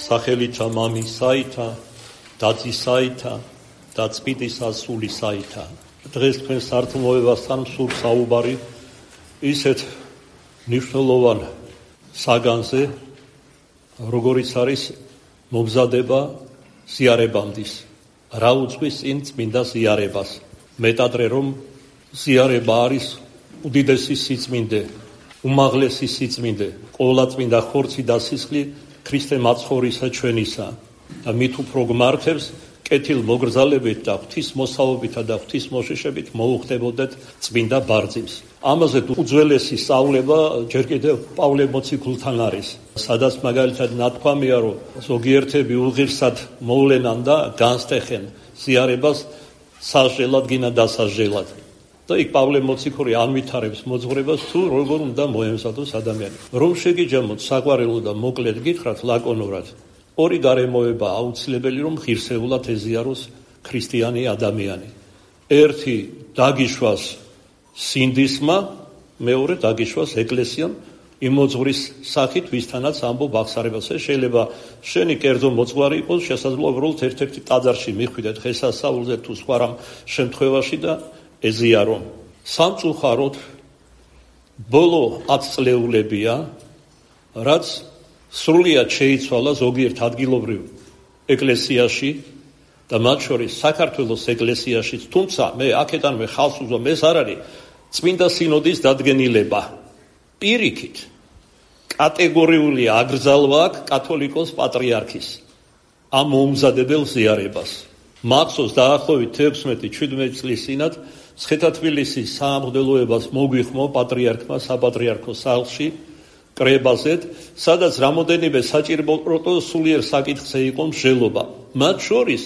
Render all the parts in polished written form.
სახელითა მამისაითა, დაწისაითა და წმინდისა სულისაითა. დღეს თქვენ სართულმოებასთან სულ საუბარი ისეთ მნიშვნელოვან საგანზე, როგორიც არის მომზადება ზიარებამდის. რა უძღვის წინ წმინდა ზიარებას. მეტადრე რომ ზიარება არის უდიდესი სიწმინდე, უმაღლესი სიწმინდე, ყოვლადწმინდა ხორცი და სისხლი ქრისტე მაცხოვრისა ჩვენისა და მით უფრო გმართებს კეთილ მოგრძალებით და ღვთისმოსაობითა და ღვთისმოშიშებით მოუხდებოდეთ წმინდა ბარძიმს. ამაზე უძველესი სწავლება ჯერ კიდევ პავლე მოციქულთან არის, სადაც მაგალითად ნათქვამია, რომ ზოგიერთები უღირსად მოვლენან და განსტეხენ ზიარებას სასჯელად გინა დასასჯელად. და იქ პავლე მოციქული ანვითარებს მოძღვრებას თუ როგორ უნდა მოემზადოს ადამიანი. რომ შეგიჯამოთ საყვარელო და მოკლედ გითხრათ ლაკონურად, ორი გარემოება აუცილებელი რომ ღირსეულად ეზიაროს ქრისტიანი ადამიანი. ერთი დაგიშვას სინდისმა, მეორე დაგიშვას ეკლესიამ იმ მოძღვრის სახით, ვისთანაც ამბობ აღსარებას. შეიძლება შენი კერძო მოძღვარი იყოს, შესაძლოა უბრალოდ ერთ-ერთი ტაძარში მიხვიდეთ დღესასწაულზე თუ სხვა რამ შემთხვევაში და ეზიარო. სამწუხაროდ ბოლო 10 წლეულებია, რაც სრულიად შეიცვალა ზოგიერთ ადგილობრივ ეკლესიაში და მათ შორის საქართველოს ეკლესიაშიც, თუმცა მე აქედანვე ხალხს უზვამ, ეს არ არის წმინდა სინოდის დადგენილება. პირიქით კატეგორიული აკრძალვა აქვს კათოლიკოს პატრიარქის ამ მომზადებელ ზიარებას. მახსოვს დაახლოებით 16-17 წლის წინათ ცხედა-თბილისის საამღვდელოებას მოგვიხმო პატრიარქმა საპატრიარქოს სახლში კრებაზეთ, სადაც რამოდენიმე საჭირო სულიერ საკითხზე იყო მსჯელობა. მათ შორის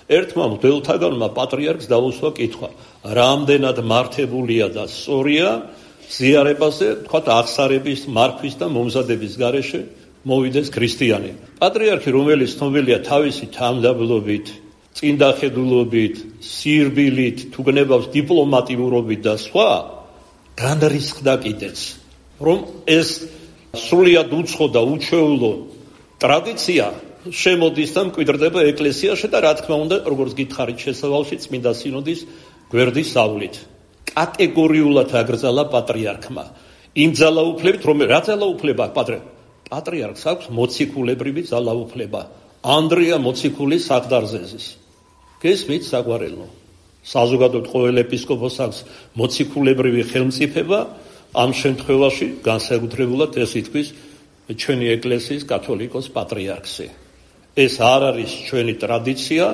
ერთმა მღვდელთაგანმა პატრიარქს დაუსვა კითხვა, რამდენად მართებულია და სწორია ზიარებაზე, თქვათ აღსარების, მართვის და მომზადების გარეშე მოვიდეს ქრისტიანი. პატრიარქი, რომელიც ცნობილია თავისი თანმდაბლობით, წინდახედულობით, სირბილით, თუ გნებავს დიპლომატიურობით და სხვა, განრისხდა კიდეც, რომ ეს სრულიად უცხო და უჩვეულო ტრადიცია შემოდის და მკვიდრდება ეკლესიაში და რა თქმა უნდა, როგორც გითხარით შესავალში წმინდა სინოდის გვერდის სავლით. კატეგორიულად აკრძალა პატრიარქმა. იმ ძალაუფლებით, რა ძალაუფლება პატრიარქს აქვს მოციქულებრივი ძალაუფლება. ანდრია მოციქულის საგდარზეზის. გესმით საყვარელო? საზოგადოებრივ ყოველ ეპისკოპოსს აქვს მოციქულებრივი ხელმწიფება, ამ შემთხვევაში განსაკუთრებულად ეს ითქვის ჩვენი ეკლესიის კათოლიკოს პატრიარქზე. ეს არ არის ჩვენი ტრადიცია,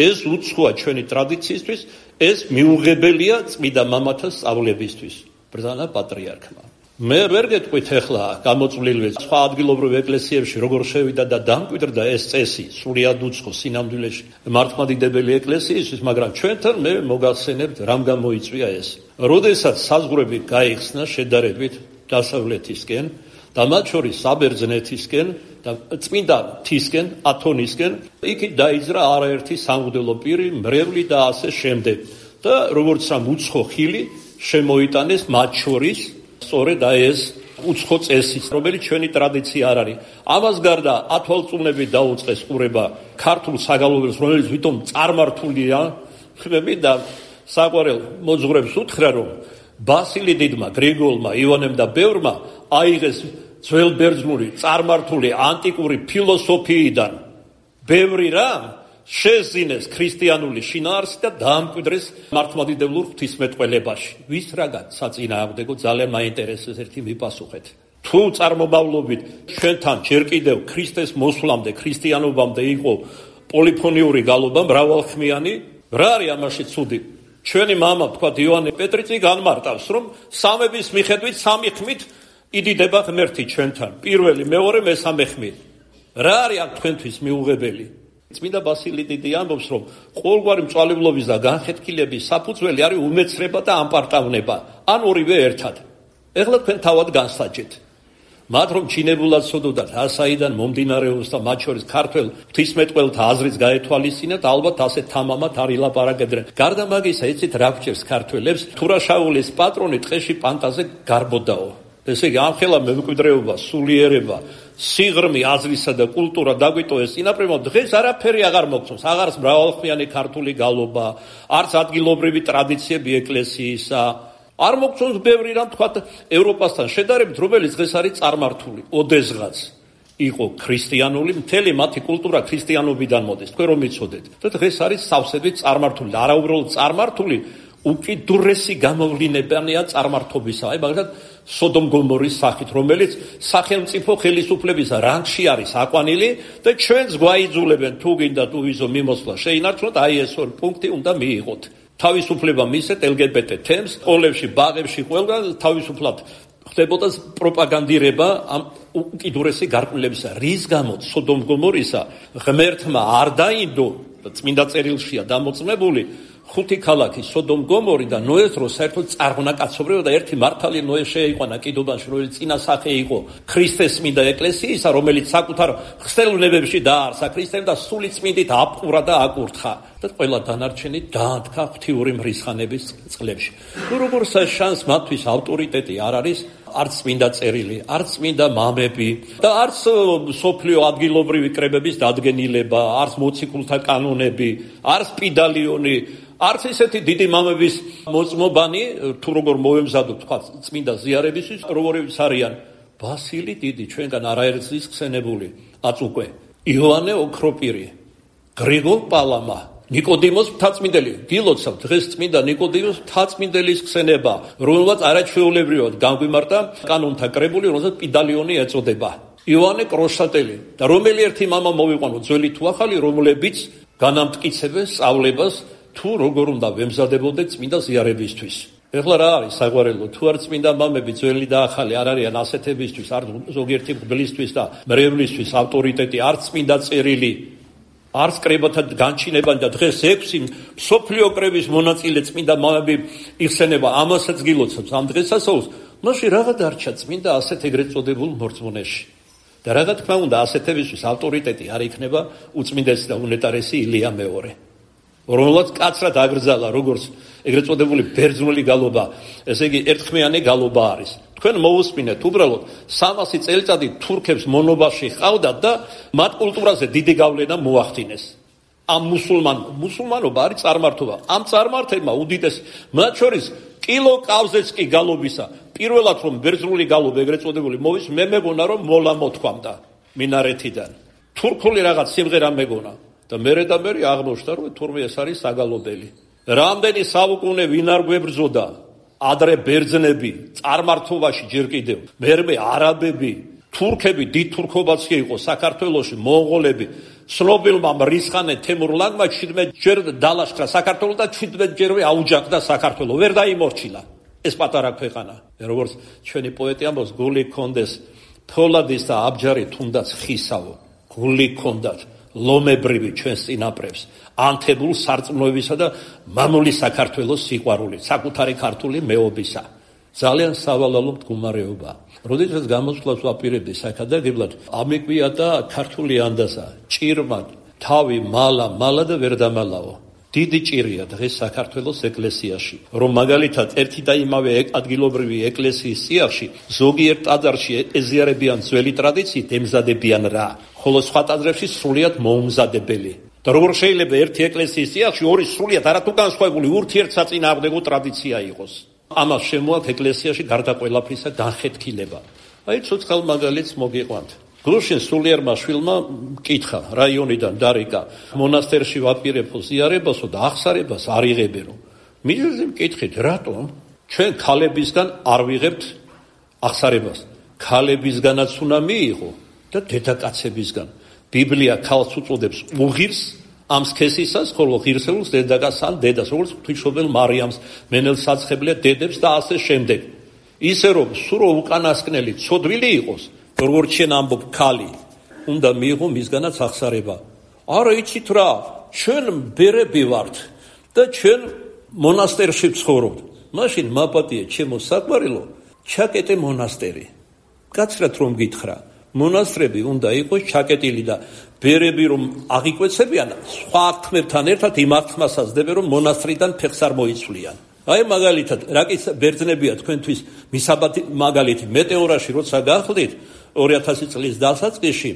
ეს უცხოა ჩვენი ტრადიციისთვის, ეს მიუღებელია წმინდა მამათა სწავლებისთვის, ბრძანა პატრიარქმა. მე ვერ გეტყვით ახლა გამოწვლილვე სხვა ადგილობრივ ეკლესიებში როგორ შევიდა და დამკვიდრდა ეს წესი სრულიად უცხო სინამდვილეში მართლმადიდებელი ეკლესიისთვის, მაგრამ ჩვენთან მე მოგახსენებთ რამ გამოიწვია ეს. როდესაც საზღვრები გაიხსნა შედარებით დასავლეთისკენ და მათ შორის საბერძნეთისკენ და წმინდა მთისკენ, ათონისკენ, იქით დაიძრა არაერთი სამღვდელო პირი, მრევლი და ასე შემდეგ. და როგორც ამ უცხო ხილი შემოიტანეს მათ შორის სწორედ ეს უცხო წესი, რომელიც ჩვენი ტრადიცია არ არის. ამას გარდა ათვალწლებით დაუწყეს ყურება ქართულ საგალობელს, რომელიც ვითომ წარმართულია, და საყვარელ მოძღვრებს უთხრა, რომ ბასილი დიდმა, გრიგოლმა, ივანემ და ბევრმა აიღეს ძველბერძნული წარმართული ანტიკური ფილოსოფიიდან ბევრი რამ შეზინეს ქრისტიანული შინაარსი და დაამკვიდრეს მართლმადიდებლურ ღვთისმეტყველებაში. ვის რაგან საწინააღმდეგო ძალიან მაინტერესებს ერთი მიპასუხეთ. თუ წარმომავლობით ჩვენთან ჯერ კიდევ ქრისტეს მოსვლამდე, ქრისტიანობამდე იყო პოლიფონიური გალობა, მრავალხმიანი, რა არის ამაში ცუდი? ჩვენი მამა, თქვა ივანე პეტრიცი განმარტავს, რომ სამების მიხედვით სამი ხმით იდიდება ღმერთი ჩვენთან. პირველი, მეორე, მესამე ხმით. რა არის აქ თქვენთვის მიუღებელი? წმინდა ბასილი დიდი ამბობს, რომ ყოველგვარი მწვალებლობის და განხეთქილების საფუძველი არის უმეცრება და ამპარტავნება, ან ორივე ერთად. ეხლა თქვენ თავად განსაჯეთ. მათ რომ ჩინებულად ცოდოდათ, ასაიდან მომდინარეობს და მათ შორის ქართველ ღვთისმეტყველთა აზრიც გაეთვალისწინეთ, ალბათ ასე თამამად არ ილაპარაკებდნენ. გარდა მაგისა, იცით რა გვჭირს ქართველებს? თურაშაულის პატრონი ტყეში პანტაზე გარბოდაო. ესე იგი, ამხელა მემკვიდრეობა, სულიერება, სიღრმე, აზრისა და კულტურა დაგვიტოვეს წინაპრებმა, დღეს არაფერი აღარ მოგწონს. აღარც მრავალხმიანი ქართული გალობა, არც ადგილობრივი ტრადიციები ეკლესიისა. არ მოგწონს ბევრი რამ თქვა ევროპასთან შედარებით, რომელიც დღეს არის წარმართული. ოდესღაც იყო ქრისტიანული, მთელი მათი კულტურა ქრისტიანობიდან მოდის. თქვენ რომ იცოდეთ. და დღეს არის სავსებით წარმართული. არა უბრალოდ წარმართული, უკიდურესი გამოვლინებაა წარმართობისა. აი მაგალითად სოდომ გომორის სახით, რომელიც სახელმწიფო ხელისუფლების რანგში არის აყვანილი და ჩვენს გვაიძულებენ თუ გინდა თუ ვიზო მიმოსვლა შეინარჩუნოთ, აი ეს ორი პუნქტი უნდა მიიღოთ. თავისუფლება მისცეთ LGBT თემს, სკოლებში, ბაღებში, ყველგან თავისუფლად ხდებოდა პროპაგანდირება ამ უკიდურესი გარკვეულებისა. რის გამოც სოდომ გომორისა ღმერთმა არ დაინდო, წმინდა წერილშია დამოწმებული, 5 ქალაქი სოდომ გომორი და ნოეს რო საერთოდ წარღვნა კაცობრიობა და ერთი მართალი ნოე შეიყვანა კიდობაში, რომელიც წინასახე იყო ქრისტეს წმინდა ეკლესიისა, რომელიც საკუთარ ხსნელუნებებში დაარსა ქრისტემ და სული წმინდით აპყურა და აკურთხა და ყველა დანარჩენი დაანთქა ღვთიური მრისხანების წყლებში. ნუ როგორ შანს მათთვის ავტორიტეტი არ არის, არც წმინდა წერილი, არც წმინდა მამები და არც სოფლიო ადგილობრივი კრებების დადგენილება, არც მოციქულთა კანონები, არც პიდალიონი, არც ისეთი დიდი მამების მოწმობანი, თუ როგორ მოემზადოთ თქვა წმინდა ზიარებისთვის, როგორიც არიან ბასილი დიდი, ჩვენგან არაერთის ხსენებული აწუკვე, იოანე ოქროპირი, გრიგოლ პალამა, ნიკოდიმოს მთაწმინდელი. გილოცავ დღეს წმინდა ნიკოდიმოს მთაწმინდელის ხსენება, რომელსაც არაჩვეულებრივად განგვიმართა კანონთა კრებული, რომელსაც პიდალიონი ეწოდება. იოანე კროშატელი და რომელი ერთი მამა მოვიყვანო, ძველი თუ ახალი, რომლებიც განამტკიცებენ სწავლებას თუ როგორ უნდა ვემზადებოდეთ წმინდა ზიარებისთვის. ეხლა რა არის საგვარელო, თუ არ წმინდა მამები ძველი და ახალი არ არიან ასეთებისთვის, არ ზოგიერთი მღვდლისთვის და მრევლისთვის ავტორიტეტი, არც წმინდა წერილი, არც კრებათა განჩინება და დღეს 6 მსოფლიო კრების მონაწილე წმინდა მამები იხსენება, ამასაც გილოცავს ამ დღესასწაულს. მაშინ რაღა დარჩა წმინდა ასეთ ეგრეთ წოდებულ მორწმუნეში. და რა თქმა უნდა ასეთებისთვის ავტორიტეტი არ იქნება უწმინდესი და უნეტარესი ილია მეორე, რომელსაც კაცრად აგრძალა როგორც ეგრეთ წოდებული ბერძნული გალობა, ესე იგი ერთხმიანი გალობა არის. თქვენ მოусმინეთ უბრალოდ 300 წელიწადი თურქებს მონობაში ყავდათ და მათ კულტურაზე დიდი გავლენა მოახდინეს. ამ მუსულმანობა არის წარმართობა. ამ წარმართებმა უდიდეს მათ შორის კილო კავზეც კი გალობისა. პირველად რომ ბერძნული გალობა ეგრეთ წოდებული მოვის, მე მეგონა რომ მოლა მოთქვამდა მინარეთიდან. თურქული რაღაც სიმღერა მეგონა. და მერე აღმოჩნდა რომ თურმე ეს არის საგალობელი. რამდენი საუკუნე ვინ არ გვებრძოდა, ადრე ბერძნები წარმართობაში ჯერ კიდევ, მერმე არაბები, თურქები, დიდ თურქობაც იყო საქართველოში, მონღოლები, ცნობილმა მრისხანე თემურლანგმა 17 ჯერ დალაშქრა საქართველო და 17 ჯერვე აუჯანყდა საქართველო, ვერ დაიმორჩილა ეს პატარა ქვეყანა. როგორც ჩვენი პოეტი ამბობს, გული კონდეს ფოლადის და აბჯარი თუნდაც ხისავო, გული კონდათ ლომებრივი ჩვენს წინაპრებს, ანთებულ სარწმუნოებისა და მამული საქართველოს სიყვარული, საკუთარი ქართული მეობისა. ძალიან სავალალო მდგომარეობა. როდესაც გამოსვლას ვაპირებდი საკადაგებლად, ამეკვია და ქართული ანდაზა, ჭირმა, თავი, მალა და ვერ დამალაო. დიდი ჭირია დღეს საქართველოს ეკლესიაში, რომ მაგალითად ერთი და იმავე ადგილობრივი ეკლესიის სიახში ზოგიერთ ტაძარში ეზიარებიან ძველი ტრადიციით, ემზადებიან რა, ხოლო სხვა ტაძრებში სრულიად მოუმზადებელი. და როგორ შეიძლება ერთი ეკლესიის სიახში ორი სრულიად არათუგანსხვავებული ურთიერთსაწინააღმდეგო ტრადიცია იყოს. ამას შემოაქვს ეკლესიაში გარდა ყველაფრისა განხეთქილება. აი ცოცხალ მაგალითს მოგიყვანთ. გლუშინ სულიერმა შვილმა მკითხა რაიონიდან დარიკა, მონასტერში ვაპირებო ზიარებასო და აღსარებას არ იღებერო. მიზეზი მკითხით, რატომ ჩვენ ქალებისგან არ ვიღებთ აღსარებას? ქალებისგანაც უნდა მიიღო და დედაკაცებისგან. ბიბლია ქალს უწოდებს უღირს ამ სქესისას, ხოლო ღირსეულს დედაკაცს ან დედას, როგორც ღვთისმშობელ მარიამს, მენელ საცხებლე დედებს და ასე შემდეგ. ისე რომ სურო უკანასკნელი ცოდვილი იყოს, როგორც შენ ამბობ ქალი, უნდა მიიღო მისგანაც აღსარება. არა იცით რა, ჩვენ ბერები ვართ და ჩვენ მონასტერში ვცხოვრობთ. მაშინ მაპატიე ჩემო საყვარელო, ჩაკეტე მონასტერი. კაცრად რომ გითხრა, მონასტრები უნდა იყოს ჩაკეტილი და ბერები რომ აღიკვეცებიან, სხვა ქმებთან ერთად იმ აღთმასაც დებენ, რომ მონასტრიდან ფეხს არ მოიცვლიან. აი მაგალითად, რაკიც ბერძნებია თქვენთვის მისაბათი მაგალითი, მეტეორაში როცა გახლდით, 2000 წლის დასაწყისში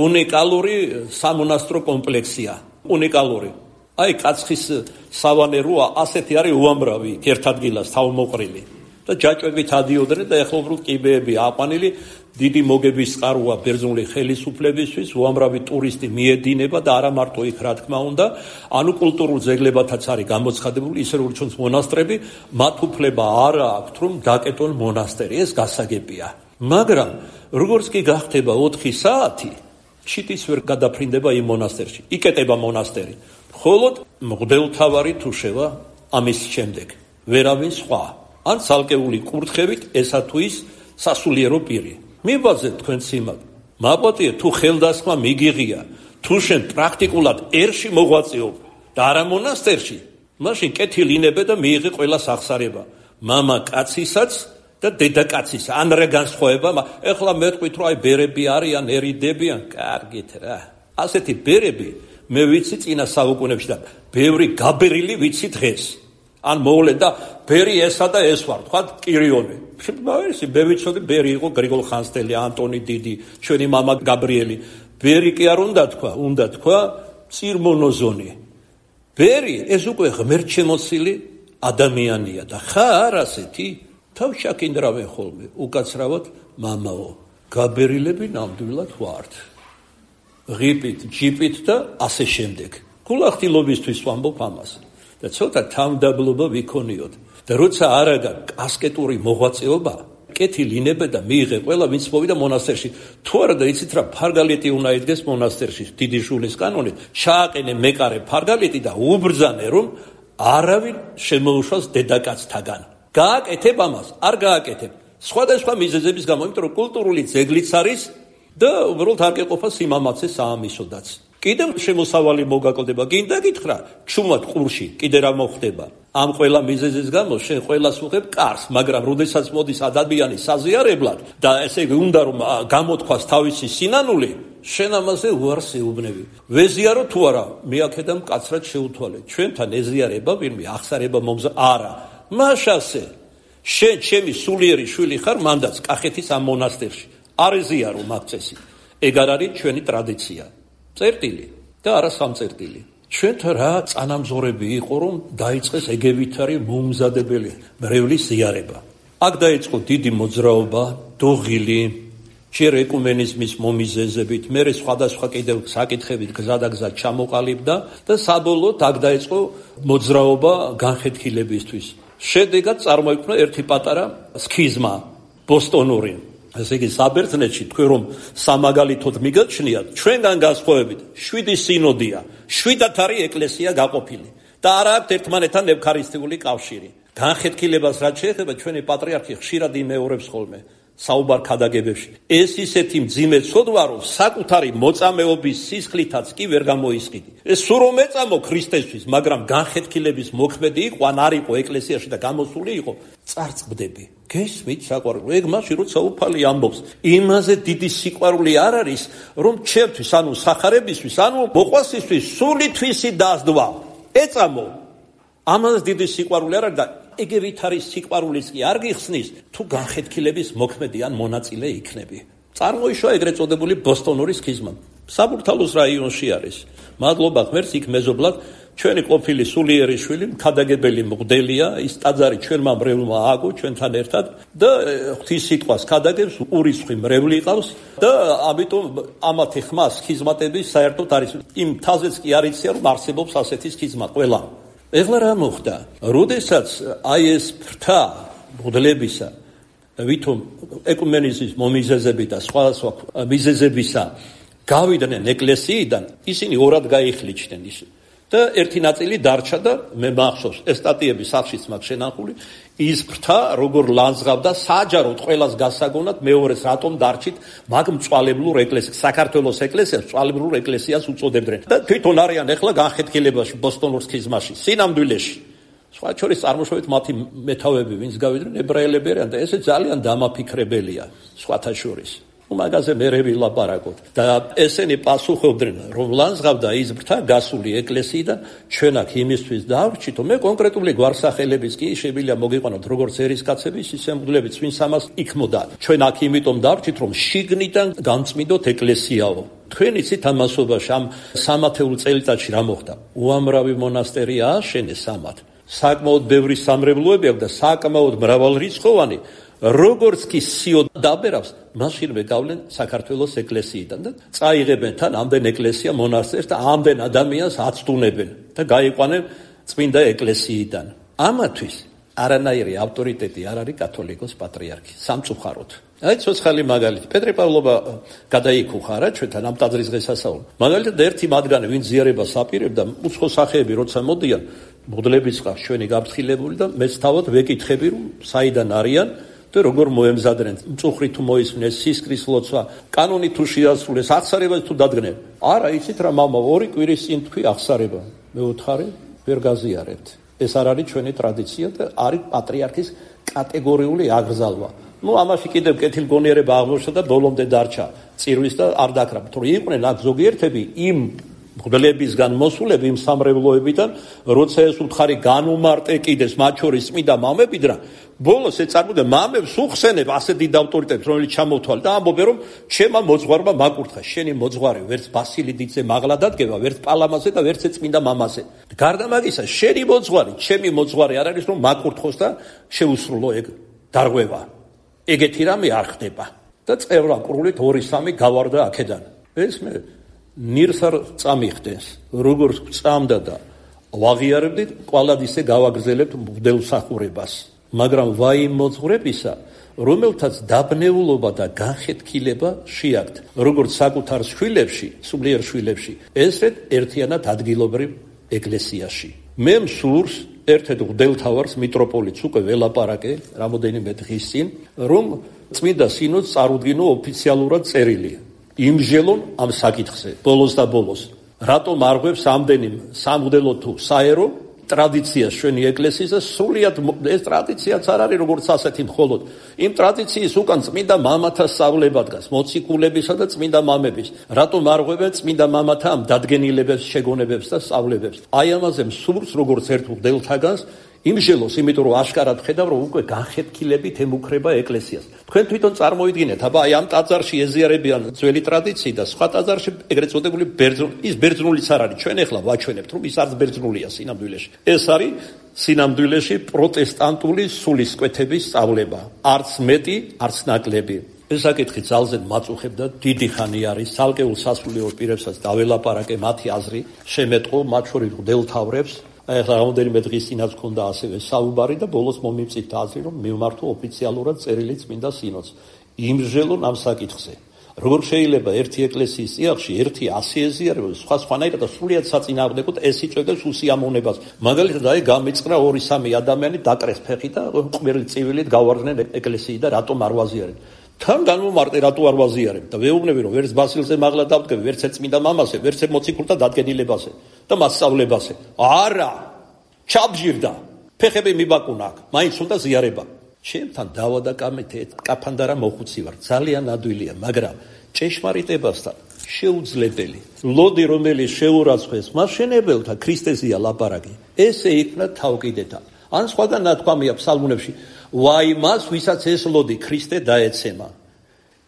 უნიკალური სამონასტრო კომპლექსია. უნიკალური. აი კაცხის სავანეროა ასეთი არის უამრავი ერთ ადგილას თავმოყრილი. და ჯაჭვებით ადიოდნენ და ეხლა უბრალოდ კიბეები აყვანილი დიდი მოგების წყაროა ბერძნული ხელისუფლებისთვის უამრავი ტურისტი მიედინება და არა მარტო იქ რა თქმა უნდა ანუ კულტურულ ძეგლებათაც არის გამოცხადებული ისე როგორც ჩვენს მონასტრები მათ უფლება არ აქვთ რომ დაკეტონ მონასტერი ეს გასაგებია მაგრამ როგორც კი გახდება 4 საათი ჩიტის ვერ გადაფრინდება იმ მონასტერში იკეტება მონასტერი მხოლოდ მღვდელთავარი თუ შევა ამის შემდეგ ვერავინ სხვა ან ცალკეული კურთხევით ესა თუ ის სასულიერო პირი მიბაძეთ თქვენ სიმად მაპატიე თუ ხელდასხმა მიგიღია თუ შენ პრაქტიკულად ერში მოღვაწეობ და არა მონასტერში მაშინ კეთილინებე და მიიღე ყველა სახსარება მამა კაცისაც და დედა კაცისა ან რა განსხვავება ეხლა მეთქვით რომ აი ბერები არიან ერიდებიან კარგით რა ასეთი ბერები მე ვიცი წინა საუკუნეებში და ბევრი გაბერილი ვიცი დღეს ან მოვლენ და ბერი ესა და ეს ვარ თქვა კირიონი მაგისი მე ვიცოდი ბერი იყო გრიგოლ ხანძთელი ანტონი დიდი ჩვენი მამა გაბრიელი ბერი კი არ უნდა თქვა წირმონოზონი ბერი ეს უკვე ღმერთშემოცილი ადამიანია და ხარ ასეთი თავ შაკინდრავენ ხოლმე უკაცრავად მამაო გაბერილები ნამდვილად ვართ ღიპით ჯიპით და ასე შემდეგ გულახდილობისთვის ვამბობ ამას და ცოტა თავდაბლობა ვიქონიოთ და როცა არ აქვს ასკეტური მოღვაწეობა კეთილინებე და მიიღე ყველა ვინც მოვიდა მონასტერში თუ არა და იცით რა ფარგალეტი უნდა იდგეს მონასტერში დიდი შულის კანონით ჩააყენე მეკარე ფარგალეტი და უბრძანე რომ არავინ შემოუშვას დედაკაცთაგან გააკეთებ ამას არ გააკეთებ სხვადასხვა მიზეზების გამო იმიტომ რომ კულტურული ძეგლიც არის და უბრალოდ არ გეყოფა სიმამაცე საამისოდაც კიდევ შემოსავალი მოგაკლდება გინდა გითხრა ჩუმად ყურში კიდე რა მოხდება ამ ყველა მიზეზის გამო შენ ყველას უღებ კარს მაგრამ როდესაც მოდის ადამიანი საზიარებლად და ესე იგი უნდა რომ გამოთქვას თავისი სინანული შენ ამაზე უარს ეუბნები ვეზიარო თუ არა მე აქედან მკაცრად შეუთვალე ჩვენთან ეზიარება ვინმე ახსარება მომზა არა მაშასე შენ ჩემი სულიერი შვილი ხარ მანდაც კახეთის ამ მონასტერში არ ეზიარო მაგწესი ეგ არ არის ჩვენი ტრადიცია წერტილი და არა სამწერტილი ჩვენთან რა წანამძღვრები იყო რომ დაიწყეს ეგევითარი მოუმზადებელი მრევლის ზიარება აქ დაიწყო დიდი მოძრაობა დოღილი ჯერ ეკუმენიზმის მომიზეზებით მერე სხვადასხვა კიდევ საკითხებით გზადაგზად ჩამოყალიბდა და საბოლოოდ აქ დაიწყო მოძრაობა განხეთქილებისთვის შედეგად წარმოიქმნა ერთი პატარა სქიზმა ბოსტონური ესე იგი საბერძნეთში თქვენ რომ სამაგალითოდ მიგაჩნიათ ჩვენგან განსხვავებით 7 სინოდია 7-ად არის ეკლესია გაყოფილი და არა აქვს ერთმანეთთან ევქარისტიული კავშირი განხეთქილებას რაც შეეხება ჩვენი პატრიარქი ხშირად იმეორებს ხოლმე საუბარ ქადაგებებში ეს ისეთი მძიმე ცოდვა რომ საკუთარი მოწამეობის სისხლითაც კი ვერ გამოისყიდი ეს სულ რომ ეწამო ქრისტესთვის მაგრამ განხეთქილების მოქმედი იყო ან არ იყო ეკლესიაში და გამოსული იყო წარწყდები გესმით საყვარელო ეგ მაშინ როცა უფალი ამბობს იმაზე დიდი სიყვარული არ არის რომ ჩემთვის ანუ სახარებისთვის ანუ მოყვასისთვის სული თვისი დასდვა ეწამო ამაზე დიდი სიყვარული არ არის და ეგევით არის სიყვარულიც კი არ გიხსნის თუ განხეთქილების მოქმედი ან მონაწილე იქნები წარმოიშვა ეგრეთ წოდებული ბოსტონური სქიზმა საბურთალოს რაიონში არის მადლობა ღმერთს იქ მეზობლად ჩვენი ყოფილი სულიერი შვილი ქადაგებელი მღვდელია ის ტაძარი ჩვენმა მრევლმა ააგო ჩვენთან ერთად და ღვთის სიტყვას ქადაგებს ურიცხვი მრევლი ყავს და ამიტომ ამათი ხმა სქიზმატების საერთოდ არის იმ თაზეც კი არ იციან რომ არსებობს ასეთი სქიზმა ყველა ეხლა რა მოხდა? როდესაც აი ეს ფრთა მღვდლებისა ვითომ ეკუმენიზმის მომიზეზები და სხვა მიზეზებისა გავიდნენ ეკლესიიდან ისინი ორად გაიხლიჩდნენ ის და ერთი ნაწილი დარჩა და მე მახსოვს ეს სტატიები სახშიც მაქვს შენახული ის ფრთა როგორ ლანძღავდა საჯაროდ ყველას გასაგონად მეორეს რატომ დარჩით მაგ მწვალებლურ ეკლესიას საქართველოს ეკლესიას მწვალებლურ ეკლესიას უწოდებდნენ და თვითონ არიან ახლა განხეთქილებაში ბოსტონურ სქიზმაში სინამდვილეში სხვა შორის წარმოშობით მათი მეთავები ვინც გავიდნენ ებრაელები არიან და ესე ძალიან დამაფიქრებელია სხვათა შორის მაგაზე მერე ვილაპარაკოთ. და ესენი პასუხობდნენ, რომ ლანძღავდა ის ბრთა გასული ეკლესიიდან, ჩვენ აქ იმისთვის დავრჩით, მე კონკრეტული გვარსახელების კი შეგვიძლია მოგიყვანოთ როგორც ერისკაცების, ისე მღვდლებიც, ვინც ამას იქმოდა. ჩვენ აქ იმიტომ დავრჩით, რომ შიგნიდან განწმინდოთ ეკლესიაო. თქვენ იცით ამასობაში ამ სამათეულ წელიწადში რა მოხდა? უამრავი მონასტერი ააშენეს ამათ. საკმაოდ ბევრი სამრევლოები აქვს და საკმაოდ მრავალრიცხოვანი. როგორც კი სიო დაბერავს, მაშინვე გავლენ საქართველოს ეკლესიიდან და წაიღებენ თან ამდენ ეკლესია მონასტერს და ამდენ ადამიანს აცდუნებენ და გაიყვანენ წმინდა ეკლესიიდან. ამათვის არანაირი ავტორიტეტი არ არის კათოლიკოს პატრიარქი სამწუხაროდ. აი ცოცხალი მაგალითი პეტრე პავლობა გადაიქუხა რა ჩვენთან ამ ტაძრის დღესასწაულს. მაგალითად ერთი მათგანი ვინც ზიარებას აპირებდა უცხო სახეები როცა მოდიან მღვდლებიც ყავს ჩვენი გაფრთხილებული და მეც თავად ვეკითხები რომ საიდან არიან და როგორ მოემზადნენ მწუხრი თუ მოისმნეს სისკრის ლოცვა კანონი თუ შეასრულეს აღსარებას თუ დადგნენ. არა იცით რა მამა 2 კვირის წინ თქვი აღსარება მეუთხარი ვერ გაზიარებთ. ეს არ არის ჩვენი ტრადიცია და არის პატრიარქის კატეგორიული აგრძალვა. ამაში კიდევ კეთილგონიერება აღმოჩნდა და ბოლომდე დარჩა წირვის და არ დაკრა. თუ იყვნენ აქ ზოგიერთები იმ მღვდლებისგან მოსულები იმ სამრევლოებიდან, როცა ეს უთხარი განუმარტე კიდეს მათ შორის წმინდა მამებიდან, ბოლოს ეწარმოდა მამებს უხსენებ ასე დიდ ავტორიტეტს, რომელიც ჩამოთვალე და ამბობენ რომ ჩემმა მოძღვარმა მაკურთხა. შენი მოძღვარი ვერც ბასილი დიდზე მაღლა დადგება, ვერც პალამაზე და ვერც წმინდა მამაზე. გარდა მაგისა, შენი მოძღვარი, ჩემი მოძღვარი არ არის რომ მაკურთხოს და შეუსრულო ეგ დარღვევა. ეგეთი რამე არ ხდება და წევრაკრულით 2-3 გავარდა აქედან. ეს მე ნირს არ წამიხდენს, როგორც წამდა და ვაღიარებდით, კვალად ისე გავაგრძელებთ მღვდელსახურებას. მაგრამ ვაიმ მოძღვრებისა, რომელთაც დაბნეულობა და განხეთქილება შეაქვთ, როგორც საკუთარ შვილებში, სულიერ შვილებში, ესრეთ ერთიანად ადგილობრივ ეკლესიაში. მე მსურს ერთ-ერთ მღვდელთავარს მიტროპოლიტს უკვე ველაპარაკე რამოდენიმე დღის წინ, რომ წმინდა სინოდს წარუდგინო ოფიციალურად წერილი. იმჟელონ ამ საკითხზე, ბოლოს და ბოლოს. რატომ არღვევს ამდენი სამღვდელო თუ საერო ტრადიციას ჩვენი ეკლესიის და სულიად ეს ტრადიციაც არ არის როგორც ასეთი მხოლოდ. იმ ტრადიციის უკან წმინდა მამათა სწავლება დგას, მოციქულებისა და წმინდა მამების. რატომ არღვევენ წმინდა მამათა ამ დადგენილებებს, შეგონებებს და სწავლებებს? აი ამაზე მსურს როგორც ერთ მღვდელთაგანს იმჟელოს, იმიტომ რომ აშკარად ხედავ, რომ უკვე განხეთქილებით ემუქრება ეკლესიას. თქვენ თვითონ წარმოიდგინეთ, აბა აი ამ ტაძარში ეზიარებიან ძველი ტრადიცია და სხვა ტაძარში ეგრეთ წოდებული ბერძნული, ის ბერძნულიც არ არის. ჩვენ ახლა ვაჩვენებთ, რომ ის არც ბერძნულია სინამდვილეში. ეს არის სინამდვილეში პროტესტანტული სულისკვეთების სწავლება. არც მეტი, არც ნაკლები. ეს საკითხი ძალზე მაწუხებ და დიდი ხანი არის ცალკეულ სასულიერო პირებსაც დაველაპარაკე მათი აზრი, შემეტყო მათ შორის მღვდელთავრებს. ახლა რამოდენიმე დღის წინაც ქონდა ასევე საუბარი და ბოლოს მომიმწით აზრი, რომ მივმართო ოფიციალურად წერილი წმინდა სინოდს. იმჟელონ ამ საკითხზე. როგორ შეიძლება ერთი ეკლესიის წიაღში ერთი 100 ეზიარება, სხვანაირად და სრულიად საწინააღმდეგოდ ეს იწვევს უსიამოვნებას. მაგალითად, აი გამიწყრა 2-3 ადამიანი დაკრეს ფეხი და ყმერლ წივილით გავარდნენ ეკლესიიდან და რატომ არ ვაზიარებ? თან განმომარტე რატო არ ვაზიარებ და ვეუბნები რომ ვერც ბასილზე მაღლა დავდგები, ვერც წმინდა მამაზე, ვერც მოციქულთა დადგენილებაზე და მასწავლებაზე. არა! ჩაბჟირდა. ფეხები მიბაკუნა აქ. მაინც უნდა ზიარება. ჩემთან დავა და კამეთე კაფანდარა მოხუცი ვარ. ძალიან ადვილია, მაგრამ ჭეშმარიტებასთან შეუძლებელი. ლოდი რომელიც შეურაცხეს მასშენებელთა ქრისტეზია ლაპარაკი. ესე იქნა თავკიდეთა. ან სხვაგან ნათქვამია ფსალმუნებში ვაი მას ვისაც ეს ლოდი ქრისტე დაეცემა.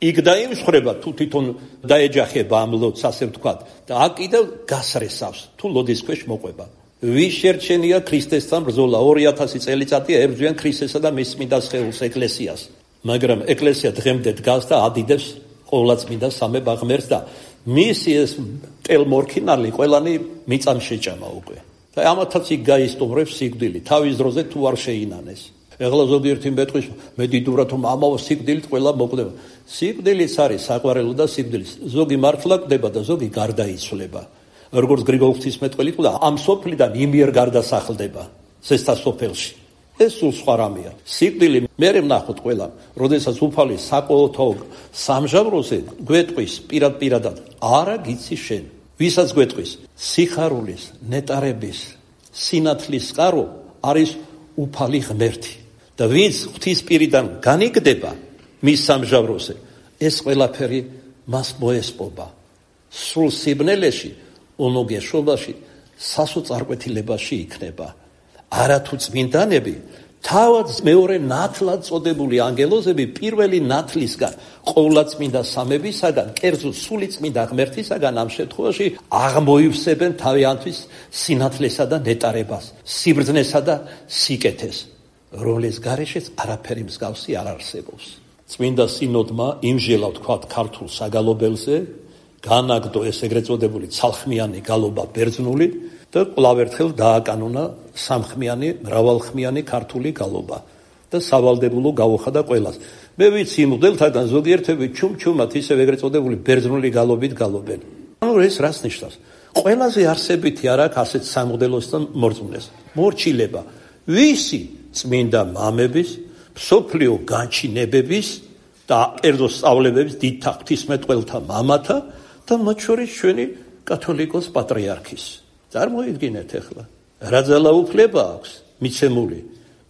იქ დაიმსხრება თუ თვითონ დაეჯახება ამ ლოდს ასე ვთქვათ და აქ კიდევ გასრესავს თუ ლოდის ქვეშ მოყვება. ვის შერჩენია ქრისტესთან ბრძოლა 2000 წელიწადია ებრძვიან ქრისტესა და მის წმინდა სხეულს ეკლესიას. მაგრამ ეკლესია დღემდე დგას და ადიდებს ყოვლადწმინდა სამება ღმერთს და მისი ეს ტელმორქინალი ყველანი მიწამ შეჭამა უკვე. და ამათაც იქ გაისტუმრებს სიკვდილი თავის დროზე თუ არ შეინანეს. ეხლა ზოგიერთი მეტყვის მე დიდურად რომ ამაო სიკვდილით ყველა მოკვდება. სიკვდილიც არის საყვარელო და სიკვდილის ზოგი მართლა კვდება და ზოგი გარდაიცვლება. როგორც გრიგოლ ღვთისმეტყველი კვდა ამ სოფლიდან იმიერ გარდასახლდება ზესთა სოფელში. ეს სულ სხვა რამეა. სიკვდილი მერე ვნახოთ ყველა, როდესაც უფალი საკოთო სამჟავროზე გვეტყვის პირადად არა გიცი შენ. ვისაც გვეტყვის სიხარულის, ნეტარების, სინათლის წყარო არის უფალი ღმერთი. და ვინც ღვთის პირიდან განიგდება მის სამჟავროზე, ეს ყველაფერი მას მოესპობა. სულ სიბნელეში, უნოგეშობაში, სასოწარკვეთილებაში იქნება. არათუ წმინდანები, თავად მეორე ნათლად წოდებული ანგელოზები პირველი ნათლისგან, ყოვლადწმინდა სამებისაგან, კერძოდ სული წმინდა ღმერთისაგან ამ შემთხვევაში აღმოივსებენ თავიანთვის სინათლესა და ნეტარებას, სიბრძნესა და სიკეთეს, რომლის გარეშეც არაფერი მსგავსი არ არსებობს. წმინდა სინოდმა იმჟელა ვთქვათ ქართულ საგალობელზე, განაგდო ეს ეგრეთ წოდებული ცალხმიანი გალობა ბერძნული და კვლავ ერთხელ დააკანონა სამხმიანი, მრავალხმიანი ქართული გალობა და სავალდებულო გაუხადა ყველას. მე ვიცი მღვდელთაგან ზოგიერთები ჩუმჩუმად ისევ ეგრეთ წოდებული ბერძნული გალობით გალობენ. ანუ ეს რას ნიშნავს? ყველაზე არსებითი არ აქვს ასეთ სამღვდელოს და მორწმუნეს. მორჩილება ვისი წმინდა მამების, მსოფლიო განჩინებების და კერძო სწავლებების დიდთა ღვთისმეტყველთა მამათა და მათ შორის ჩვენი კათოლიკოს პატრიარქის. წარმოიდგინეთ ახლა, რა ძალაუფლება აქვს მიცემული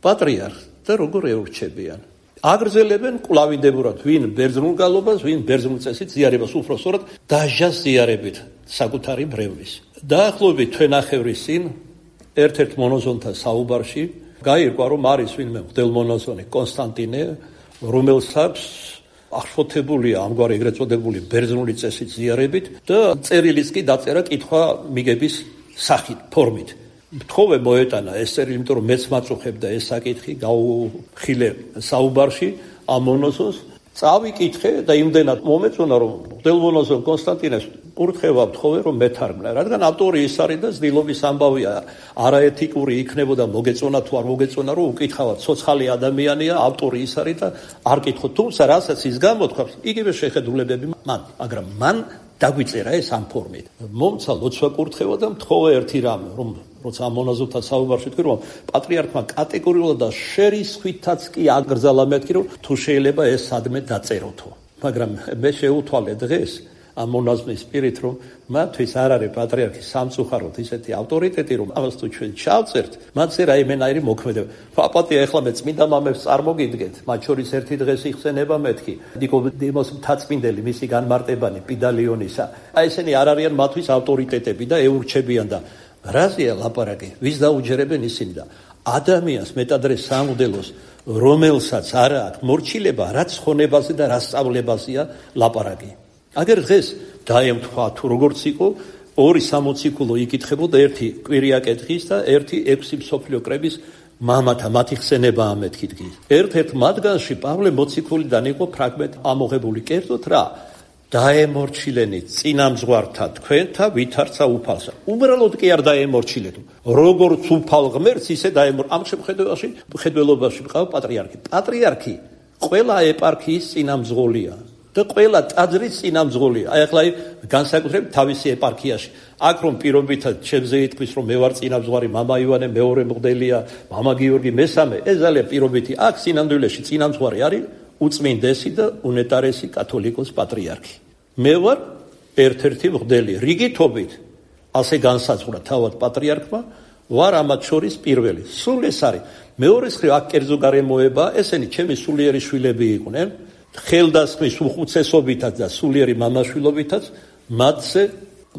პატრიარქს და როგორ ეურჩებიან. აგრძელებენ კვლავინდებურად ვინ ბერძნულ გალობას, ვინ ბერძნულ წესით ზიარებას, უფრო სწორად დაჟას ზიარებით საკუთარი ბრევლის. დაახლოებით თვენახევრის წინ ერთ-ერთ მონოზონთა საუბარში გაირკვა, რომ არის ვინმე მღვდელმონაზონი კონსტანტინე, რომელსაც აღშფოთებულია ამგვარი ეგრეთ წოდებული ბერძნული წესით ზიარებით და წერილიც კი დაწერა კითხვა მიგების სახით, ფორმით. მთხოვე მოეტანა ეს წერილი, იმიტომ რომ მეც მაწუხებდა ეს საკითხი, გავუხილე საუბარში ამ მონოზონს, წავიკითხე და იმდენად მომეწონა, რომ მღვდელმონაზონ კონსტანტინეს კურთხევა ვთხოვე, რომ მეთარგმნა, რადგან ავტორი ის არის და ძნელობის ამბავია, არაეთიკური იქნებოდა მოგეწონა თუ არ მოგეწონა, რომ უკითხავად ცოცხალი ადამიანია, ავტორი ის არის და არ კითხო, თუმცა რასაც ის გამოთქვამს, იგივე შეხედულებები მან, მაგრამ მან დაგვიწერა ეს ამ ფორმით. მომცა ლოცვა კურთხევა და მთხოვე ერთი რამე, რომ როცა ამ მონაზონთან საუბარში ვთქვი, რომ პატრიარქმა კატეგორიულად და შერისხვითაც კი აკრძალა მეთქი, რომ თუ შეიძლება ეს სადმე დაწეროთო. მაგრამ მე შეუთვალე დღეს ამ მონაზონის პირით, რომ მათთვის არ არის პატრიარქის სამწუხაროდ ისეთი ავტორიტეტი, რომ ამას თუ ჩვენ ჩავწერთ, მათზე რაიმენაირი მოქმედება. პაპატია ეხლა მე წმინდა მამებს წარმოგიდგეთ, მათ შორის ერთი დღეს იხსენება მეთქი, ნიკოდიმოს მთაწმინდელი, მისი განმარტებანი პიდალიონისა. აი ესენი არ არიან მათთვის ავტორიტეტები და ეურჩებიან და რაზეა ლაპარაკი? ვის დაუჯერებენ ისინი და ადამიანს მეტადრე სამღვდელოს, რომელსაც არ აქვს მორჩილება, რაც ხონებაზე და რაც სწავლებაზეა ლაპარაკი. აგერ დღეს დაემთხვა თუ როგორც იყო, 2 სამოციქულო იკითხებოდა, ერთი კვირიაკეთხის და ერთი 6 მსოფლიო კრების მამათა, მათი ხსენება ამეთქი. ერთ-ერთ მათგანში პავლე მოციქულიდან იყო ფრაგმენტი ამოღებული, კერძოდ რა? დაემორჩილენი წინამძღვართა თქვენთა ვითარცა უფალსა. უბრალოდ კი არ დაემორჩილეთ. როგორც უფალ ღმერთს ისე ამ შემთხვევაში მხედველობაში მყავს პატრიარქი. პატრიარქი ყველა ეპარქიის წინამძღოლია და ყველა ტაძრის წინამძღოლია. აი ახლა განსაკუთრებით თავისი ეპარქიაში. აქ რომ პირობითად ჩემზე ითქვის, რომ მე ვარ წინამძღვარი, მამა ივანე მეორე მღვდელია, მამა გიორგი მესამე, ეს ძალიან პირობითი. აქ სინამდვილეში წინამძღვარი არის უწმინდესი და უნეტარესი კათოლიკოს პატრიარქი. მე ვარ ერთ-ერთი მღვდელი. რიგითობით ასე განსაზღვრა თავად პატრიარქმა, ვარ ამათ შორის პირველი. სულ ეს არის. მეორე მხრივ აქ კერძო გარემოება, ესენი ჩემი სულიერი შვილები იყვნენ. ხელდასხმის უხუცესობითაც და სულიერი მამაშვილობითაც მათზე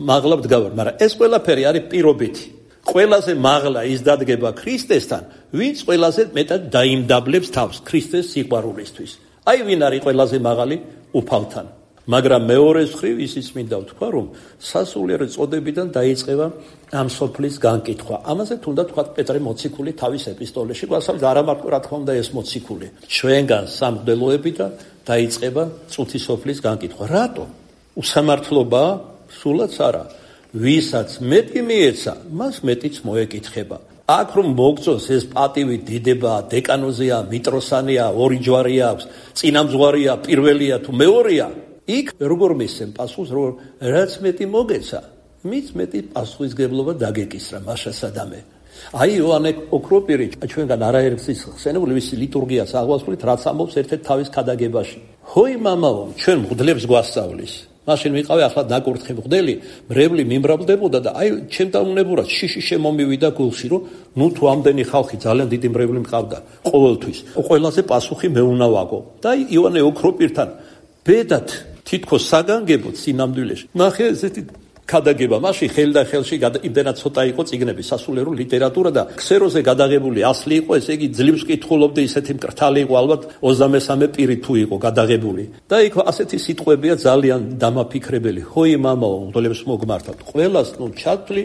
მაღლა ვდგავარ, მაგრამ ეს ყველაფერი არის პირობითი. ყველაზე მაღლა ის დადგება ქრისტესთან, ვინც ყველაზე მეტად დაიმდაბლებს თავს ქრისტეს სიყვარულისთვის. აი ვინ არის ყველაზე მაღალი უფალთან. მაგრამ მეორე მხრივ ისიც მინდა ვთქვა, რომ სასულიერო წოდებიდან დაიწყება ამ სოფლის განკითხვა. ამაზე თუნდაც თქვა პეტრე მოციქული თავის ეპისტოლეში, გვასწავლის არა მარტო რა თქმა უნდა ეს მოციქული. ჩვენგან სამღვდელოებიდან დაიწყება წუთი სოფლის განკითხვა. რატო? უსამართლობა? სულაც არა. ვისაც მეტი მიეცა, მას მეტიც მოეკითხება. აქ რომ მოგწონს ეს პატივი დიდება, დეკანოზია, მიტროსანია, ორი ჯვარი აქვს, წინამძღვარია, პირველია თუ მეორეა, იქ როგორ მისცემ პასუხს, რომ რაც მეტი მოგეცა, მით მეტი პასუხისგებლობა დაგეკისრა მაშა სადამე. აი იოანე ოქროპირი ჩვენგან არაერთის ხსენებული ვისი ლიტურგიას აღვასრულით, რაც ამბობს ერთ-ერთ თავის ქადაგებაში. ჰოი მამაო, ჩვენ მღვდლებს გვასწავლის. მაშინ ვიყავი ახლა დაკურთხე მღვდელი, მრევლი მიმრავლდებოდა და აი ჩემ დაუნებურად შიში შემომივიდა გულში, რომ ნუ თუ ამდენი ხალხი ძალიან დიდი მრევლი მყავდა ყოველთვის. ყველაზე პასუხი მე უნდა ვაგო. და აი იოანე ოქროპირთან ბედად თითქოს საგანგებოდ სინამდვილეში. ნახე ესეთი გადაგება მაშინ ხელი და ხელში იმდენად ცოტა იყო წიგნები, სასულიერო ლიტერატურა და ქსეროზე გადაღებული ასლი იყო, ესე იგი ძლივს კითხულობდი, ისეთი მკრთალი იყო, ალბათ 23 პირი თუ იყო გადაღებული. და იქ ასეთი სიტყვებია ძალიან დამაფიქრებელი. ჰოი მამაო, მღვდლებს მოგმართავთ. ყველას ჩათვლი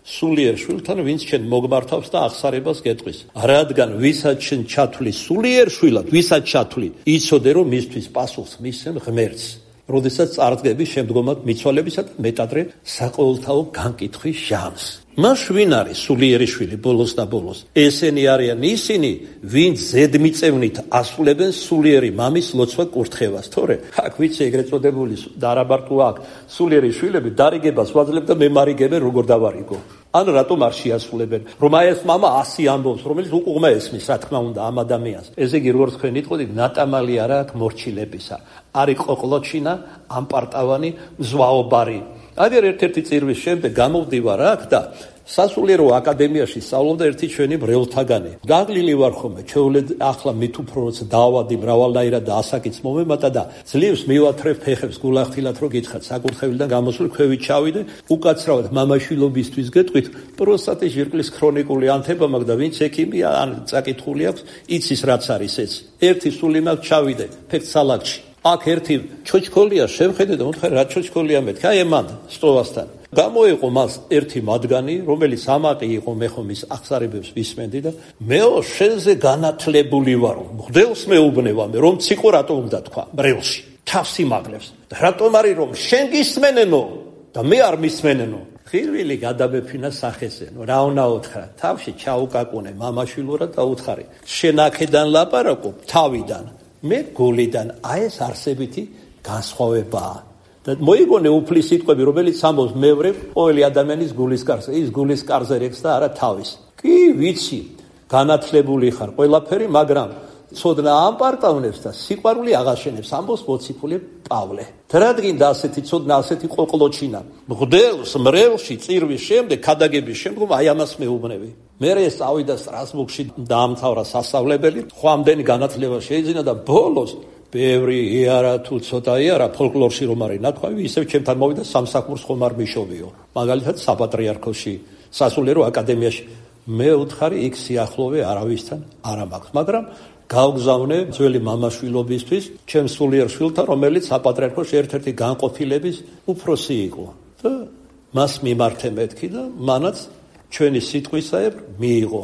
სულიერ შვილთან, ვინც ჩვენ მოგმართავს და აღსარებას გეტყვის. რადგან ვისაც ჩვენ ჩათვლი სულიერ შვილად, ვისაც ჩათვლი, იცოდე რომ მისთვის პასუხს მისცემ ღმერთს. როდესაც წარდგები შემდგომად მიცვალებისა და მეტადრე საყოველთაო განკითხვის ჟამს. მას ვინ არის სულიერი შვილი ბოლოს და ბოლოს? ესენი არიან ისინი, ვინც ზედმიწევნით ასრულებენ სულიერი მამის ლოცვა კურთხევას. თორე აქ ვიცი ეგრეთ წოდებული და არაბარტო აქ სულიერი შვილები დარიგებას ვაძლებ და მე მარიგებენ როგორ დავარიგო. ან რატომ არ შეასრულებენ? რომ აი ეს მამა 100 ამბობს, რომელიც უყურმა ესმის, რა თქმა უნდა, ამ ადამიანს. ესე იგი, როგორც თქვენ იტყოდით, ნატამალი არა აქ მორჩილებისა. არის ყოყლოჩინა, ამპარტავანი, მზვაობარი. აგერ ერთ-ერთი წირვის შემდეგ გამოვდივარ აქ და სასულიერო აკადემიაში სწავლობდა ერთი ჩვენი ბრევლთაგანი. გაღლილი ვარ ხოლმე, ჩეულედ ახლა მით უფრო როცა დავადი მრავალნაირად და ასაკიც მომემატა და ძლივს მივათრევ ფეხებს გულახდილად რო გითხრათ საკურთხევლიდან გამოსული ქვევით ჩავიდე, უკაცრავად მამაშვილობისთვის გეტყვით, პროსტატის ჟირკლის ქრონიკული ანთება მაქვს და ვინც ექიმია ან წაკითხული აქვს, იცის რაც არის ეს. ერთი სული მაქვს ჩავიდე ფეხსალაგში. აქ ერთი ჩოჩქოლია შევხედე და მოთხარ რა ჩოჩქოლია მეთქი, აი ემან სტოვასთან. გამოიყო მას ერთი მათგანი, რომელიც ამაყი იყო, მე ხომ ის აღსარებებს ვისმენდი და მეო შენზე განათლებული ვარო. მღვდელს მეუბნევა მე, რომ ციყო რატო უნდა თქვა ბრევლში. თავს იმაგლებს. რატომ არის რომ შენ გისმენენო და მე არ მისმენენო? ხილვილი გადაბეფინა სახესენო. რა უნდა უთხრა? თავში ჩაუკაკუნე მამაშვილურად და უთხარი. შენ აქედან ლაპარაკობ თავიდან. მე გულიდან აი ეს არსებითი განსხვავებაა. და მოიგონე უფლის სიტყვები, რომელიც ამბობს მე ვრებ ყოველი ადამიანის გულის კარზე, ის გულის კარზე რეკს და არა თავის. კი, ვიცი, განათლებული ხარ ყველაფერი, მაგრამ ცოდნა ამპარტავნებს და სიყვარული აღაშენებს, ამბობს მოციქული პავლე. რადგან და ასეთი ცოდნა, ასეთი ყოყლოჩინა, მღვდელს მრევლში წირვის შემდეგ, ქადაგების შემდგომ აი ამას მეუბნები. მე სწავიდა სტრასბურგში დაამთავრა სასწავლებელი, ხვამდენი განათლება შეიძინა და ბოლოს ბევრი იარა თუ ცოტა იარა ფოლკლორში რომ არის ნათქვამი, ისევ ჩემთან მოვიდა სამსახურს ხომ არ მიშოვიო. მაგალითად საპატრიარქოში, სასულიერო აკადემიაში. მე უთხარი იქ სიახლოვე არავისთან არ მაქვს, მაგრამ გავგზავნე ძველი მამაშვილობისთვის ჩემ სულიერ შვილთან, რომელიც საპატრიარქოში ერთ-ერთი განყოფილების უფროსი იყო. და მას მიმართე მეთქი და მანაც ჩვენი სიტყვისაებ მიიღო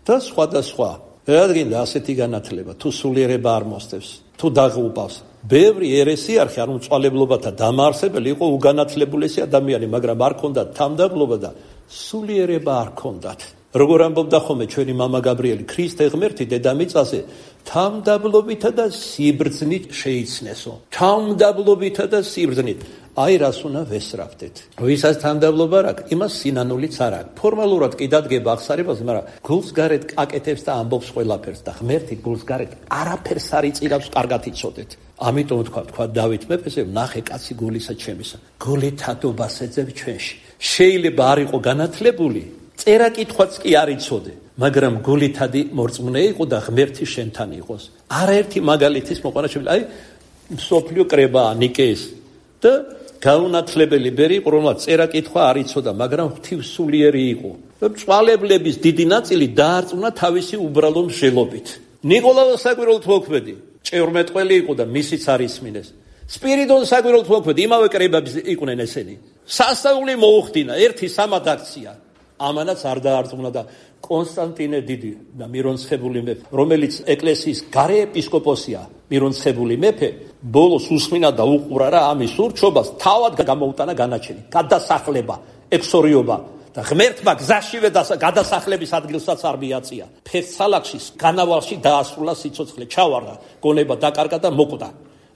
და სხვა. რადგან და ასეთი განათლება თუ სულიერება არ მოსდევს, თუ დაღუპავს. ბევრი ერესიარხი, ანუ მწვალებლობათა დამაარსებელი იყო უგანათლებულესი ადამიანი, მაგრამ არ ქონდათ თანმდაბლობა და სულიერება არ ქონდათ. როგორ ამბობდა ხოლმე ჩვენი მამა გაბრიელი, ქრისტე ღმერთი დედამიწაზე თანმდაბლობითა და სიბრძნით შეიცნესო. თანმდაბლობითა და სიბრძნით. აი რას უნდა ვესწრაფდეთ. ვისაც თანმდაბლობა არ აქვს, იმას სინანულიც არ აქვს. ფორმალურად კი დადგება აღსარებას, მაგრამ გულს გარეთ აკეთებს და ამბობს ყველაფერს და ღმერთი გულს გარეთ არაფერს არ იწირავს, კარგად იცოდეთ. ამიტომ თქვა დავით მეფესე, ნახე კაცი გულისა ჩემისა. გული თადობას ეძებ ჩვენში. შეიძლება არ იყო განათლებული, წერა კითხვაც კი არ იცოდე, მაგრამ გული თადი მორწმუნე იყო და ღმერთი შენთან იყოს. არაერთი მაგალითის მოყვანა შეიძლება, აი მსოფლიო კრებაა ნიკეის და გაუნათლებელი ბერი იყო, რომელსაც წერა კითხვა არ იცოდა, მაგრამ ღვთივსულიერი იყო. მწვალებლების დიდი ნაწილი დაარწმუნა თავისი უბრალო მსჯელობით. ნიკოლაო საკვირველთ მოქმედი ჭეორმეტყველი იყო და მისიც არ ისმინეს. სპირიდონ საკვირველთ მოქმედი იმავე კრებების იყვნენ ესენი. სასწაული მოუხდინა, ერთი სამად აქცია. ამანაც არ დაარწმუნა და კონსტანტინე დიდი და მირონცხებული მეფე, რომელიც ეკლესიის გარე ეპისკოპოსია, მირონცხებული მეფე, ბოლოს უსმინა და უყურა რა ამის ურჩობას, თავად გამოუტანა განაჩენი, გადასახლება, ექსორიობა და ღმერთმა გზაშივე გადასახლების ადგილსაც არ მიაწია. ფეხსალაგში განავალში დაასრულა სიცოცხლე, ჩავარდა, გონება დაკარგა და მოკვდა.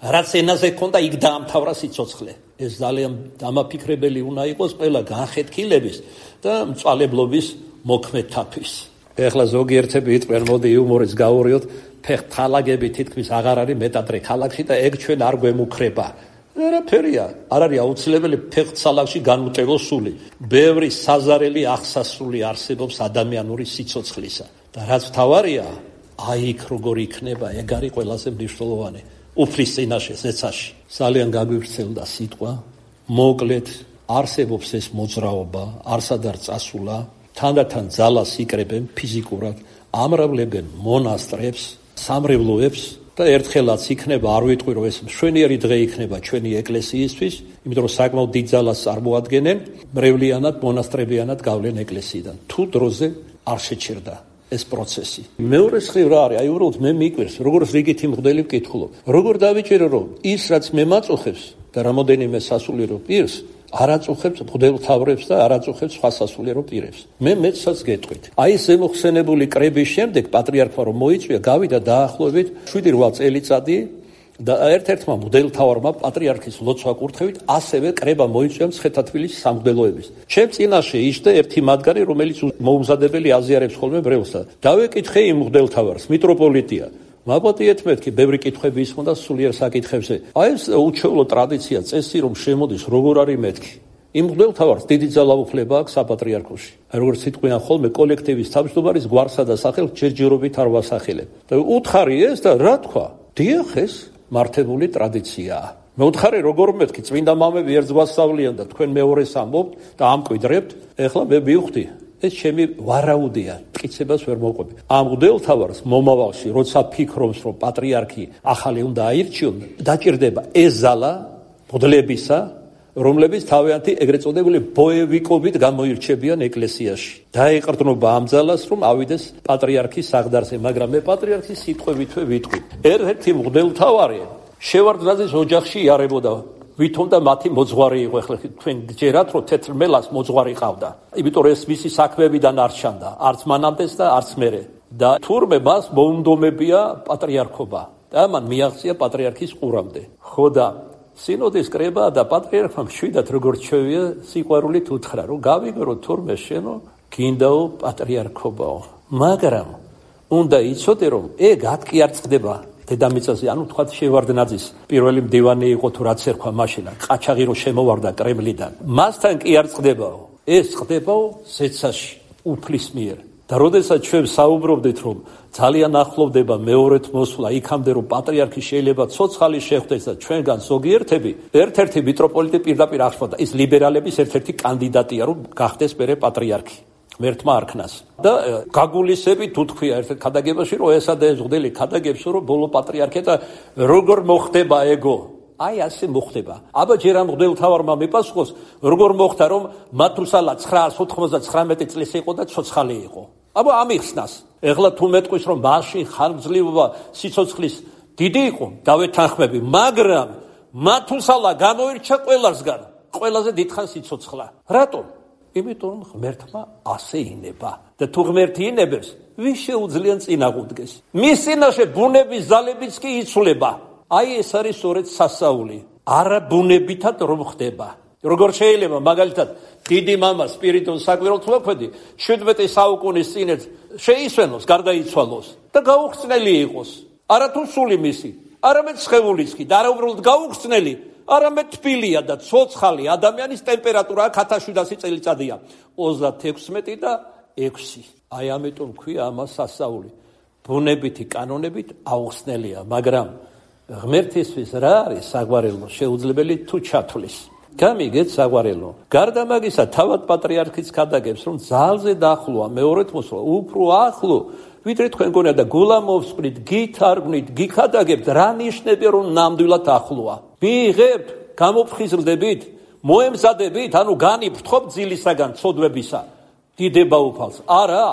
რაც ენაზე ქონდა, იქ დაამთავრა სიცოცხლე. ეს ძალიან დამაფიქრებელი უნდა იყოს ყველა განხეთქილების და მწვალებლობის მოქმედთათვის. ეხლა ზოგიერთები იტყვიან, მოდი იუმორიც გავურიოთ, ფეხთალაგები თითქმის აღარ არის მეტადრე ქალაქში და ეგ ჩვენ არ გვემუქრება. არაფერია, არ არის აუცილებელი ფეხთალაგში განუტევო სული. ბევრი საზარელი აღსასრული არსებობს ადამიანური სიცოცხლისა. და რაც თავარია, აი იქ როგორ იქნება, ეგ არის ყველაზე მნიშვნელოვანი. უფლის წინაშე ზეცაში. ძალიან გაგვივრცელდა სიტყვა, მოკლედ არსებობს ეს მოძრაობა, არსად არ წასულა, თანდათან ძალას იკრებენ ფიზიკურად, ამრავლებენ მონასტრებს, სამრევლოებს და ერთხელაც იქნება, არ ვიტყვი რომ ეს მშვენიერი დღე იქნება ჩვენი ეკლესიისთვის, იმიტომ რომ საკმაოდ დიდ ძალას წარმოადგენენ, მრევლიანად, მონასტრებიანად გავლენ ეკლესიიდან. თუ დროზე არ შეჩერდა ეს პროცესი. მეორე მხრივ რა არის? აი უბრალოდ მე მიკვირს, როგორც რიგითი მღვდელი ვკითხულობ. როგორ დავიჭირო რომ ის რაც მე მაწუხებს და რამოდენიმე სასულიერო პირს არ აწუხებს მღვდელმთავრებს და არ აწუხებს სხვა სასულიერო პირებს. მე მეცაც გეტყვით. აი ეს ზემოხსენებული კრების შემდეგ პატრიარქმა რომ მოიწვია, გავიდა დაახლოებით 7-8 წელიწადი და ერთ-ერთმა მღვდელმთავარმა პატრიარქის ლოცვა კურთხევით ასევე კრება მოიწვია მცხეთა-თბილისის სამღვდელოების. ჩემ წინაშე იჯდა ერთი მათგანი, რომელიც მოუმზადებელი აზიარებს ხოლმე ბრელსა. დავეკითხე იმ მღვდელმთავარს, მიტროპოლიტია. მაპატიეთ მეთქი, ბევრი კითხვები ისმოდა სულიერ საკითხებზე. აი ეს უჩვეულო ტრადიცია, წესი რომ შემოდის, როგორ არის მეთქი. იმ მღვდელმთავარს დიდი ძალაუფლება აქვს საპატრიარქოში. აი როგორც სიტყვიან ხოლმე კოლექტივის თავმჯდომარის გვარსა და სახელს ჯერჯერობით არ ვასახელებ. და უთხარი ეს და რა თქვა? დიახ, ეს მართებული ტრადიციაა. მე უთხარი როგორ მეთქი, წმინდა მამები ერთს გვასწავლიან და თქვენ მეორეს ამბობთ და ამკვიდრებთ. ეხლა მე მივხვდი, ეს ჩემი ვარაუდია, მტკიცებას ვერ მოვყვები. ამ მღვდელმთავარს მომავალში, როცა ფიქრობს, რომ პატრიარქი ახალი უნდა აირჩიონ, დაჭირდება ეს ზალა მღვდლებისა, რომლებიც თავიანთი ეგრეთ წოდებული ბოევიკობით გამოირჩებიან ეკლესიაში. დაეყრდნობა ამ ძალას, რომ ავიდეს პატრიარქის საღდარზე, მაგრამ მე პატრიარქის სიტყვებითვე ვიტყვი. ერთ-ერთი მღვდელმთავარი შევარდნაძის ოჯახში იარებოდა. ვითომ და მათი მოძღვარი იყო. ახლა თქვენ გჯერათ, რომ თეთრ მელას მოძღვარი ყავდა. იმიტომ რომ ეს მისი საქმეებიდან არ ჩანდა, არც მანამდეს და არც მერე. და თურმე მას მოუნდომებია პატრიარქობა. და მან მიაღწია პატრიარქის ყურამდე. ხო და სინოდის კრება და პატრიარქმა მშვიდად როგორც შევია სიყვარულით უთხრა, რომ გავიგრო თურმე შენო გინდაო პატრიარქობაო. მაგრამ უნდა იცოდე, რომ ეგ ათკი არ წყდება. დედამიწაზე, ანუ თქვათ შევარდნაძის პირველი მდივანი იყო თუ რაც ერქვა მაშინ, ყაჩაღი რო შემოვარდა კრემლიდან. მასთან კი არ წყდებაო. ეს წყდებაო ზეცაში, უფლის მიერ. და როდესაც ჩვენ საუბრობდით, რომ ძალიან ახლოვდება მეორეთ მოსვლა, იქამდე რომ პატრიარქი შეიძლება ცოცხალი შეხვდეს და ჩვენგან ზოგიერთები, ერთ-ერთი მიტროპოლიტი პირდაპირ აღშვა და ის ლიბერალების ერთ-ერთი კანდიდატია, რომ გახდეს მერე პატრიარქი. მერთმა არქნას და გაგულისები თუ თქვია ერთ ქადაგებაში რომ ესა და ეს მღვდელი ქადაგებს რომ ბოლო პატრიარქია და როგორ მოხდება ეგო აი ასე მოხდება აბა ჯერ ამ მღვდელმთავარმა მიპასუხოს როგორ მოხდა რომ მათუსალა 999 წლის იყო და ცოცხალი იყო აბა ამიხსნას ეხლა თუ მეტყვის რომ მაშინ ხანგრძლივობა სიცოცხლის დიდი იყო დავეთანხმები მაგრამ მათუსალა გამოირჩა ყველასგან ყველაზე დიდხანს სიცოცხლა რატომ იმიტომ ღმერთმა ასე ინება და თუ ღმერთი ინებებს ვის შეუძლიან წინაღუდგეს მის წინაშე ბუნების ძალებიც კი იცვლება აი ეს არის სწორედ სასაული არა ბუნებითად რომ ხდება როგორ შეიძლება მაგალითად დიდი მამა სპირიდონ საკვირველთმოქმედი 17 საუკუნის წინეთ შეისვენოს გარდაიცვალოს და გაუხსნელი იყოს არა თუ სული მისი არამედ სხეულიც კი და არა უბრალოდ გაუხსნელი არამედ თბილია და ცოცხალი ადამიანის ტემპერატურა 1700 წელიწადია 36 და 6 აი ამიტომ ქვია ამას სასაული ბუნებითი კანონებით აუხსნელია მაგრამ ღმერთისთვის რა არის საგვარელო შეუძლებელი თუ ჩათვლის გამიგეთ საგვარელო გარდა მაგისა თავად პატრიარქიც ქადაგებს რომ ძალზე დაახლოა მეორეთ მოსვლა უფრო ახლო ვიდრე თქვენ გონია და გულამოვსყრით გითარგმნით გიქადაგებთ რა ნიშნები რომ ნამდვილად ახლოა მიიღებთ გამოფხიზლდებით მოემზადებით ანუ განიფრთხობ ძილისაგან ცოდვებისა დიდება უფალს არა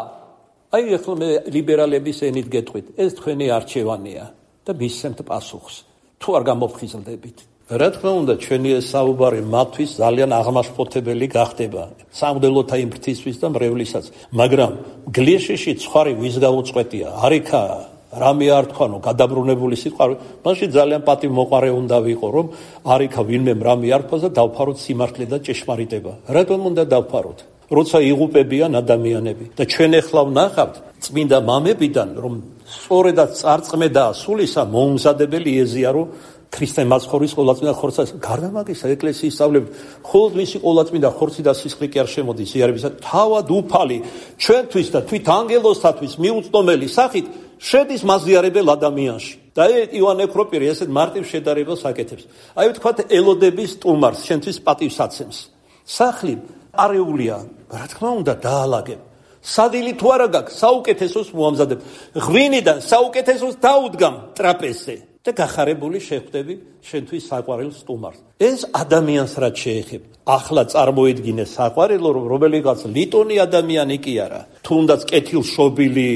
აი ახლა მე ლიბერალების ენით გეტყვით ეს თქვენი არჩევანია და მისცემთ პასუხს თუ არ გამოფხიზლდებით რა თქმა უნდა ჩვენი ეს საუბარი მათთვის ძალიან აღმაშფოთებელი გახდება სამღვდელოთა იმ ფრთისთვის და მრევლისას მაგრამ გლიშიში ცხარი ვის გაუწყვეტია არიქა რამე არ თქვანო გადაბრუნებული სიყვარული მაშინ ძალიან პატივმოყარე უნდა ვიყო რომ არიქა ვინმე რამე არ თქვა და დავფაროთ სიმართლე და ჭეშმარიტება რატომ უნდა დავფაროთ როცა იღუპებიან ადამიანები და ჩვენ ახლა ვნახავთ წმინდა მამებიდან რომ სწორედაც წარწმედაა სულისა მოუმზადებელი ეზიარო ქრისტე მაცხოვრის ყოლაწმინდა ხორცას გარდა მაგისა ეკლესიის სწავლები მხოლოდ მისი ყოლაწმინდა ხორცი და სისხლი კი არ შემოდის იარებისა თავად უფალი ჩვენთვის და თვით ანგელოზთათვის მიუწვდომელი სახით შედის მაზიარებელ ადამიანში. და ივანე ექროპირი ესეთ მარტივ შედარებას აკეთებს. აი ვთქვათ ელოდების სტუმარს, შენთვის პატივსაცემს. სახლი არეულია, რა თქმა უნდა დაალაგებ. სადილი თუ არა გაქვს, საუკეთესოს მოამზადებ. ღვინიდან საუკეთესოს დაუდგამ ტრაპეზზე და გახარებული შეხვდები შენთვის საყვარელ სტუმარს. ეს ადამიანს რაც შეეხება. ახლა წარმოედგინე საყვარელო, რომელიღაც ლიტონი ადამიანი კი არა. თუნდაც კეთილშობილი,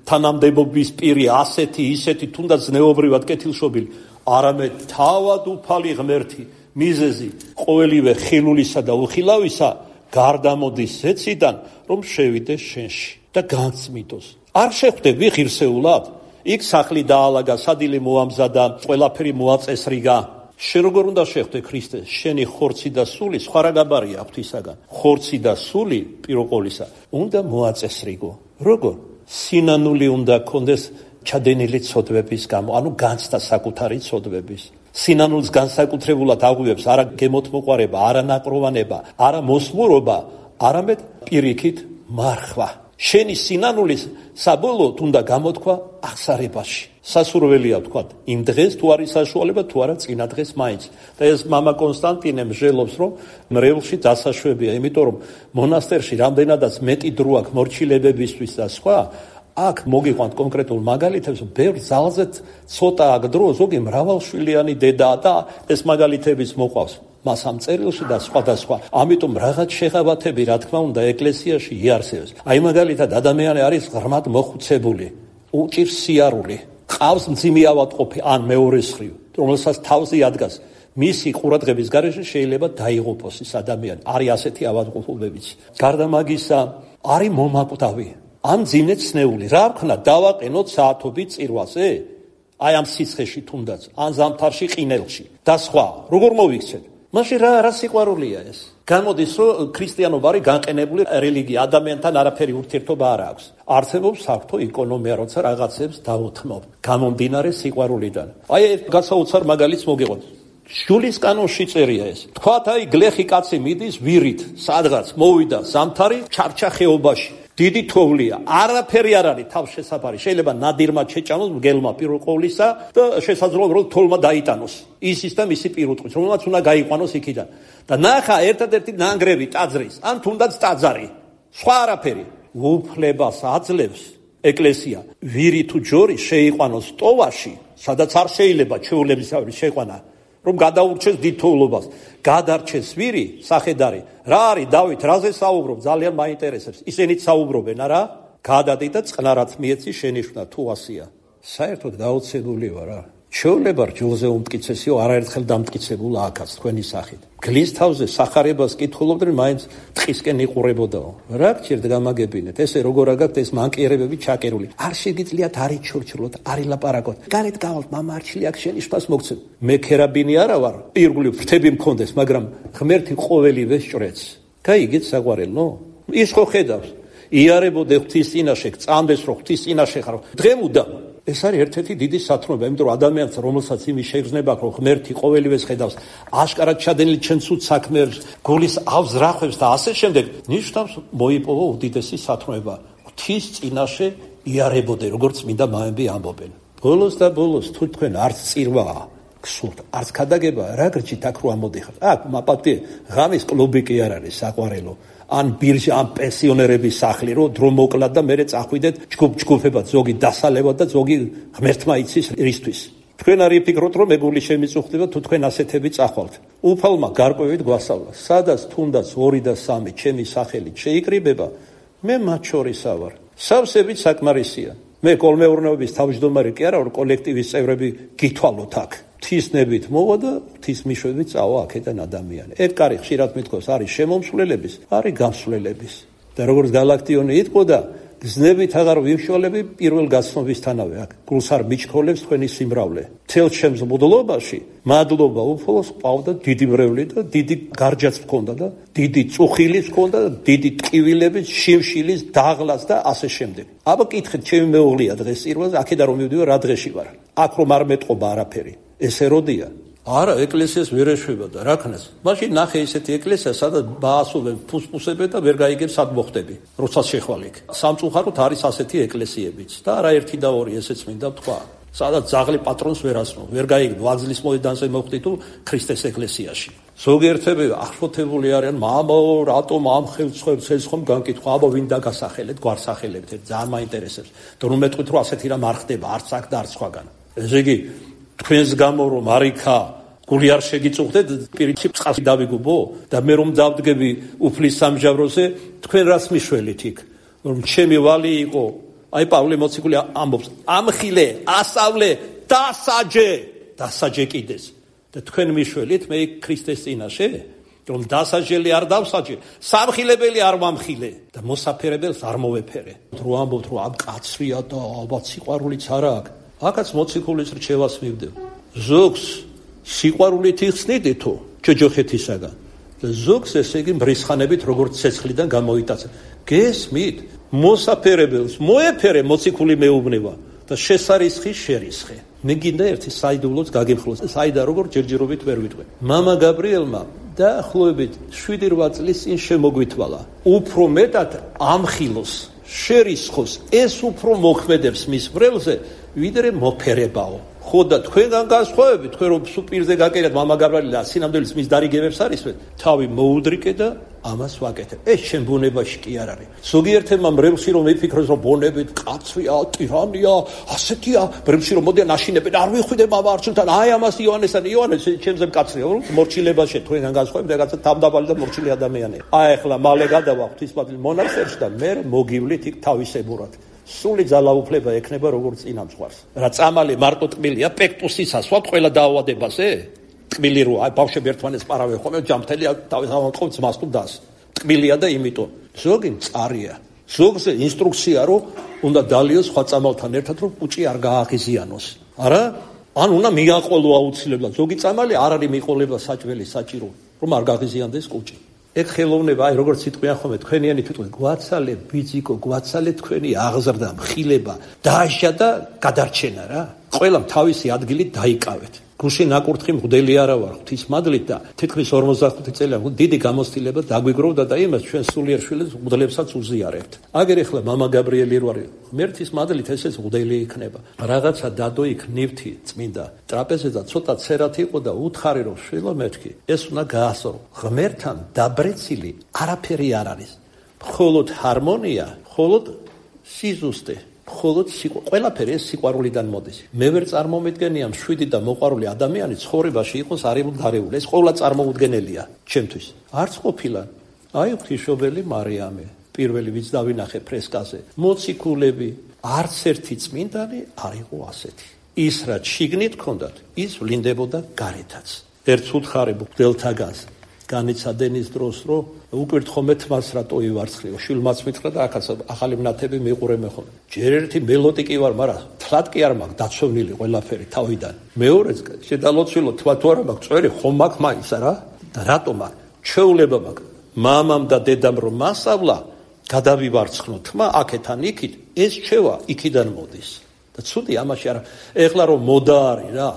თანამდებობის პირი, ასეთი, ისეთი, თუნდაც ზნეობრივად კეთილშობილი, არამედ თავად უფალი ღმერთი, მიზეზი ყოველივე ხილულისა და უხილავისა გარდამოდის ზეციდან, რომ შევიდეს შენში და განწმიდოს. არ შეხვდები ღირსეულად? იქ სახლი დაალაგა, სადილე მოამზადა, ყველაფერი მოაწესრიგა. შენ როგორ უნდა შეხვდე ქრისტეს? შენი ხორცი და სული სხვა რა გაბარია ღვთისაგან. ხორცი და სული პირველ ყოვლისა უნდა მოაწესრიგო. როგორ? სინანული უნდა გქონდეს ჩადენილი ცოდვების გამო, ანუ განცდა საკუთარი ცოდვების. სინანულს განსაკუთრებულად აღვივებს არა გემოთმოყვარება, არა ნაკროვანება, არა მოსმურობა, არამედ პირიქით მარხვა. შენი სინანულის საბოლოოდ უნდა გამოთქვა აღსარებაში. სასურველია ვთქვათ, იმ დღეს თუ არის საშუალება, თუ არა წინა დღეს მაინც. და ეს მამა კონსტანტინე მსჯელობს, რომ მრევლში დასაშვებია, იმიტომ რომ მონასტერში რამდენადაც მეტი დრო აქვს მორჩილებებისთვის და სხვა, აქ მოგიყვანთ კონკრეტულ მაგალითებს, ბევრ ძალზე ცოტა აქ დრო, ზოგი მრავალშვილიანი დედაა და ეს მაგალითებიც მოყვავს მას ამ წერილში და სხვადასხვა. ამიტომ რაღაც შეღავათები, რა თქმა უნდა, ეკლესიაში იარსებებს. აი მაგალითად ადამიანი არის ღრმად მოხუცებული, უჭირს სიარული, ყავს მძიმე ავადმყოფი ან მეორე მხრივ, რომელსაც თავზე ადგას. მისი ყურადღების გარეშე შეიძლება დაიღუპოს ეს ადამიანი. არის ასეთი ავადმყოფობებიც. გარდა მაგისა, არის მომაკვდავი. ამ ძინე ცნეული, რა ვქნა, დავაყენოთ საათობით წირვაზე? აი ამ სიცხეში თუნდაც, ან ზამთარში ყინელში და სხვა. როგორ მოვიქცეთ? მაშინ რა სიყვარულია ეს? გამოდის, რომ ქრისტიანობა არის განყენებული რელიგია, ადამიანთან არაფერი ურთიერთობა არ აქვს. არსებობს საფრთხო ეკონომია, როცა რაღაცებს დაუთმობ, გამომდინარე სიყვარულიდან. აი ეს გასაოცარ მაგალითს მოგეყოთ. შულის კანონში წერია ეს. თქვათ, აი გლეხი კაცი მიდის ვირით, სადღაც მოვიდა ზამთარი, ჩარჩა ხეობაში. დიდი თოვლია, არაფერი არ არის თავშესაფარი. შეიძლება ნადირმა შეჭამოს მგელმა პირველ ყოვლისა და შესაძლოა რომ თოლმა დაიტანოს. ისის და მისი პირუტყვის, რომელმაც უნდა გაიყვანოს იქიდან. და ნახა ერთადერთი ნანგრევი ტაძრის, ან თუნდაც ტაძარი. სხვა არაფერი. უფლებას აძლევს ეკლესია. ვირი თუ ჯორი შეიყვანოს ტოვაში, სადაც არ შეიძლება ჩვეულებისავე შეყვანა, რომ გადაურჩეს დიდ თოვლობას. გადარჩეს ვირი, სახედარი. რა არის დავით, რაზე საუბრობ? ძალიან მაინტერესებს. ისინიც საუბრობენ, არა? გადადი და წყნარად მიეცი შენიშვნა, თუ ასია. საერთოდ გაოცებული ვარ რა. ჩვეულება რჯულზე უმტკიცესიო, არაერთხელ დამტკიცებულა აქაც თქვენი სახით. გლის თავზე სახარებას კითხულობდნენ, მაინც ტყისკენ იყურებოდაო. რა გჭირდა გამაგებინეთ? ესე როგორ აგაქვთ ეს მანკიერებები ჩაკერული? არ შეგიძლიათ არის ჩორჩრულად, არის ლაპარაკოთ. გარეთ გავალთ, მამა არჩილი აქ შენი შფას მოგცემ. მე ქერაბინი არა ვარ, ირგვლივ ფრთები მქონდეს, მაგრამ ღმერთი ყოველივე სჭრեց. გაიგეთ საყვარელო? ის ხო ხედავს. იარებოდე ღვთის წინაშე, წამდეს რომ ღვთის წინაშე ხარ. დღემუდა ეს არის ერთ-ერთი დიდი სათნოება, იმიტომ რომ ადამიანს, რომელსაც იმის შეგრძნება აქვს, რომ ღმერთი ყოველივეს ხედავს, აშკარად ჩადენილი ჩვენ ცუდ საქმეებს, გულის ავს რახვებს და ასე შემდეგ, ნიშნავს მოიპოვა უდიდესი სათნოება. ღვთის წინაშე იარებოდე, როგორც წმინდა მაები ამბობენ. ბოლოს და ბოლოს თუ თქვენ არც წირვაა გსურთ, არც ქადაგება, რა გრჩით აქ რო ამოდიხართ? აქ მაპატი ღამის კლუბი კი არ არის საყვარელო. ან ბირჟა, ან პენსიონერების სახლი, რომ დრო მოკლათ და მერე წახვიდეთ ჯგუფ-ჯგუფებად, ზოგი დასალევად და ზოგი ღმერთმა იცის რისთვის. თქვენ არ იფიქროთ, რომ მეგული შემიწუხდება, თუ თქვენ ასეთები წახვალთ. უფალმა გარკვევით გვასწავლა, სადაც თუნდაც 2 და 3 ჩემი სახელით შეიკრიბება, მე მათ შორისა ვარ. სავსებით საკმარისია. მე კოლმეურნეობის თავმჯდომარე კი არა, რომ კოლექტივის წევრები გითვალოთ აქ. ღვთისნებით მოვა და ღვთისმიშვებით წავა აქედან ადამიანი. ეგ კარი ხშირად მithქოს, არის შემომსვლელების, არის გამსვლელების. და როგორც გალაქტიონი იტყოდა, გზნებით აღარ ვიმშვალები პირველ გაცნობისთანავე აქ. გულს არ მიჩქოლებს თქვენი სიმრავლე. მთელ ჩემს მოდლობაში მადლობა უფალოს ყავდა დიდი მრევლი და დიდი გარჯაც მქონდა და დიდი წუხილის მქონდა და დიდი ტკივილების, შიმშილის, დაღლას და ასე შემდეგ. აბა კითხეთ, ჩემი მეუღლეა დღეს წირვაზე, აქედან რომ მივდივარ, რა დღეში ვარ. აქ რომ არ მეტყობა არაფერი. ეს ეროდია. არა, ეკლესიას ვერ ეშვებოდა, რა ქნას. მაშინ ნახე ისეთი ეკლესია, სადაც ბაასობენ, ფუსფუსებენ და ვერ გაიგებს სად მოხდები, როცა შეხვალ იქ. სამწუხაროდ არის ასეთი ეკლესიებიც და არა ერთი და ორი, ესეც მინდა ვთქვა. სადაც ძაღლი პატრონს ვერ ასმო, ვერ გაიგებ, ვაგზლის მოედანზე მოხდი თუ ქრისტეს ეკლესიაში. ზოგიერთები აღშფოთებული არიან, მამო, რატომ ამ ხელმძღვანელს ეს ხომ განკითხვა, აბა ვინ დაგასახელეთ, გვარსახელებთ, ძალიან მაინტერესებს. და რომ მეტყვით რომ ასეთი რამ არ ხდება, არც აქ და არც სხვაგან. ესე იგი, თქვენს გამო რომ არიქა გული არ შეგიწუხდეთ, პირიქით წყალში დავიგუბო და მე რომ დავდგები უფლის სამჟავროზე, თქვენ რას მიშველით იქ? რომ ჩემი ვალი იყო აი პავლე მოციქული ამბობს ამხილე ასავლე დასაჯე კიდეს და თქვენ მიშველით მე ქრისტეს წინაშე რომ დასაჯელი არ დავსაჯე სამხილებელი არ ვამხილე და მოსაფერებელს არ მოვეფერე რო ამბობთ რომ ამ კაცრია და ალბათ სიყვარულიც არა აქვს აქაც მოციქულის რჩევას მივდევ ზოგს სიყვარულით იხსნიდითო ჯოჯოხეთისაგან და ზოგს ესე იგი მრისხანებით როგორც ცეცხლიდან გამოიტაცა გესმით მოსაფერებელს მოეფერე მოციქული მეუბნება და შესარისხი შერისხე მე გინდა ერთი საიდუმლოც გაგიმხლოს საიდა როგორ ჯერჯერობით ვერ ვიტყვე მამა გაბრიელმა დაახლოებით 7-8 წლის წინ შემოგვითვალა უფრო მეტად ამხილოს შერისხოს ეს უფრო მოქმედებს მის ბრელზე ვიდრე მოფერებაო ხო და თქვენგან განსხვავებით თქვენ რომ სუპირზე გაკერათ მამა გაბრიელი და სინამდვილეს მის დარიგებებს არისვეთ თავი მოუდრიკე და ამას ვაკეთებ. ეს შენ ბუნებაში კი არ არის. ზოგიერთებმა მრევლში რომ იფიქროს რომ ბონებით კაცრია, ტირანია, ასეთია, მრევლში რომ მოდიან აშინებენ, არ ვიხვიდე მამა არჩუნთან, აი ამას იოანესთან, იოანეს ჩემზე მკაცრია, რომ მორჩილებაში თქვენგან განსხვავებით რაღაცა თავდაბალი და მორჩილი ადამიანია. აი ახლა მალე გადავა ღვთისმადლი მონასტერში და მე მოგივლით იქ თავისებურად. სული ძალაუფლება ექნება როგორც წინამძღვარს. რა წამალი მარტო ტკბილია, პექტუსის ასვათ ყველა დაავადებაზე? ტკბილი რო აი ბავშვები ერთმანეთს პარავენ ხოლმე ჯამთელი თავის ავანყობს მას თუ დას ტკბილია და იმიტომ ზოგი მწარია ზოგზე ინსტრუქცია რომ უნდა დალიოს სხვა წამალთან ერთად რომ კუჭი არ გააღიზიანოს არა ან უნდა მიაყოლო აუცილებლად ზოგი წამალი არ არის მიყოლება საჭველი საჭირო რომ არ გააღიზიანდეს კუჭი ეგ ხელოვნება აი როგორც სიტყვიან ხოლმე თქვენიანი თვითონ გვაცალე ბიძიკო გვაცალე თქვენი აღზრდა მხილება დააშა და გადარჩენა რა ყველამ თავისი ადგილი დაიკავეთ გუშინ ნაკურთხი მღვდელი არა ვარ ღვთისმადლით და თითქმის 45 წელი დიდი გამოცდილება დაგვიგროვდა და იმას ჩვენ სულიერ შვილებს მღვდლებსაც უზიარებთ. აგერ ახლა მამა გაბრიელი რო არის ღმერთის მადლით ესეც მღვდელი იქნება. რაღაცა დადო იქ ნივთი წმინდა ტრაპეზზე ცოტა ცერათ იყო და უთხარი რომ შვილო მეთქი ეს უნდა გაასწრო. ღმერთთან დაბრეცილი არაფერი არ არის. მხოლოდ ჰარმონია, მხოლოდ სიზუსტე ხოლოდ ყველაფერი ეს სიყვარულიდან მოდის. მე ვერ წარმომიდგენია მშვიდი და მოყვარული ადამიანი ცხოვრებაში იყოს არემუდარეული. ეს ყოვლა წარმოუდგენელია ჩემთვის. არც ყოფილა. აი ღვთისმშობელი მარიამე, პირველი ვინც დავინახე ფრესკაზე. მოციქულები, არც ერთი წმინდანი არ იყო ასეთი. ის რაც შიგნით ჰქონდათ, ის ვლინდებოდა გარეთაც. ერთ უთხარი მღვდელთაგანს განიცადენის დროს რომ უკვირთხომე თმას რატო ივარცხლიო შვილმაც მითხრა და ახაც ახალი მნათები მიყურე მე ხოლმე ჯერ ერთი მელოტიკი ვარ მაგრამ თლად კი არ მაქვს დაცოვნილი ყველაფერი თავიდან მეორეც შედალოცვილო თვა თუ არა მაქვს წვერი ხომ მაქვს მაინც რა და რატომ აქ ჩვეულება მაქვს მამამ და დედამ რომ მასავლა გადავივარცხნო თმა აქეთან იქით ეს ჩვევა იქიდან მოდის და ცუდი ამაში არა ეხლა რომ მოდა არის რა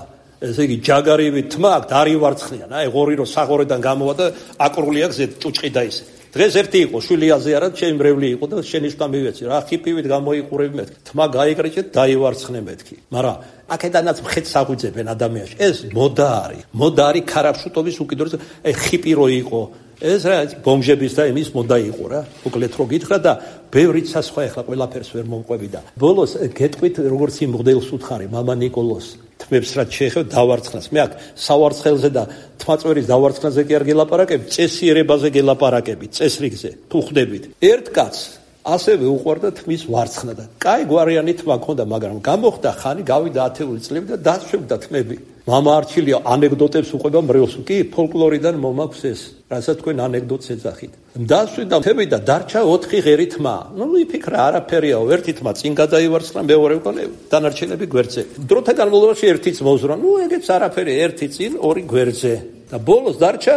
ესე იგი ჯაგარივი თმა აქ დარივარცხნიან აი ღორი რო საღორედან გამოვა და აკრული აქ ზე ჭუჭყი და ისე დღეს ერთი იყო შვილიაზე არა ჩემი მრევლი იყო და შენიშნა მივეცი რა ხიპივით გამოიყურები მეთქი თმა გაიკრეჭეთ დაივარცხნე მეთქი მაგრამ აქედანაც მხეც საღვიძებენ ადამიანში ეს მოდა არის ქარაფშუტობის უკიდურეს აი ხიპი რო იყო ეს რა ბომჟების და იმის მოდა იყო რა უკლეთ რო გითხრა და ბევრიც სხვა ახლა ყველაფერს ვერ მომყვები და ბოლოს გეტყვით როგორც იმ მღვდელს უთხარი მამა ნიკოლოს თმებს რაც შეეხება დავარცხნას მე აქ სავარცხელზე და თმაწვერის დავარცხნაზე კი არ გელაპარაკები წესიერებაზე გელაპარაკები წესრიგზე თუ ხვდებით ერთ კაცს ასევე უყვარდა თმის ვარცხნა და კაი გვარიანი თმა ქონდა მაგრამ გამოხდა ხანი გავიდა 10 წლები და დაშვებდა თმები მამა არჩილია ანეკდოტებს უყვება მრევლს კი ფოლკლორიდან მომაქვს ეს რასაც თქვენ ანეკდოტს ეძახით დასვიდა თმები და დარჩა 4 ღერი თმა ნუ იფიქრა არაფერიაო ერთი თმა წინ გადაივარცხნა მეორე უკვე დანარჩენები გვერდზე დროთა განმავლობაში ერთიც მოზრა ნუ ეგეც არაფერი ერთი წინ ორი გვერდზე და ბოლოს დარჩა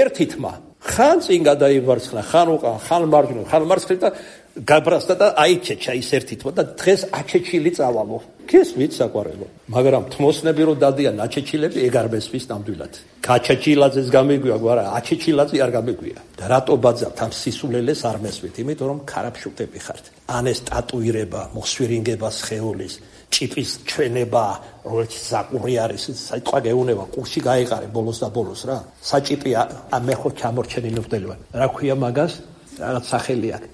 ერთი თმა ხან წინ გადაივარცხნა ხან უკან ხან მარჯვნივ ხან მარცხნივ და გაბრასდა და აიჩეჩა ის ერთი თმა და დღეს აჩეჩილი წავალო გესმით საყვარელო, მაგრამ თმოსნები რო დადიან აჩეჩილები ეგ არ მესმის ნამდვილად. გაჩეჩილაძეს გამიგვია, მაგრამ აჩეჩილაძე არ გამიგვია. და რატო ბაძავთ ამ სისულელეს არ მესმით? იმიტომ რომ ქარაფშუქები ხართ. ან ეს ტატუირება, მოსვირინგება სხეულის, ჭიპის ჩვენება, როგორც ზაკური არის, საიტყვა გეუნება, კურსი გაიყარე ბოლოს და ბოლოს რა. საჭიპი მე ხო ჩამორჩენი ნუხდელი ვარ. რა ქვია მაგას? რაღაც სახელი აქვს.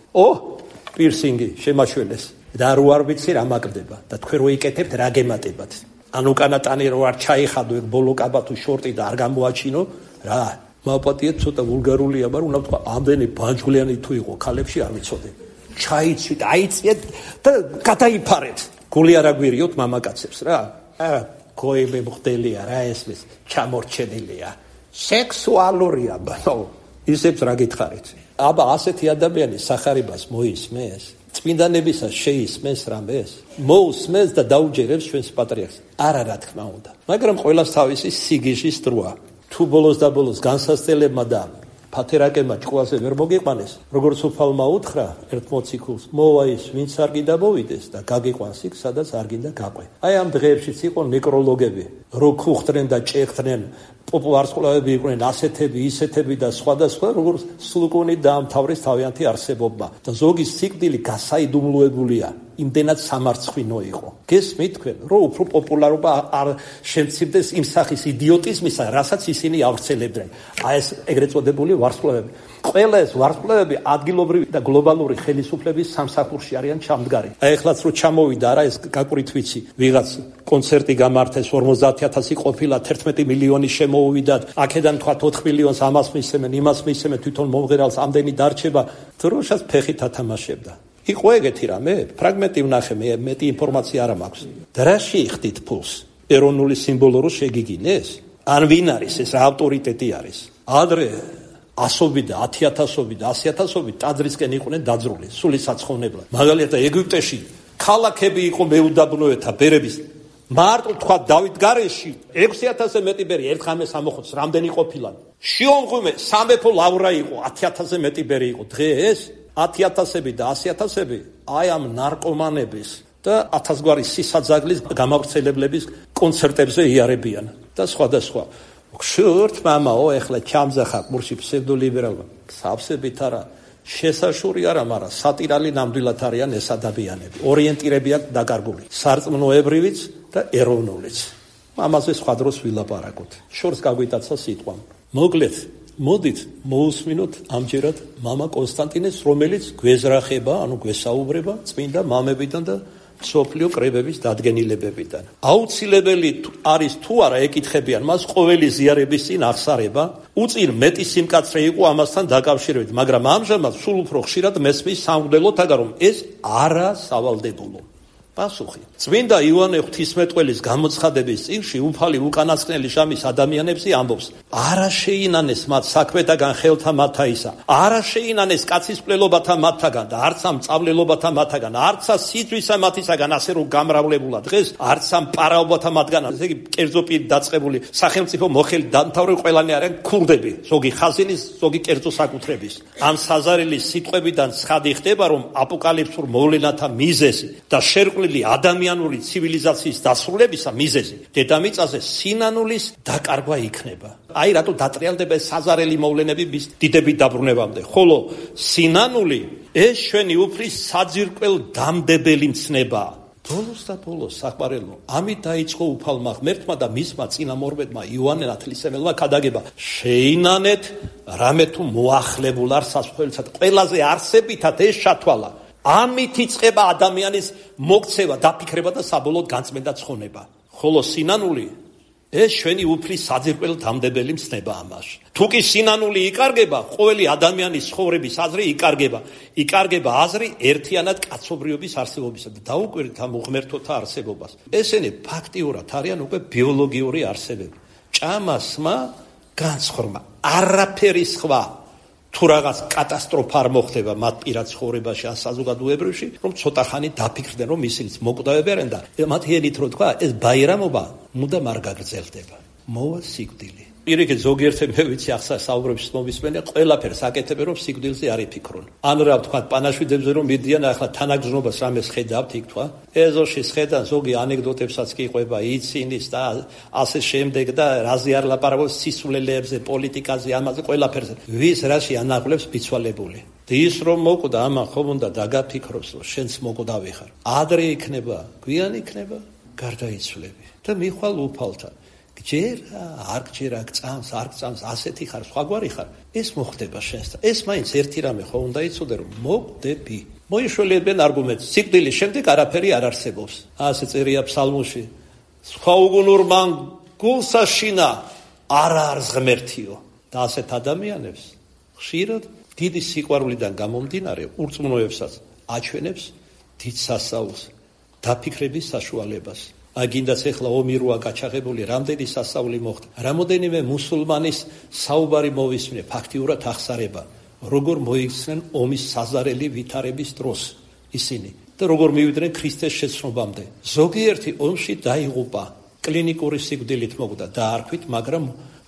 პირსინგი შემაშველეს. და რო არ ვიცი რა მაგდება და თქვენ რო იკეთებთ რა გემატებათ. ან უკანა ტანი რო არ ჩაიხადო ეგ ბოლო კაბათო შორტი და არ გამოაჩინო რა. მაპატიეთ ცოტა ვულგარულია, მაგრამ უნდა თქვა ამდენი ბანჯგვლიანი თუ იყო ქალებში არ ვიცოდი. ჩაიცვით, აიწიეთ და გადაიფარეთ. გული არ აგვირიოთ მამაკაცებს რა. გოები მხდელია რა ესმის, ჩამორჩენილია. სექსუალურია ბანო. ისებს რა გითხარით? აბა ასეთი ადამიანი სახარებას მოისმეს? წმინდანებისას შეისმეს რამეს? მოусმეს და დაუჯერებს ჩვენს პატრიარქს. არა რა თქმა უნდა. მაგრამ ყველას თავისი სიგიჟის დროა. თუ ბოლოს და ბოლოს განსასწელებმა და ფათერაკებმა ჭკუაზე ვერ მოგიყვანეს, როგორც უფალმა უთხრა ერთ მოციქულს, მოვა ის, ვინც არ გინდა მოვიდეს და გაგიყვანს იქ, სადაც არ გინდა გაყვე. აი ამ დღეებშიც იყო ნეკროლოგები, რო ქუხდნენ და ჭეხდნენ, პოპულარსკვლავები იყვნენ ასეთები, ისეთები და სხვადასხვა, როგორც სულუკუნით დაამთავრეს თავიანთი არსებობა. და ზოგი სიკვდილი გასაიდუმლოებულია. იმდენად სამარცხვინო იყო. გესმით თქვენ, რომ უფრო პოპულარობა არ შემცირდეს იმ სახის იდიოტიზმისა, რასაც ისინი ავრცელებდნენ. აი ეს ეგრეთ წოდებული ვარსკვლავები. ყველა ეს ვარსკვლავები ადგილობრივი და გლობალური ხელისუფლების სამსახურში არიან ჩამდგარი. აი ეხლაც რო ჩამოვიდა რა ეს გაკვრით ვიცი, ვიღაც კონცერტი გამართეს 50,000 ყოფილა 11 მილიონი შემოუვიდათ. აქედან თქვა 4 მილიონს ამას მისცემენ, იმას მისცემენ, თვითონ მომღერალს ამდენი დარჩება. დროშას ფეხით ათამაშებდა. იყო ეგეთი რამე? ფრაგმენტი ვნახე, მე მეტი ინფორმაცია არ მაქვს. და რა შეიხდით ფულს? ეროვნული სიმბოლო რო შეგიგინეს? ან ვინ არის ეს? რა ავტორიტეტი არის? ადრე ასობი და 10,000-ობი და 100,000-ობი ტაძრისკენ იყვნენ დაძრული, სული საცხოვნებლად. მაგალითად ეგვიპტეში ქალაქები იყო მეუდაბნოეთა ბერების. მარტო თქვა დავით გარეში 6,000-ზე მეტი ბერი ერთ ღამეს ამოხოც, რამდენი ყოფილა? შიომღვიმე სამეფო ლავრა იყო, 10,000-ზე მეტი ბერი იყო. დღეს 10,000-ები და 100,000-ები აი ამ ნარკომანების და 1000 გვარი სისაძაგლის გამავრცელებლების კონცერტებზე იარებიან და სხვადასხვა. ხშირთ მამაო, ეხლა ჩამძახა ყურში ფსევდოლიბერალმა. სავსებით არა, შესაშური არა, მაგრამ სატირალი ნამდვილად არიან ეს ადამიანები. ორიენტირები აქვს დაკარგული, სარწმუნოებრივიც და ეროვნულიც. ამაზე სხვა დროს ვილაპარაკოთ. შორს გაგვიტაცა სიტყვამ. მოკლედ მოდით მოусმინოთ ამჯერად მამა კონსტანტინეს, რომელიც გვეზრახება, ანუ გვესაუბრება წმინდა მამებიდან და სოფლიო კრებების დადგენილებებიდან. აუცილებელი არის თუ არა ეკითხებიან მას ყოველი ზიარების წინ აღსარება, უწინ მეტი სიმკაცრე იყო ამასთან დაკავშირებით, მაგრამ ამჟამად სულ უფრო ხშირად მესმის სამღვდელოთაგან, რომ ეს არა სავალდებულო. პასუხი. წმინდა იოანე ღვთისმეტყველის გამოცხადების წიგნში უფალი უკანასკნელი ჟამის ადამიანებს ამბობს: არა შეინანეს მათ საქმეთაგან ხელთა მათაისა, არა შეინანეს კაცის მკვლელობათა მათთაგან და არც ამ წავლელობათა მათთაგან, არცა სიძვისა მათისაგან, ასე რომ გამრავლებულა დღეს, არც ამ პარაობათა მათგან, ესე იგი კერძო პირი დაწყებული სახელმწიფო მოხელი დამთავრებული ყველანი არიან ქურდები, ზოგი ხაზინის, ზოგი კერძო საკუთრების. ამ საზარელის სიტყვებიდან ცხადი ხდება, რომ აპოკალიფსურ მოვლენათა მიზეზი და შერყვლილი ადამიანური ცივილიზაციის დასრულებისა მიზეზი დედამიწაზე სინანულის დაკარგვა იქნება. აი რატო დატრიალდება საზარელი მოვლენები მის დიდებით დაბრუნებამდე. ხოლო სინანული ეს ჩვენი უფლის საძირკვალ დამდებელი მცნება. ბოლოს და ბოლოს საყვარელო, ამით დაიწყო უფალმა ღმერთმა და მისმა წინამორბედმა იოანე ნათლისმცემელმა ქადაგება. შეინანეთ რამე თუ მოახლებულ არ სასწრაფოდ ყველაზე არსებითად ეს ჩათვალა. ამით იწყება ადამიანის მოქცევა, დაფიქრება და საბოლოოდ განწმენდა ცხონება. ხოლო სინანული ეს ჩვენი უფლის საძირკვალ დამდებელი მცნება ამაში. თუ კი სინანული იკარგება, ყოველი ადამიანის ცხოვრების აზრი იკარგება. იკარგება აზრი ერთიანად კაცობრიობის არსებობისა და დაუკვირდით ამ უღმერთოთა არსებობას. ესენი ფაქტიურად არიან უკვე ბიოლოგიური არსებები. ჭამა, სმა, განცხრმა, არაფერი სხვა. თუ რაღაც კატასტროფა არ მოხდება მათ პირად ცხოვრებაში ან საზოგადოებრივში, რომ ცოტა ხანი დაფიქრდნენ, რომ ისინიც მოკვდავები არიან და მათ ელით რო თქვა, ეს ბაირამობა მუდამ არ გაგრძელდება. მოვა სიკვდილი. პირიქით ზოგიერთი მე ვიცი ახლა საუბრებს მომისმენია, ყველაფერს აკეთებენ რომ სიკვდილზე არ იფიქრონ. ან რა ვთქვა, პანაშვიდებზე რომ მიდიან, ახლა თანაგზნობას რამეს ხედავთ იქ თქვა. ეზოში ხედან ზოგი ანეკდოტებსაც კი ყვება, იცინის და ასე შემდეგ და რაზე არ ლაპარაკობს სისულელეებზე, პოლიტიკაზე, ამაზე ყველაფერზე. ვის რაში ანაღლებს ბიცვალებული. ის რომ მოკვდა ამან ხომ უნდა დაგაფიქროს, რომ შენც მოკვდავი ხარ. ადრე იქნება, გვიან იქნება, გარდაიცვლები და მიხვალ უფალთან. გჯერა, არ გჯერა, გწამს, არ გწამს, ასეთი ხარ, სხვაგვარი ხარ. ეს მოხდება შენსთან. ეს მაინც ერთი რამე ხო უნდა იცოდე, რომ მოკვდები. მოიშველებენ არგუმენტს. სიკვდილის შემდეგ არაფერი არ არსებობს. ასე წერია ფსალმოში. სხვა უგუნურმან გულსაშინა არა არის ღმერთიო. და ასეთ ადამიანებს ხშირად დიდი სიყვარულიდან გამომდინარე ურწმუნოებსაც აჩვენებს დიდ სასაულს, დაფიქრების საშუალებას. აგინდაც ეხლა ომი როა გაჩაღებული, რამდენი სასაული მოხდა. რამოდენიმე მუსულმანის საუბარი მოვისმინე, ფაქტიურად ახსარება, როგორ მოიქცნენ ომის საზარელი ვითარების დროს ისინი და როგორ მივიდნენ ქრისტეს შეცნობამდე. ზოგიერთი ომში დაიღუპა, კლინიკური სიკვდილით მოკვდა, დაარქვით, მაგრამ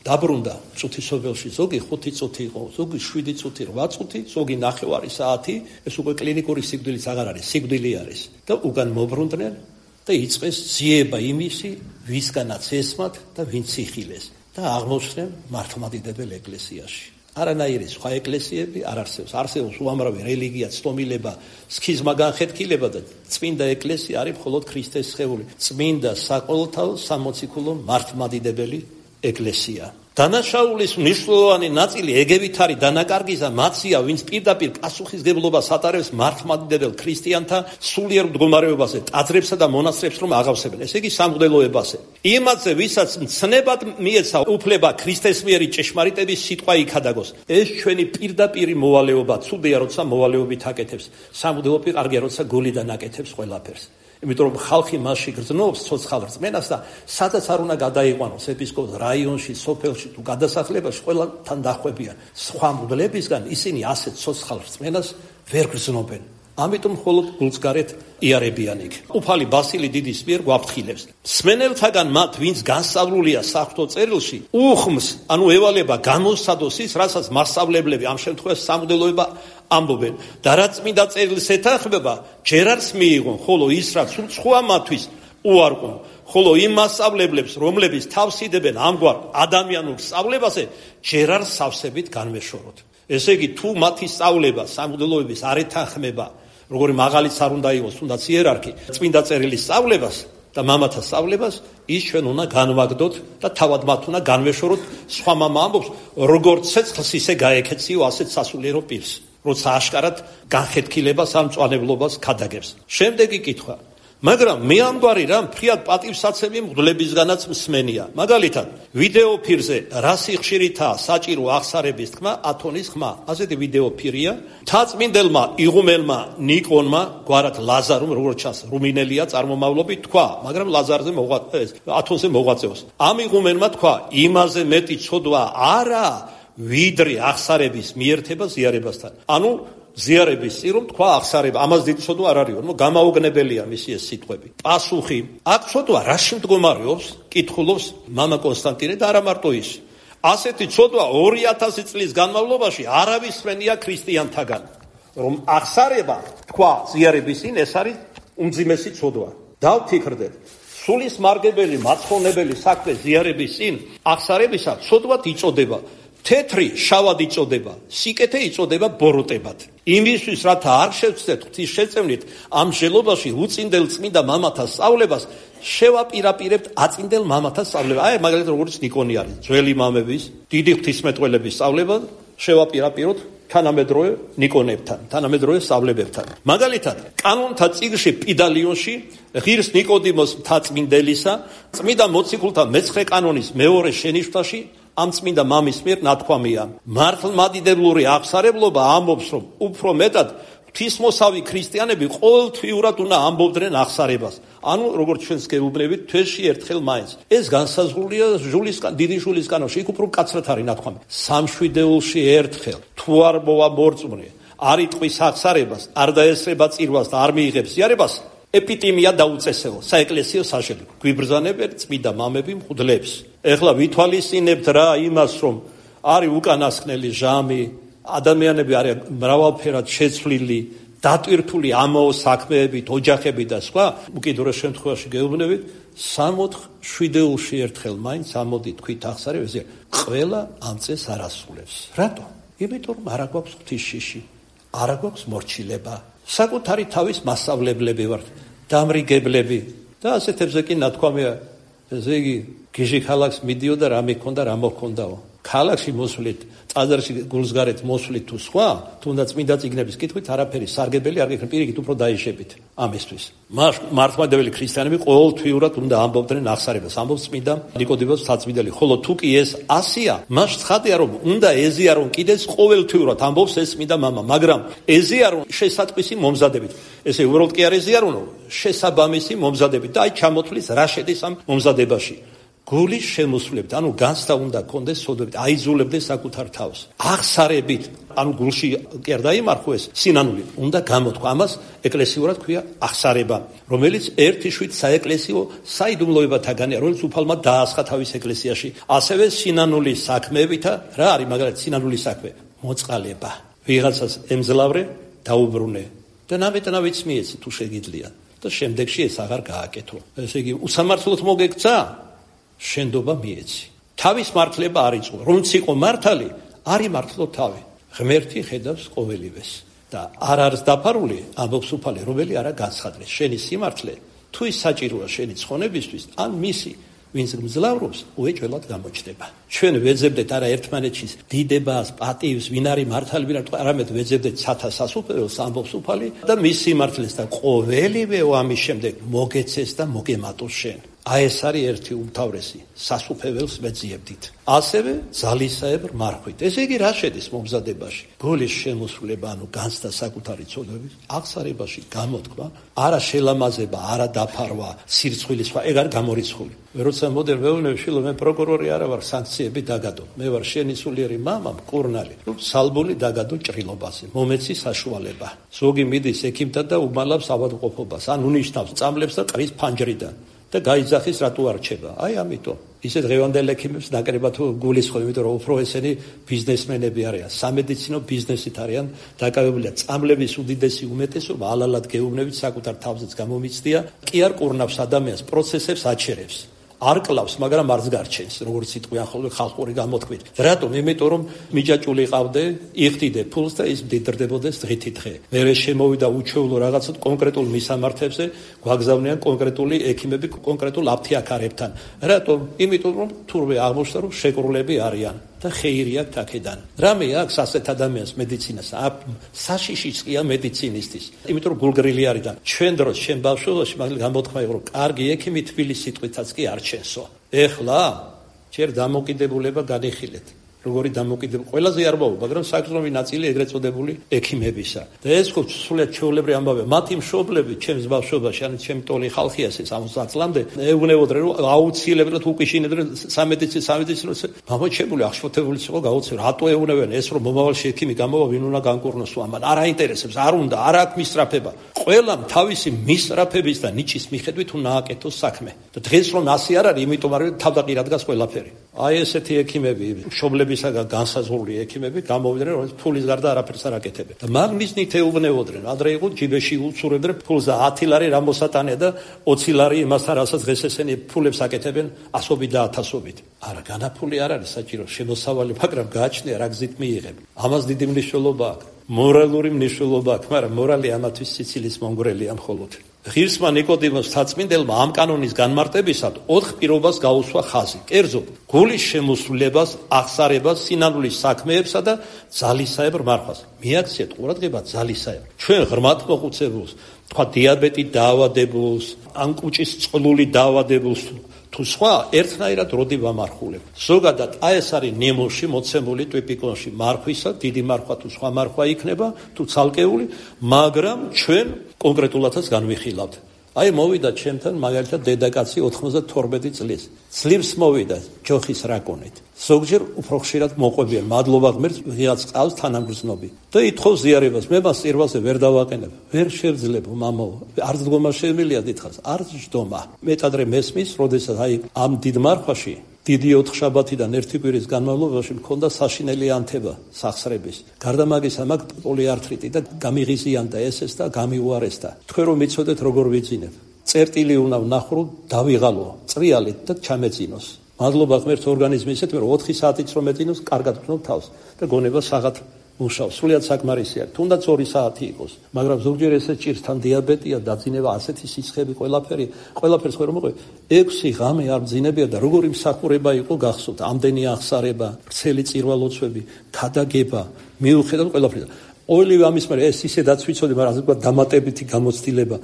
დაბრუნდა წუთისობელში. ზოგი 5 წუთი იყო, ზოგი 7 წუთი, 8 წუთი, ზოგი 9 საათი. ეს უკვე კლინიკური სიკვდილიც აღარ არის, სიკვდილი არის. და უკან მობრუნდნენ და იწყეს ძიება იმისი, ვისგანაც ესმათ და ვინც იხილეს და აღმოჩნდნენ მართლმადიდებელ ეკლესიაში. არანაირი სხვა ეკლესიები არ არსებობს. არსებობს უამრავი რელიგია, ცნობილება, სქიზმა განხეთქილება და წმინდა ეკლესია არის მხოლოდ ქრისტეს სხეული. წმინდა საყოველთაო სამოციქულო მართლმადიდებელი ეკლესია. დანაშაულის მნიშვნელოვანი ნაწილი ეგევით არის დანაკარგიზა მათია, ვინც პირდაპირ პასუხისგებლობას ატარებს მართლმადიდებელ ქრისტიანთა სულიერ მდგომარეობაზე, ტაძრებსა და მონასტრებს რომ აღავსებენ. ესე იგი სამღვდელოებაზე. იმათზე, ვისაც მცნებად მიეცა უფლება ქრისტეს მიერი ჭეშმარიტების სიტყვა იქადაგოს. ეს ჩვენი პირდაპირი მოვალეობა, ცუდია, როცა მოვალეობით აკეთებს. სამღვდელო კარგია, როცა გულიდან აკეთებს ყველაფერს. იმიტომ რომ ხალხი მასში გრძნობს ცოცხალ რწმენას და სადაც არ უნდა გადაიყვანოს ეპისკოპოს რაიონში, სოფელში თუ გადასახლებაში ყველთან დახვებიან. სხვა მღვდლებისგან ისინი ასეთ ცოცხალ რწმენას ვერ გრძნობენ. ამიტომ მხოლოდ გულსგარეთ იარებიან იქ. უფალი ბასილი დიდის მიერ გვაფრთხილებს. მსმენელთაგან მათ, ვინც განსწავლულია საღვთო წერილში, უხმს, ანუ ევალება გამოსცადოს ის, რასაც მასწავლებლები, ამ შემთხვევაში სამღვდელოება ამბობენ. და რაც წმინდა წერილს ეთანხმება, ჯერ არც მიიღონ, ხოლო ის, რაც უცხოა მათთვის, უარყონ. ხოლო იმ მასწავლებლებს, რომლებიც თავს იდებენ ამგვარ ადამიანურ სწავლებაზე, ჯერ არ სავსებით განვეშოროთ. ესე იგი, თუ მათი სწავლება სამღვდელოების არ ეთანხმება, როგორი მაღალიც არ უნდა იყოს, თუნდაც იერარქი, წმინდა წერილის სწავლებას და მამათა სწავლებას, ის ჩვენ უნდა განვაგდოთ და თავად მათ უნდა განვეშოროთ. სხვა მამა ამბობს, როგორც ცეცხლს ისე გაეკეციო ასეთ სასულიერო პირს, როცა აშკარად განხეთქილებას ან მწვალებლობას ქადაგებს. შემდეგი კითხვა. მაგრამ მე ამგვარი რამ ფრიად პატივსაცემი მღვდლებისგანაც მსმენია. მაგალითად, ვიდეო ფირზე რა სიხშირითაა საჭირო აღსარების თქმა, ათონის ხმა. ასეთი ვიდეო ფირია. თაწმინდელმა იღუმელმა ნიკონმა, გვარად ლაზარუმ, როგორც ჩანს, რუმინელია წარმომავლობით, თქვა, მაგრამ ლაზარზე ათონზე მოღვაწეობს. ამ იღუმელმა თქვა, იმაზე მეტი ცოდვა არა, ვიდრე აღსარების მიერთება ზიარებასთან. ანუ ზიარების წინ რომ თქვა აღსარება, ამას დიდი ცოდვა არ არის, გამაოგნებელია მისი ეს სიტყვები. პასუხი, აქ ცოდვა რაში მდგომარეობს? კითხულობს მამა კონსტანტინე და არა მარტო ის. ასეთი ცოდვა 2000 წლის განმავლობაში არავის მენია ქრისტიანთაგან, რომ აღსარება თქვა ზიარების წინ, ეს არის უმძიმესი ცოდვა. დავფიქრდეთ, სულის მარგებელი, მაცხოვნებელი საქმე ზიარების წინ აღსარებისა ცოდვად იწოდება. თეთრი შავად იწოდება, სიკეთე იწოდება ბოროტებად. იმისთვის, რათა არ შევცდეთ ღვთის შეწევნით, ამ მსჯელობაში უწინდელ წმინდა მამათა სწავლებას შევაპირაპირებთ აწინდელ მამათა სწავლებას. აი, მაგალითად, როგორც ნიკონი არის, ძველი მამების, დიდი ღვთისმეტყველების სწავლება შევაპირაპიროთ თანამედროვე ნიკონებთან, თანამედროვე სწავლებებთან. მაგალითად, კანონთა წიგნში პიდალიონში ღირს ნიკოდიმოს მთაწმინდელისა, წმინდა მოციქულთა მე-9 კანონის მეორე შენიშვნაში ამ წმინდა მამის მიერ ნათქვამია. მართლმადიდებლური აღსარებლობა ამბობს, რომ უფრო მეტად ღვთისმოსავი ქრისტიანები ყოველთვიურად უნდა ამბობდნენ აღსარებას. ანუ, როგორც ჩვენს გეუბნებით, თვეში ერთხელ მაინც. ეს განსაზღვრულია დიდი ჟულის კანონში, იქ უფრო მკაცრად არის ნათქვამი. სამშვიდეულში ერთხელ, თუ არ მოვა მორწმუნე, არ იტყვის აღსარებას, არ დაესწრება წირვას და არ მიიღებს ზიარებას, ეპიტიმია დაუწესეო საეკლესიო საშენ გვიბრძანებენ წმინდა მამები მღვდლებს. ეხლა ვითვალისწინებთ რა იმას, რომ არის უკანასკნელი ჟამი, ადამიანები არიან მრავალფერად შეცვლილი, დატვირთული ამაო საქმეებით, ოჯახებით და სხვა, უკიდურეს შემთხვევაში გეუბნებით, 67-ში ერთხელ მაინც ამოდი თქვით ახსარებაზე, ყველა ამ წეს არ ასრულებს. რატო? იმიტომ რომ არ აქვს ღვთისშიში, არ აქვს მორჩილება. საკუთარი თავის მასწავლებლები ვართ, დამრიგებლები და ასეთებზე კი ნათქვამია, ესე იგი, გიჟი ქალაქს მიდიოდა რა მიქონდა, რა მოხონდაო. ქალაქში მოსვლით, ტაძარში გულსგარეთ მოსვლით თუ სხვა, თუნდაც წმინდა წიგნების კითხვით არაფერი სარგებელი არ გექნება, პირიქით უფრო დაიშებით ამისთვის. მართლმადიდებელი ქრისტიანები ყოველთვიურად უნდა ამბობდნენ აღსარებას, ამბობს წმინდა ნიკოდიმოს საწმინდელი. ხოლო თუ კი ეს ასია, მას ცხადია რომ უნდა ეზიარონ კიდეც ყოველთვიურად ამბობს ეს წმინდა მამა, მაგრამ ეზიარონ შესატყვისი მომზადებით. ესე უბრალოდ კი არ ეზიარონო, შესაბამისი მომზადებით და აი ჩამოთვლის რა შედის ამ მომზადებაში. გულის შემოსვლებით, ანუ განცდა უნდა კონდეს სოდებით, აიძულებდეს საკუთარ თავს. აღსარებით, ანუ გულში კი არ დაიმარხო ეს სინანული, უნდა გამოთქვა. ამას ეკლესიურად ქვია აღსარება, რომელიც ერთი შვიდ საეკლესიო საიდუმლოებათაგანია, რომელიც უფალმა დაასხა თავის ეკლესიაში. ასევე სინანულის საქმეებითა, რა არის მაგალითად სინანულის საქმე? მოწყალება. ვიღაცას ემძლავრე, დაუბრუნე და ნამეტ-ნავიც მიეცი თუ შეგიძლია და შემდეგში ეს აღარ გააკეთო. ესე იგი, უსამართლოდ მოგექცა შენდობა მიეცი. თავის მართლება არ იწვა. რომც იყო მართალი, არ იმართლო თავი. ღმერთი ხედავს ყოველივეს და არ არის დაფარული, ამბობს უფალი, რომელი არა განცხადდეს. შენი სიმართლე თუ ის საჭიროა შენი ცხონებისთვის, ან მისი, ვინც მძლავრობს, უეჭველად გამოჩნდება. ჩვენ ვეძებდეთ არა ერთმანეთში დიდებას, პატივს, ვინ არის მართალი, ვინ არა, არამედ ვეძებდეთ სათა სასუფეველს, ამბობს უფალი და მის სიმართლეს და ყოველივე ამის შემდეგ მოგეცეს და მოგემატოს შენ. აი ეს არის ერთი უმთავრესი სასუფეველს მეძიებდით. ასევე ძალისაებრ მარხვით. ესე იგი რა შედის მომზადებაში? გულის შემოსვლება, ანუ განცდა საკუთარი ცოდვების, აღსარებაში გამოთქვა, არა შელამაზება, არა დაფარვა, სირცხვილის, ეგ არ გამორიცხული. როცა მოდერ ვეუბნები, შილო მე პროკურორი არა ვარ, სანქციები დაგადო. მე ვარ შენი სულიერი მამა, მკურნალი. სალბული დაგადო ჭრილობაზე, მომეცი საშუალება. ზოგი მიდის ექიმთან და უმალავს ავადმყოფობას, ან უნიშნავს წამლებს და ყრის ფანჯრიდან. და გაიძახის რატო არ რჩება. აი ამიტომ ისე დღევანდელ ექიმებს ნაკრებად გულის ხო, იმიტომ რომ უფრო ესენი ბიზნესმენები არიან, სამედიცინო ბიზნესით არიან დაკავებული. წამლების უდიდესი უმეტესობა ალალად გეუბნებით საკუთარ თავზეც გამომიცდია, კი არ ყურნავს ადამიანს, პროცესებს აჩერებს. არ კლავს, მაგრამ არც გარჩენს, როგორც სიტყვიან ხოლმე ხალხური გამოთქმით. რატომ? იმიტომ რომ მიჯაჭული ყავდე, იხდიდე ფულს და ის მდიდრდებოდეს დღითი დღე. მერე შემოვიდა უჩვეულო რაღაცა კონკრეტულ მისამართებზე, გვაგზავნიან კონკრეტული ექიმები კონკრეტულ აფთიაქარებთან. რატომ? იმიტომ რომ თურმე აღმოჩნდა რომ შეკრულები არიან და ხეირია აქედან. რამე აქვს ასეთ ადამიანს მედიცინას, საშიშიც ყია მედიცინისტის. იმიტომ რომ გულგრილი არის და ჩვენ დროს ჩვენ ბავშვობაში მაგალითად გამოთქმა იყო რომ კარგი ექიმი თბილის სიტყვითაც კი არ ჩენსო. ეხლა ჯერ დამოკიდებულება განიხილეთ. როგორი დამოკიდებულება ყველაზე არ მოვა, მაგრამ საკუთრივი ნაწილი ეგრეთ წოდებული ექიმებისა. და ეს ხო სულად ჩვეულებრივი ამბავია. მათი მშობლები ჩემს ბავშვობაში, ანუ ჩემი ტოლი ხალხია ეს 60 წლამდე, ეუბნებოდნენ რომ აუცილებლად უკიშინებდნენ სამედიცინო გამოჩებული აღშფოთებული იყო გაუცილებლად. რატო ეუბნებიან ეს რომ მომავალში ექიმი გამოვა, ვინ უნდა განკურნოს ამან? არ აინტერესებს, არ უნდა, არ აქვს მისწრაფება. ყველამ თავისი მისწრაფების და ნიჭის მიხედვით უნდა ააკეთოს საქმე. და დღეს რომ ასე არ არის, იმიტომ არის თავდაყირა დგას ყველაფერი. აი ესეთი ექიმები, მშობლებისაგან განსაზღვრული ექიმები გამოვიდნენ, რომ ფულის გარდა არაფერს არ აკეთებენ. და მაგნიზნით ეუბნებოდნენ, ადრე იყო ჯიბეში უცურებდნენ ფულს და 10 ლარი რამოსატანია და 20 ლარი იმასთან, რასაც დღეს ესენი ფულებს აკეთებენ ასობით და ათასობით. არა, განაფული არ არის საჭირო, შემოსავალი, მაგრამ გააჩნია რა გზით მიიღებ. ამას დიდი მნიშვნელობა აქვს. მორალური მნიშვნელობა აქვს, მაგრამ მორალი ამათვის სიცილის მომგვრელია მხოლოდ. ღირსმა ნიკოდიმოს საწმინდელმა ამ კანონის განმარტებისად 4 პირობას გაუსვა ხაზი. კერძოდ, გულის შემოსვლებას, აღსარებას, სინანულის საქმეებსა და ძალისაებრ მარხვას. მიაქციეთ ყურადღება ძალისაებრ. ჩვენ ღრმად მოხუცებულს, თქვა დიაბეტით დაავადებულს, ან კუჭის წყლული დაავადებულს თუ სხვა ერთნაირად როდი ვამარხულებ. ზოგადად აი ეს არის ნემოში მოცემული ტვიპიკონში მარხვისა, დიდი მარხვა თუ სხვა მარხვა იქნება, თუ ცალკეული, მაგრამ ჩვენ კონკრეტულადაც განვიხილავთ. აი მოვიდა ჩემთან მაგალითად დედაკაცი 92 წლის. ძლივს მოვიდა ჯოხის რაკონით. ზოგჯერ უფრო ხშირად მოყვებიან, მადლობა ღმერთს, ვიღაც ყავს თანამგრძნობი. და ითხოვს ზიარებას, მე მას წირვაზე ვერ დავაყენებ, ვერ შევძლებ მამაო. არც დგომა შემილია დიდხანს, არც ჯდომა. მეტადრე მესმის, როდესაც აი ამ დიდ მარხვაში დიდი 4 შაბათიდან 1 კვირის განმავლობაში მქონდა საშინელი ანთება სახსრების. გარდა მაგისა, მაგ პოლიართრიტი და გამიღიზიანდა ესეს და გამიუარესდა. თქვენ რომ მიცოდეთ როგორ ვიძინებ. წერტილი უნდა ვნახრო, დავიღალო, წრიალით და ჩამეძინოს. მადლობა ღმერთს ორგანიზმი ისეთ, რომ 4 საათიც რომ ეძინოს, კარგად ვქნობ თავს და გონება საღად მუშაობს. სრულიად საკმარისია. თუნდაც 2 საათი იყოს, მაგრამ ზოგჯერ ესე ჭირს თან დიაბეტია, დაძინება, ასეთი სიცხები, ყველაფერს ვერ მოყვე. 6 ღამე არ მძინებია და როგორი მსახურება იყო გახსოვთ, ამდენი აღსარება, ვრცელი წირვალოცვები, ქადაგება, მიუხედავად ყველაფერისა. ოილივე ამის მერე ეს ისედაც ვიცოდი, მაგრამ ასე ვთქვათ დამატებითი გამოცდილება.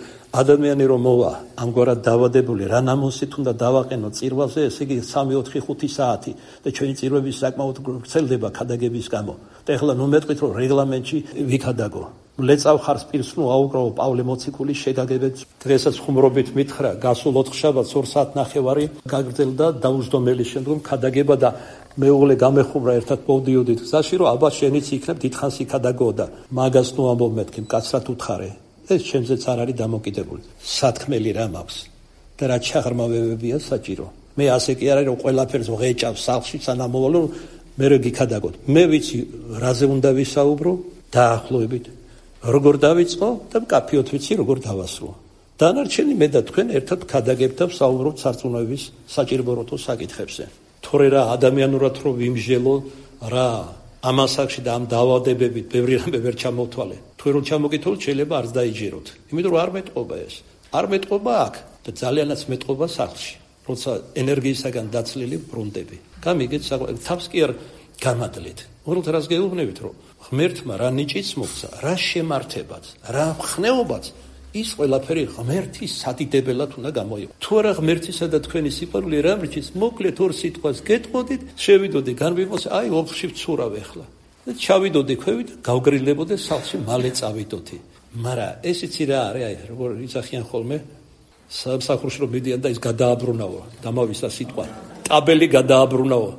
ადამიანი რომ მოვა ამგვარად დავადებული, რა ნამოსით უნდა დავაყენო წირვალზე, ესე იგი 3-4-5 საათი და ჩვენი წირვების საკმაოდ ვრცელდება ქადაგების გამო. და ეხლა ნუ მეტყვით რომ რეგლამენტში ვიქადაგო. ლეწავ ხარს პირს ნუ აუკრავო პავლე მოციქულის შეგაგებებს. დღესაც ხუმრობით მითხრა, გასულ 4 შაბათს 2 საათნახევარი გაგრძელდა დაუჯდომელი შემდგომ ქადაგება და მეუღლე გამეხუმრა ერთად მოვდიოდით გზაში, რომ აბა შენიც იქნებ დიდხანს იქადაგო და მაგას ნუ ამბობ მეთქი, მკაცრად უთხარე. ეს ჩემზეც არ არის დამოკიდებული. სათქმელი რა მაქვს და რა ჩაღრმავებებია საჭირო. მე ასე კი არ არის რომ ყველაფერს ვღეჭავ სახლში სანამ მოვალო, მე რა გიქადაგოთ. მე ვიცი რაზე უნდა ვისაუბრო დაახლოებით. როგორ დავიწყო და მკაფიოდ ვიცი როგორ დავასრულო. დანარჩენი მე და თქვენ ერთად ქადაგებთ და ვსაუბრობთ სარწმუნოების საჭიროებათა საკითხებზე. თორე რა ადამიანურად რო ვიმჟელო რა ამ ასაკში და ამ დაავადებებით ბევრი რამე ვერ ჩამოვთვალე. თქვენ რომ ჩამოგითხოვოთ შეიძლება არც დაიჯეროთ. იმიტომ რომ არ მეტყობა ეს. არ მეტყობა აქ და ძალიანაც მეტყობა სახლში. როცა ენერგიისაგან დაცლილი ბრუნდები. გამიგეთ თავს კი არ გამადლეთ. უბრალოდ რას გეუბნებით რომ ღმერთმა რა ნიჭიც მოგცა, რა შემართებაც, რა ხნეობაც ის ყველაფერი ღმერთის სადიდებელად უნდა გამოიყო. თუ არა ღმერთისა და თქვენი სიყვარული რა მრჩის, მოკლედ 2 სიტყვას გეტყოდით, შევიდოდი განვიმოს, აი ოფში ვცურავ ახლა. და ჩავიდოდი ქვევით, გავგრილებოდი სახლში, მალე წავიდოდი. მაგრამ ეს იცი რა არის, აი როგორ იცახიან ხოლმე სამსახურში რომ მიდიან და ის გადააბრუნავო, დამავისა სიტყვა. ტაბელი გადააბრუნავო.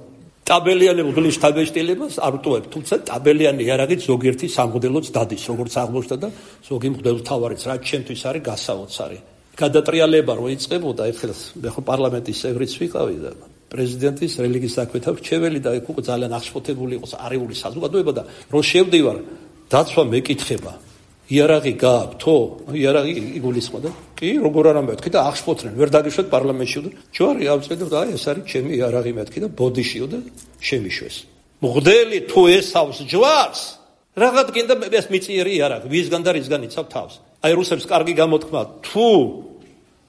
ტაბელიანი მღვდლის შთაბეჭდილებას არ ვტოვებ, თუმცა ტაბელიანი იარაღით ზოგიერთი სამღვდელოც დადის, როგორც აღმოჩნდა და ზოგი მღვდელმთავარიც, რაც ჩემთვის არის გასაოცარი. გადატრიალება რო იწყებოდა, ეხლა მე ხო პარლამენტის წევრიც ვიყავი და პრეზიდენტის რელიგიის საქმეთა მრჩეველი და იქ უკვე ძალიან აღშფოთებული იყოს არეული საზოგადოება და რო შევდივარ, დაცვა მეკითხება. იარაღი გააქვთო? იარაღი იგულისხმო და კი, როგორ არა მეთქი და აღშფოთდნენ, ვერ დაგიშვათ პარლამენტში და ჯვარი ავწევდო და აი ეს არის ჩემი იარაღი მეთქი და ბოდიშიო და შემიშვეს. მღვდელი თუ ესავს ჯვარს, რაღაც გინდა ეს მიწიერი იარაღი, ვისგან და რისგან იცავ თავს. აი რუსებს კარგი გამოთქმა, თუ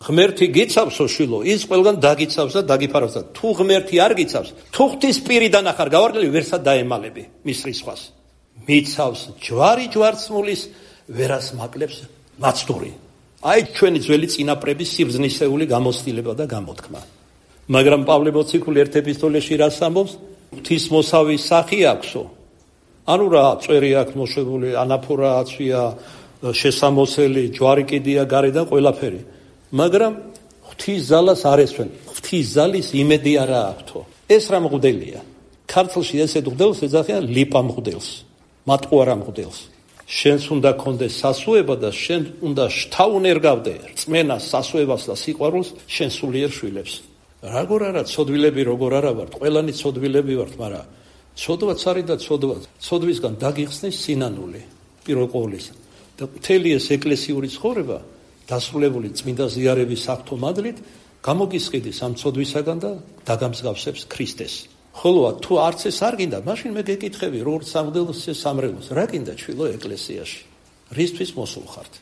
ღმერთი გიცავსო შვილო, ის ყველგან დაგიცავს და დაგიფარავს და თუ ღმერთი არ გიცავს, თუ ღვთის პირიდან ახარ გავარდნილი, ვერსად დაემალები მის რისხვას. მიცავს ჯვარი ჯვარცმულის ვერას მაკლებს მაცდური. აი ჩვენი ძველი წინაპრების სიბრძნისეული გამოცდილება და გამოთქმა. მაგრამ პავლე მოციქული ერთ ეპისტოლეში რას ამბობს? ღვთისმოსავის სახი აქვსო. ანუ რა წვერი აქვს მოშვებული, ანაფორა აცვია, შესამოსელი, ჯვარი კიდია გარედან ყველაფერი. მაგრამ ღვთის ზალას არ ესვენ. ღვთის ზალის იმედი არა აქვთო. ეს რა მღვდელია? ქართლში ესეთ მღვდელს ეძახიან ლიპა მღვდელს, მატყუარა მღვდელს. შენს უნდა კონდეს სასუება და შენ უნდა შთაუნერგავდე რწმენას, სასუებას და სიყვარულს შენ სულიერ შვილებს. როგორ არა ცოდვილები როგორ არა ვართ, ყველანი ცოდვილები ვართ, მაგრამ ცოდვაც არის და ცოდვისგან დაგიხსნის სინანული პირველ ყოვლისა. და მთელი ეს ეკლესიური ცხოვრება დასრულებული წმინდა ზიარების საფრთხომადლით გამოგისყიდის ამ ცოდვისაგან და დაგამსგავსებს ქრისტეს. ხოლო თუ არც ეს არ გინდა, მაშინ მე გეკითხები, როგორც სამღვდელოს სამრევლოს, რა გინდა ჩვილო ეკლესიაში? რისთვის მოსულ ხართ?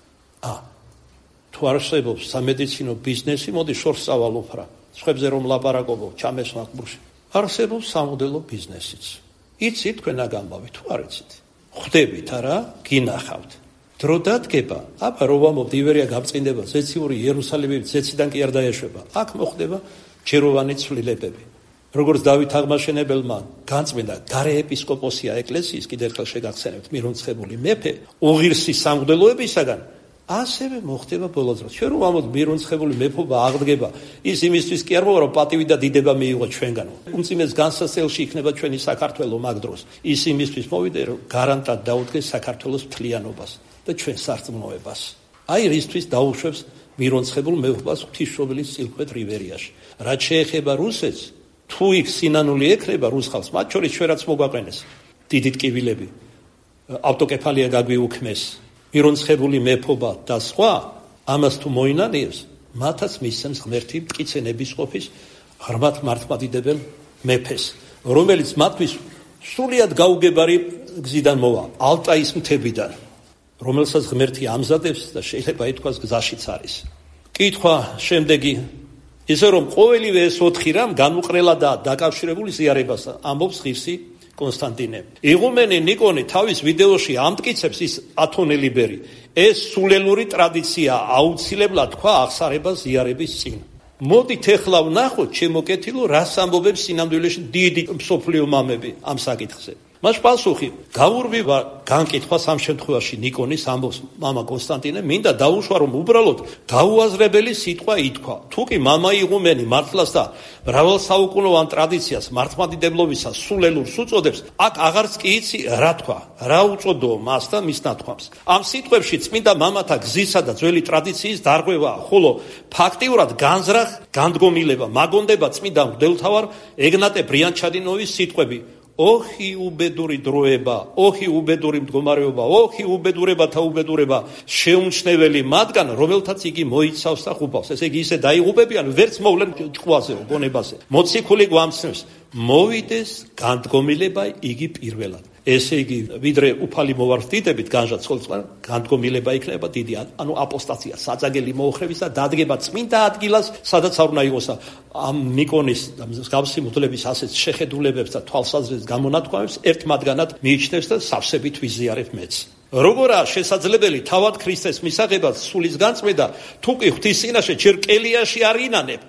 თუ არსებობს სამედიცინო ბიზნესი, მოდი შორს წავალ უფრო. სხვებზე რომ ლაპარაკობო, ჩამესვან ყბურში. არსებობს სამღვდელო ბიზნესიც. იცით თქვენ აგამბავი, თუ არ იცით? ხვდებით არა, გინახავთ. დრო დადგება, აბა რო ვამბობთ ივერია გაბწყინდება, ზეციური იერუსალიმი ზეციდან კი არ დაეშვება. აქ მოხდება ჯეროვანი ცვლილებები. როგორც დავით აღმაშენებელმა განწმინდა გარე ეპისკოპოსია ეკლესიის, კიდევ ერთხელ შეგახსენებთ, მირონცხებული მეფე, უღირსი სამღვდელოებისაგან ასევე მოხდება ბოლო დროს. ჩვენ რომ ამოთ მირონცხებული მეფობა აღდგება, ის იმისთვის კი არ მოვა, რომ პატივი და დიდება მიიღო ჩვენგან. უმძიმეს განსასწრელში იქნება ჩვენი საქართველო მაგ დროს. ის იმისთვის მოვიდა, რომ გარანტად დაუდგეს საქართველოს მთლიანობას და ჩვენ სარწმუნოებას. აი რისთვის დაუშვებს მირონცხებულ მეფობას ღვთისმშობლის წილქვეთ რივერიაში. რაც შეეხება რუსეთს, თუ იქ სინანული ექნება რუს ხალხს, მათ შორის ჩვენაც მოგვაყენეს დიდი ტკივილები, ავტოკეფალია გაგვიუქმეს, მირონცხებული მეფობა და სხვა, ამას თუ მოინანიებს, მათაც მისცემს ღმერთი მტკიცე ნებისყოფის ღრმად მართლმადიდებელ მეფეს, რომელიც მათთვის სრულიად გაუგებარი გზიდან მოვა, ალტაის მთებიდან, რომელსაც ღმერთი ამზადებს და შეიძლება ითქვას გზაშიც არის. კითხვა შემდეგი, ისე რომ ყოველივე ეს 4 რამ განუყრელადაა დაკავშირებული ზიარებასთან, ამბობს ღირსი კონსტანტინე. იღუმენი ნიკონი თავის ვიდეოში ამტკიცებს ის ათონელი ბერი. ეს სულელური ტრადიცია აუცილებლად თქვა აღსარებას ზიარების წინ. მოდით ეხლა ვნახოთ, ჩემო კეთილო, რას ამბობებს სინამდვილეში დიდი მსოფლიო მამები ამ საკითხზე. მას პასუხი გაურბივა განკითხვას ამ შემთხვევაში ნიკონის ამბობს მამა კონსტანტინე, მინდა დაუშვა, რომ უბრალოდ გაუაზრებელი სიტყვა ითქვა. თუკი მამა იღუმენი მართლას და მრავალსაუკუნოვან ტრადიციას მართლმადიდებლობისას სულელურს უწოდებს, აქ აღარც კი იცი რა თქვა, რა უწოდოო მას და მის ნათქვამს. ამ სიტყვებში წმინდა მამათა გზისა და ძველი ტრადიციის დარღვევაა, ხოლო ფაქტიურად განზრახ განდგომილება მაგონდება წმინდა მღვდელმთავარ ეგნატე ბრიანჩადინოვის სიტყვები. ოხი უბედური დროება, ოხი უბედური მდგომარეობა, ოხი უბედურებათა უბედურება შეუმჩნეველი მათგან, რომელთაც იგი მოიცავს და ხუბავს. ესე იგი ისე დაიღუპებიან, ვერც მოვლენ ჭკუაზე, გონებაზე. მოციქული გვამცნობს, მოვიდეს განდგომილება იგი პირველად. ესე იგი, ვიდრე უფალი მოვარდიდებით განჟაცხლება, განდგომილება იქნება დიდი, ანუ აპოსტაცია, საძაგელი მოუხრების და დადგება წმინდა ადგილას, სადაც არ უნდა იყოს. ამ ნიკონის და მსგავსი მღვდლების ასეთ შეხედულებებს და თვალსაზრისით გამონათქვამებს ერთ მათგანად მიიჩნევს და სავსებით ვიზიარებ მეც. როგორაა შესაძლებელი თავად ქრისტეს მისაღებად სულის განწმენდა, თუ კი ღვთის წინაშე ჯერ კელიაში არ ინანებ,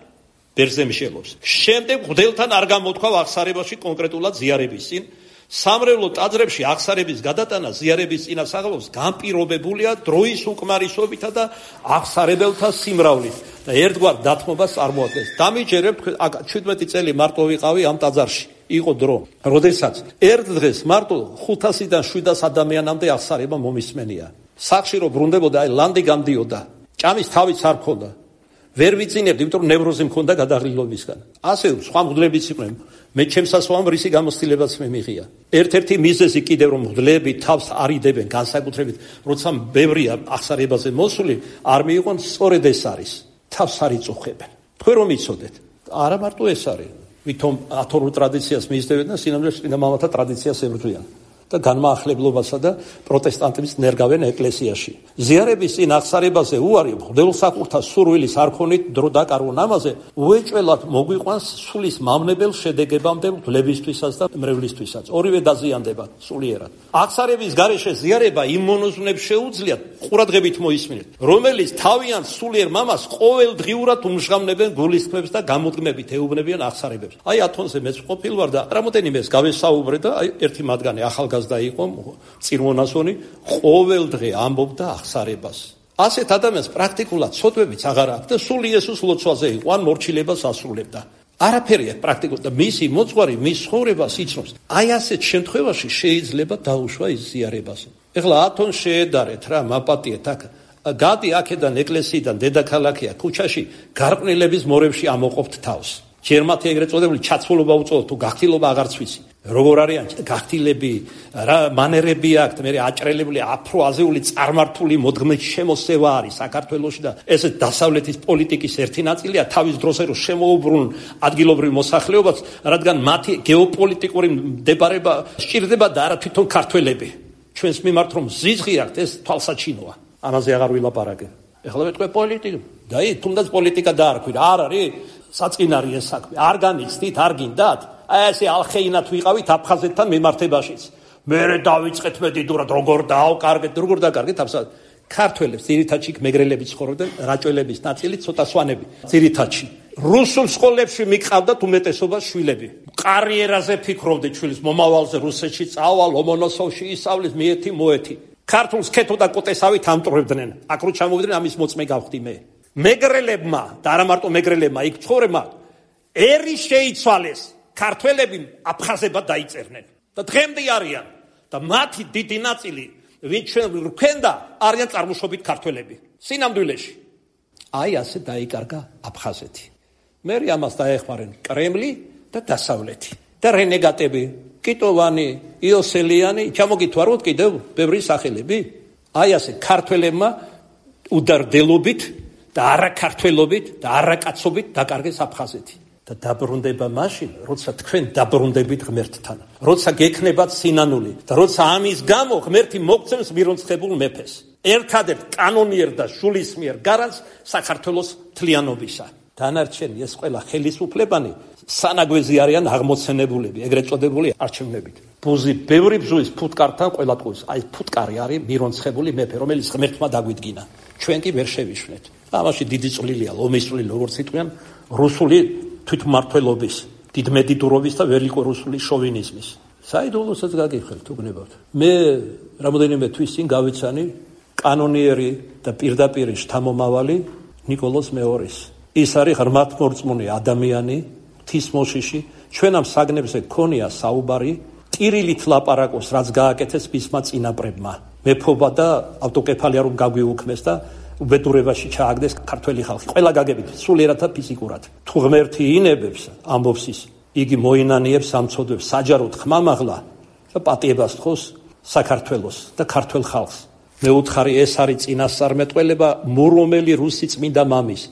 ბერძნე მიშელობს. შემდეგ მღვდელთან არ გამოთქვავ აღსარებაში კონკრეტულად ზიარების წინ, სამრევლო ტაძრებში აღსარების გადატანა ზიარების წინასაღებობს განპირობებულია დროის უკმარისობითა და აღსარებელთა სიმრავლით და ერთგვარ დათმობას წარმოადგენს. დამიჯერებ, 17 წელი მარტო ვიყავი ამ ტაძარში. იყო დრო, როდესაც ერთ დღეს მარტო 500-დან 700 ადამიანამდე აღსარება მომისმენია. სახში რო ბრუნდებოდა, აი ლანდი გამდიოდა, ჭამის თავიც არ ქონდა. ვერ ვიწინებდი, იმიტომ რომ ნევროზი მქონდა გადაღლილობისგან. ასე სხვა მღვდლებიც იყვნენ. მე ჩემსასვამ რისი გამოცდილებაც მე მიღია. ერთ-ერთი მიზეზი კიდევ რომ მღვდლები თავს არიდებენ განსაკუთრებით, როცა ბევრია აღსარებაზე მოსული, არ მიიღონ, სწორედ ეს არის. თავს არ იწუხებენ. თქვენ რომ იცოდეთ, არა მარტო ეს არის. ვითომ ათორულ ტრადიციას მისდევენ და სინამდვილეში წმინდა მამათა ტრადიციას ებრძვიან და განმაახლებლობასა და პროტესტანტების ნერგავენ ეკლესიაში. ზიარების წინ აღსარებაზე უარი მღვდელსაყურთა სურვილის არქონით დრო დაკარგონ ამაზე უეჭველად მოგვიყვანს სულის მავნებელ შედეგებამდე მღვდლებისთვისაც და მრევლისთვისაც. ორივე დაზიანდება სულიერად. აღსარების გარეშე ზიარება იმ მონოზვნებს შეუძლიათ ყურადღებით მოისმინეთ, რომელიც თავიანთ სულიერ მამას ყოველდღიურად უმჟღავნებენ გულისხმებს და გამოდგმებით ეუბნებიან აღსარებებს. აი ათონზე მეც ყოფილ ვარ და რამოდენიმეს გავესაუბრე და აი ერთი მათგანი ახალგაზრდა იყო წირმონასონი, ყოველდღე ამბობდა აღსარებას. ასეთ ადამიანს პრაქტიკულად ცოდვებიც აღარ აქვს და სულ იესოს ლოცვაზე იყო, ან მორჩილებას ასრულებდა. არაფერი აქვს პრაქტიკულად და მისი მოძღვარი მის ცხოვრებას იცნობს. აი ასეთ შემთხვევაში შეიძლება დაუშვა ის ზიარებას. ეხლა ათონ შეედარეთ რა, მაპატიეთ აქ. გადი აქედან ეკლესიიდან დედაქალაქია ქუჩაში გარყვნილების მორევში ამოყოფთ თავს. ჯერ მათი ეგრეთ წოდებული ჩაცმულობა უწოდოთ, თუ გახტილობა აღარც ვიცი. როგორ არიან გახტილები, რა მანერები აქვთ, მე აჭრელებული აფროაზიული წარმართული მოდგმით შემოსევა არის საქართველოში და ეს დასავლეთის პოლიტიკის ერთი ნაწილია თავის დროზე რომ შემოუბრუნουν ადგილობრივ მოსახლეობას, რადგან მათი გეოპოლიტიკური მდებარეობა სჭირდება და არა თვითონ ქართველები. ჩვენს მიმართ რომ ზიზღი აქვთ, ეს თვალსაჩინოა. ამაზე აღარ ვილაპარაკე. ეხლა მეტყვი პოლიტიკა. და თუნდაც პოლიტიკა დაარქვი, არ არის საწყინარი ეს საქმე. არ განიცდით, არ გინდათ? აი ესე ალხეინათ ვიყავით აფხაზეთთან მიმართებაშიც. მერე დავიწყეთ მედიდურად როგორ დაავკარგეთ, როგორ დაკარგეთ აფსად. ქართველებს ძირითადში მეგრელები ცხოვრობდნენ, რაჭველების ნაწილი ცოტა სვანები ძირითადში. რუსულ სკოლებში მიყავდათ უმეტესობა შვილები. კარიერაზე ფიქრობდით შვილის მომავალზე, რუსეთში წავალ, ლომონოსოვში ისწავლის, მიეთი მოეთი. ქართულს ქეთო და კოტესავით ამტვრევდნენ. აქ რო ჩამოვიდნენ ამის მოწმე გავხდი მე. მეგრელებმა და არა მარტო მეგრელებმა, იქ ცხოვრებმა ერი შეიცვალეს. ქართველები აფხაზებად დაიწერნენ და დღემდე არიან და მათი დიდი ნაწილი ვინც ჩვენ რქენდა არიან წარმოშობით ქართველები. სინამდვილეში აი ასე დაიკარგა აფხაზეთი. მე ამას დაეხმარენ კრემლი და დასავლეთი და რენეგატები, კიტოვანი, იოსელიანი, ჩამოგითვაროთ კიდევ ბევრი სახელები. აი ასე ქართველებმა უდარდელობით და არაქართველობით და არაკაცობით დაკარგეს აფხაზეთი. და დაბრუნდება მაშინ, როცა თქვენ დაბრუნდებით ღმერთთან, როცა გექნებათ სინანული და როცა ამის გამო ღმერთი მოგცემს მირონცხებულ მეფეს, ერთადერთ კანონიერ და შულისმიერ გარანტს საქართველოს თლიანობისა. დანარჩენი ეს ყველა ხელისუფლებანი სანაგვეზი არიან აღმოცენებულები, ეგრეთ წოდებული არჩევნებით. ბუზი ბევრი ბზუის ფუტკართან ყველა ტყუის. აი ფუტკარი არის მირონცხებული მეფე, რომელიც ღმერთმა დაგვიდგინა. ჩვენ კი ვერ შევიშვნეთ. ამაში დიდი წვლილია, ლომის წვლილი, როგორც იტყვიან, რუსული თვითმმართველობის, დიდმედიდურობის და ველიკორუსული შოვინიზმის. საიდუმლოსაც გაგიხელთ უგნებავთ. მე რამოდენიმე თვის წინ გავიცანი კანონიერი და პირდაპირ შთამომავალი ნიკოლოზ მეორის. ის არის ღრმათმორწმუნე ადამიანი, ღვთისმოშიში. ჩვენ ამ საგნებზე გქონია საუბარი, ტირილით ლაპარაკოს, რაც გააკეთეს მისმა წინაპრებმა. მეფობა და ავტოკეფალია რომ გაგვიუქმეს და უბედურებაში ჩააგდეს ქართველი ხალხი. ყველა გაგებით, სულიერად და ფიზიკურად. თუ ღმერთი ინებებს, ამბობს ის, იგი მოინანიებს სამწოდებს საჯაროდ ხმამაღლა და პატიებას თხოვს საქართველოს და ქართველ ხალხს. მეუთხარი ეს არის წინასწარმეტყველება მორომელი რუსი წმინდა მამის.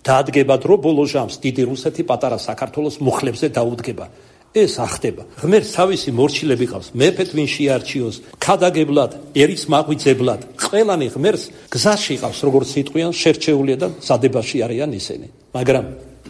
დაადგება დრო ბოლო ჟამს დიდი რუსეთი პატარა საქართველოს მუხლებზე დაუდგება. ეს ახდება. ღმერთს თავისი მორჩილები ყავს. მეფეთ ვინ შეარჩიოს, ქადაგებლად, ერის მაღვიძებლად. ყველანი ღმერთს გზაში ყავს, როგორც იტყვიან, შერჩეულია და სადებაში არიან ისინი. მაგრამ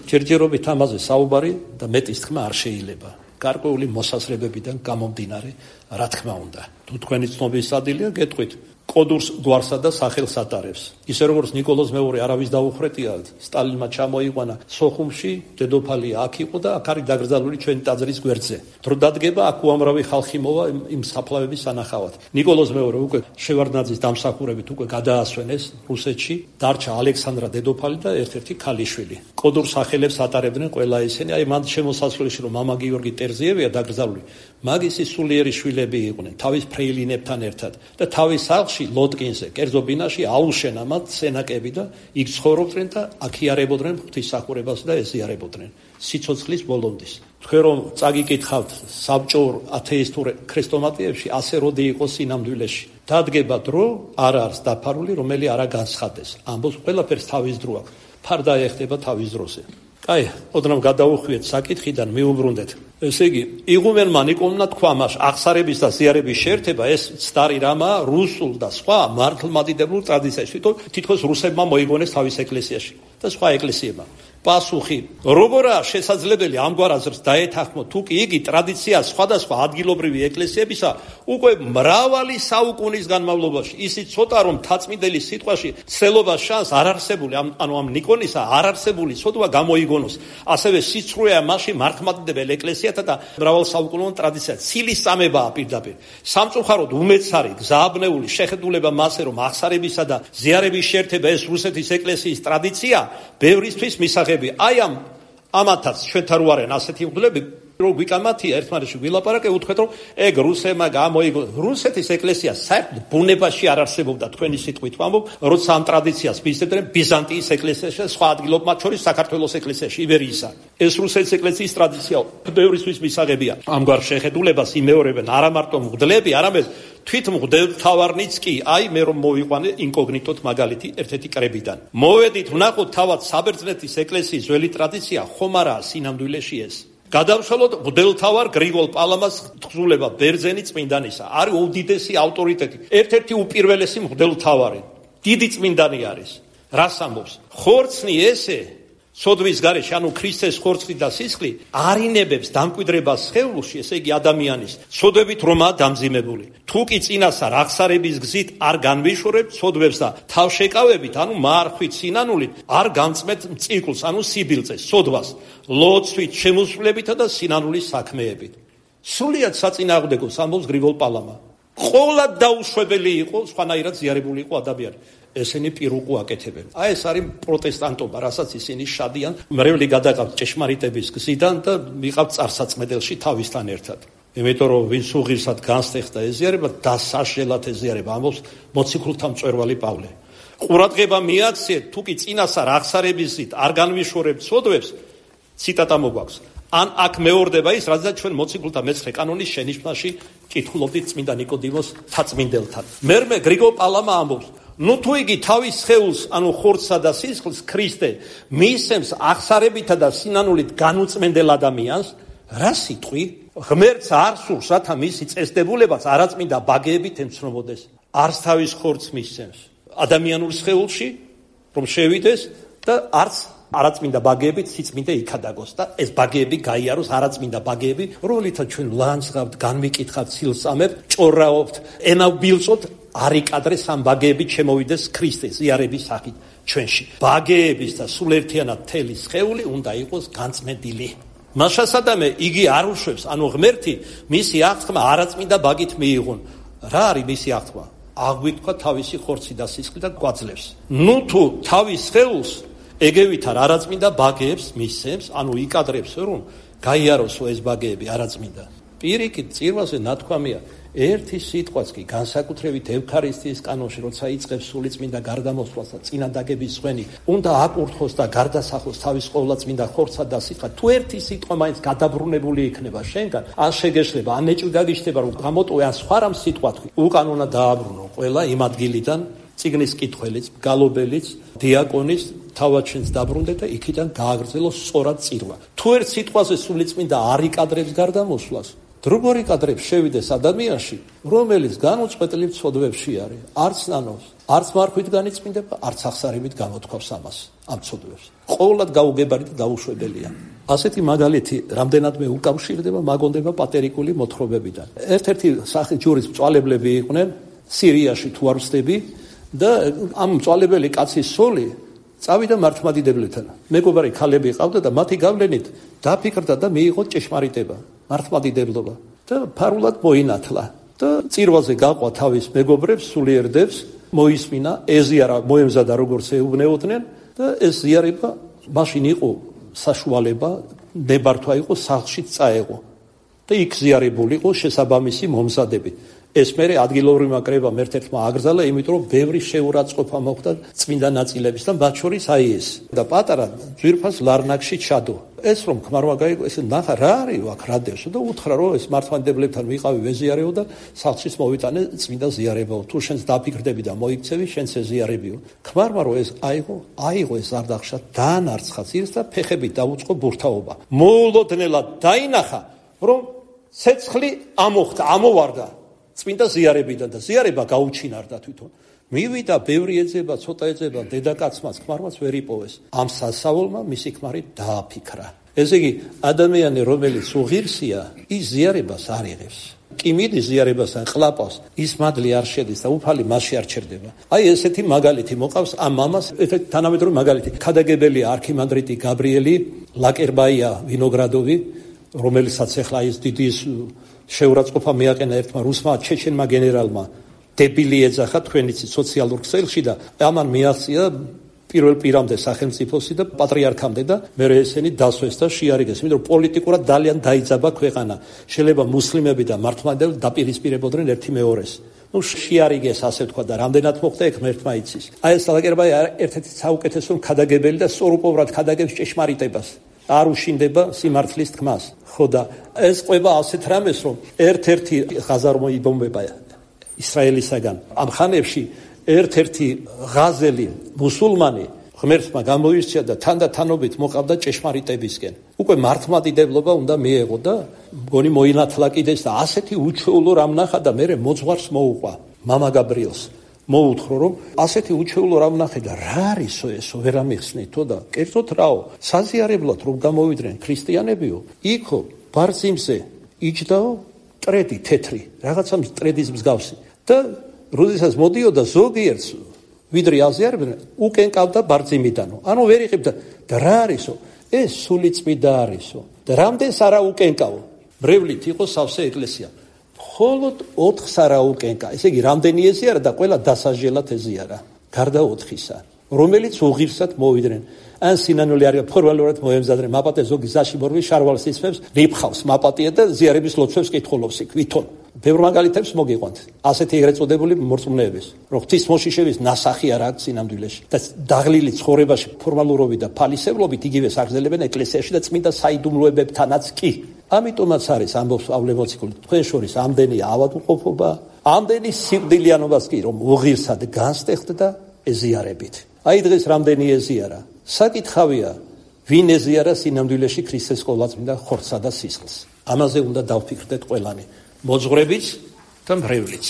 ჯერჯერობით ამაზე საუბარი და მეტის თქმა არ შეიძლება. გარკვეული მოსაზრებებიდან გამომდინარე, რა თქმა უნდა. თუ თქვენი ცნობის ადილია, გეტყვით. კოდურს გვარსა და სახელს ატარებს. ისე როგორც ნიკოლოზ მეორე არავის დაუხრეტია, სტალინმა ჩამოიყვანა სოხუმში, დედოფალი აქ იყო და აქ არის დაკრძალული ჩვენი ტაძრის გვერდზე. დრო დადგება, აქ უამრავი ხალხი მოვა იმ საფლავების სანახავად. ნიკოლოზ მეორე უკვე შევარდნაძის დამსახურებით უკვე გადაასვენეს რუსეთში, დარჩა ალექსანდრა დედოფალი და ერთ-ერთი ქალიშვილი. კოდურ სახელებს ატარებდნენ ყველა ისინი. აი მან შემოსასვლელში რომ მამა გიორგი ტერზიევია დაკრძალული, მაგისი სულიერი შვილები იყვნენ, თავის ფრეილინებთან ერთად და თავის სახლში ლოტკინზე, კერძო ბინაში აუშენა მათ სენაკები და იქ ცხოვრობდნენ და აქიარებოდნენ ღვთისმსახურებას და ეზიარებოდნენ სიცოცხლის ბოლომდის. თქვენ რომ წაგიკითხავთ საბჭოურ ათეისტურ ქრისტომატიებში, ასე როდი იყო სინამდვილეში. დადგება დრო, არ არის დაფარული, რომელი არა განცხადეს. ამბობს ყველაფერს თავის დრო აქვს. ფარდა ეხდება თავის დროზე. აი, ოდნავ გადაუხვიეთ საკითხიდან, მიუბრუნდეთ. ესე იგი, იღუმენმა ნიკოლოზმა თქვა მას აღსარების და ზიარების შეერთება, ეს ცდარი რამა რუსულ და სხვა მართლმადიდებლურ ტრადიციაში. თითქოს რუსებმა მოიგონეს თავის ეკლესიაში და სხვა ეკლესიებმა. პასუხი, როგორაა შესაძლებელი ამგვარ აზრს დაეთანხმოთ, თუ კი იგი ტრადიცია სხვადასხვა ადგილობრივი ეკლესიებისა უკვე მრავალი საუკუნის განმავლობაში, ისიც ცოტა რომ თაწმიდელი სიტყვაში ცელობას შანს არ არსებული, ანუ ამ ნიკონისა არ არსებული ცოდვა გამოიგონოს. ასევე სიცრუეა მასში მართლმადიდებელ ეკლესიათა და მრავალსაუკუნოვანი ტრადიცია. ცილის წამებაა პირდაპირ. სამწუხაროდ უმეცარი, გზააბნეული შეხედულება მასე, რომ აღსარებისა და ზიარების შეერთება ეს რუსეთის ეკლესიის ტრადიცია, ბევრისთვის მისაღებია. აი ამათაც ჩვენთან რო არიან ასეთი მღვდლები, რომ გვიკამათია ერთმანეთში ვილაპარაკე, უთქვეთ რომ ეგ რუსებმა გამოიგო. რუსეთის ეკლესია საერთოდ ბუნებაში არ არსებობდა, თქვენი სიტყვით ვამბობ, როცა ამ ტრადიციას მისდევდნენ ბიზანტიის ეკლესიაში და სხვა ადგილობ, მათ შორის საქართველოს ეკლესიაში, იბერიისა. ეს რუსეთის ეკლესიის ტრადიცია ბევრისთვის მისაღებია. ამგვარ შეხედულებას იმეორებენ არა მარტო მღვდლები, არამედ თვით მღვდელმთავარნიც კი. აი მე რომ მოვიყვანე ინკოგნიტოთ მაგალითი ერთ-ერთი კრებიდან. მოვედით ვნახოთ თავად საბერძნეთის ეკლესიის ძველი ტრადიცია ხომ არაა სინამდვილეში ეს. გადავშალოთ მღვდელმთავარ გრიგოლ პალამას თხზულება ბერძენი წმინდანისა. არის უდიდესი ავტორიტეტი, ერთ-ერთი უპირველესი მღვდელმთავარი. დიდი წმინდანი არის. რას ამბობს? ხორცნი ესე სოდვის გარეშე, ანუ ქრისტეს ხორცი და სისხლი არინებებს დამკვიდრებას სხეულში, ესე იგი ადამიანის, სოდვებით რომაა დამძიმებული. თუ კი წინასწარ აღსარების გზით არ განვიშორებთ სოდვებს და თავშეკავებით, ანუ მარხვით, სინანულით, არ გამწმეთ მწიკულს, ანუ სიბილწეს, სოდვას, ლოცვით, შემოსვლებითა და სინანულის საქმეებით. სრულიად საწინააღმდეგოს ამბობს გრიგოლ პალამა. ყოლად დაუშვებელი იყო, სხვანაირად ზიარებული იყო ადამიანი. ესენი პირუკუ აკეთებენ. ეს არის პროტესტანტობა, რასაც ისინი შადიან, მრევლი გადაყავთ ჭეშმარიტების გზიდან და მიყავთ წარსაწმედელში თავისთან ერთად. იმიტომ რომ ვინც უღირსად განსტეხდა ეზიარება, დასაშელად ეზიარება, ამბობს მოციქულთა მწვერვალი პავლე. ყურადღება მიაქციეთ, თუ კი წინასწარ აღსარებისით არ განვიშორებთ ცოდვებს, ციტატა მოგვაქვს. ან აქ მეორდება ის, რადგან ჩვენ მოციქულთა მე-9 კანონის შენიშვნაში კითხულობდით წმინდა ნიკოდიმოს თაწმინდელთან. მერმე გრიგოლ პალამა ამბობს, ნუ თუ იგი თავის სხეულს, ანუ ხორცსა და სისხლს ქრისტე მისცემს აღსარებითა და სინანულით განუწმენდელ ადამიანს, რა სიტყვი? ღმერთს არ სურს, რათა მისი წესდებულებაც არაწმინდა ბაგეებით ემცნობოდეს. არც თავის ხორცს მისცემს ადამიანურ სხეულში, რომ შევიდეს და არც არაწმინდა ბაგეებით სიწმინდე იქადაგოს და ეს ბაგეები გაიაროს, არაწმინდა ბაგეები, რომელთაც ჩვენ ლანძღავთ, განვიკითხავთ, ცილსამებთ, ჭორაობთ, ენავბილწოთ, არ იკადრეს ამ ბაგეებით შემოვიდეს ქრისტეს ზიარების სახით ჩვენში. ბაგეების და სულერთიანად მთელი სხეული უნდა იყოს განწმენდილი. მაშასადამე იგი არ უშვებს, ანუ ღმერთი მისი აღთქმა არაწმინდა ბაგით მიიღონ. რა არის მისი აღთქმა? აღვიქვა თავისი ხორცი და სისხლი და გვაძლევს. ნუ თუ თავის სხეულს ეგევით არაწმინდა ბაგეებს მისცემს, ანუ იკადრებს, რომ გაიაროსო ეს ბაგეები არაწმინდა. პირიქით წირვაზე ნათქვამია, ერთი სიტყვაც კი განსაკუთრებით ევქარისტიის კანონში, როცა იწყებს სულიწმინდა გარდამოსვლას და წინადაგების ხვენი, უნდა აკურთხოს და გარდასახოს თავის ყოვლადწმინდა ხორცსა და სიტყვა. თუ ერთი სიტყვა მაინც გადაბრუნებული იქნება შენგან, ან შეგეშლება, ან ეჭვი დაგიშლება, რომ გამოტოვე ან სხვა რამ სიტყვა თქვი, უკანონო დააბრუნო ყველა იმ ადგილიდან, წიგნის კითხველიც, გალობელიც, დიაკონის თავაჩენს დაბრუნდეთ და იქიდან გააგრძელოს სწორად წირვა. თუ ერთ სიტყვაზე სულიწმინდა არ იკადრებს გარდამოსვლას, როგორ იკადრებს შევიდეს ადამიანში, რომელიც განუწყვეტლივ ცოდვებში არის, არც ნანობს, არც მარხვით განიწმინდება, არც აღსარებით გამოთქვავს ამას, ამ ცოდვებს. ყოვლად გაუგებარი და დაუშვებელია. ასეთი მაგალითი რამდენადმე უკავშირდება მაგონდება პატერიკული მოთხრობებიდან. ერთ-ერთი სახით ჯურის მწვალებლები იყვნენ სირიაში თუ არ ვცდები და ამ მწვალებელი კაცის სული წავიდა მართლმადიდებლებთან. მეგობარი ქალები ყავდა და მათი გავლენით დაფიქრდა და მიიღო ჭეშმარიტება, მართლმადიდებლობა და ფარულად მოინათლა და წირვაზე გაყვა თავის მეგობრებს, სულიერდებს, მოისმინა, ეზიარა, მოემზადა როგორც ეუბნეოდნენ და ეს ზიარება მაშინ იყო საშუალება, ნებართვა იყო, სახლშიც წაეღო და იქ ზიარებული იყო შესაბამისი მომზადებით. ეს მერე ადგილობრივმა კრებამ ერთ-ერთმა აგრძალა, იმიტომ რომ ბევრი შეურაცხყოფა მოხდა წმინდა ნაწილების და მათ შორის აი ეს. და პატარა ძვირფას ლარნაკში ჩადო. ეს რომ ქმარმა გაიგო, ეს ნახა რა არის აქ რადევსო და უთხრა რომ ეს მართლმადიდებლებთან ვიყავი ვეზიარეო და სახლშიც მოვიტანე წმინდა ზიარებაო. თუ შენს დაფიქრდები და მოიქცევი, შენც ეზიარებიო. ქმარმა რომ ეს აიღო ეს არდახშა, დაანარცხა ძირს და ფეხებით დაუწყო ბურთაობა. მოულოდნელად დაინახა, რომ ცეცხლი ამოხდა, ამოვარდა წმინდა ზიარებიდან და ზიარება გაუჩინარდა თვითონ. მივიდა, ბევრი ეძება, ცოტა ეძება, დედაკაცმაც, ქმარმაც ვერ იპოვეს. ამ სასავალმა მისი ქმარი დააფიქრა. ესე იგი, ადამიანი, რომელიც უღირსია, ის ზიარებას არ იღებს. კი მიდის ზიარებასთან, ყლაპავს, ის მადლი არ შედის და უფალი მასში არ ჩერდება. აი ესეთი მაგალითი მოყავს ამ მამას, ესეთი თანამედროვე მაგალითი. ქადაგებელია არქიმანდრიტი გაბრიელი ლაკერბაია ვინოგრადოვი, რომელსაც ახლა ის დიდი შეურაცხყოფა მიაყენა ერთმა რუსმა ჩეჩენმა გენერალმა, დებილი ეძახა თქვენიც სოციალურ ქსელში და ამან მიაღწია პირველ პირამდე სახელმწიფოსი და პატრიარქამდე და მე ესენი დასვეს და შეარიგეს, იმიტომ რომ პოლიტიკურად ძალიან დაიძაბა ქვეყანა. შეიძლება მუსლიმები და მართლმადიდებლები დაპირისპირებოდნენ ერთი მეორეს. შეარიგეს, ასე ვთქვა და რამდენად მოხდა ეგ ღმერთმა იცის. აი ეს ლაკერბაი ერთ-ერთი საუკეთესო ქადაგებელი და სწორუპობრად ქადაგებს ჭეშმარიტებას. არ უშინდება სიმართლის თქმას. ხო და ეს ყვება ასეთ რამეს, რომ ერთ-ერთი ღაზა რომ იბომბება ისრაელისაგან. ამ ხანებში ერთ-ერთი ღაზელი მუსულმანი ღმერთმა გამოირჩია და თანდათანობით მოყავდა ჭეშმარიტებისკენ. უკვე მართლმადიდებლობა უნდა მიეღო და მგონი მოინათლა კიდეც და ასეთი უჩვეულო რამ ნახა და მე მოძღვარს მოუყვა მამა გაბრიელს. მოუთხოვრო რომ ასეთი უჩვეულო რამ ნახე და რა არისო ესო ვერ ამიხსნითო და კერძოდ რაო საზიარებლად რომ გამოვიდნენ ქრისტიანებიო იქო ბარძიმზე იჯდაო ტრედი თეთრი რაღაცა ტრედის მსგავსი და როდესაც მოდიოდა ზოგიერთს ვიდრე აზიარებდნენ უკენ ყავდა ბარძიმიდანო ანუ ვერ იღებდა და რა არისო ეს სულიწმიდა არისო და რამდენს არა უკენ ყავ მრევლით იყო სავსე ეკლესია მხოლოდ 4 სარაუკენკა, ესე იგი რამდენი ეზიარა და ყველა დასაჟელად ეზიარა, გარდა 4-ისა, რომელიც უღირსად მოვიდნენ. ან სინანული არის ფორმალურად მოემზადნენ მაპატე ზოგი ზაში მორვი შარვალს იწვევს, რიფხავს მაპატია და ზიარების ლოცვებს კითხულობს იქ, ვითომ. ბევრ მაგალითებს მოგიყვანთ. ასეთი ეგრეთ წოდებული მორწმუნეების, რომ ღვთის მოშიშების ნასახი არ აქვს სინამდვილეში და დაღლილი ცხოვრებაში ფორმალურობით და ფალისევლობით იგივეს აგრძელებენ ეკლესიაში და წმინდა საიდუმლოებებთანაც კი. ამიტომაც არის ამბობს პავლე მოციქული, თქვენ შორის ამდენი ავადმყოფობა, ამდენი სიკვდილიანობას კი რომ უღირსად განსტეხთ და ეზიარებით. აი დღეს რამდენი ეზიარა. საკითხავია, ვინ ეზიარა სინამდვილეში ქრისტეს ყოვლადწმინდა ხორცსა და სისხლს. ამაზე უნდა დავფიქრდეთ ყველანი, მოძღვრებიც და მრევლიც.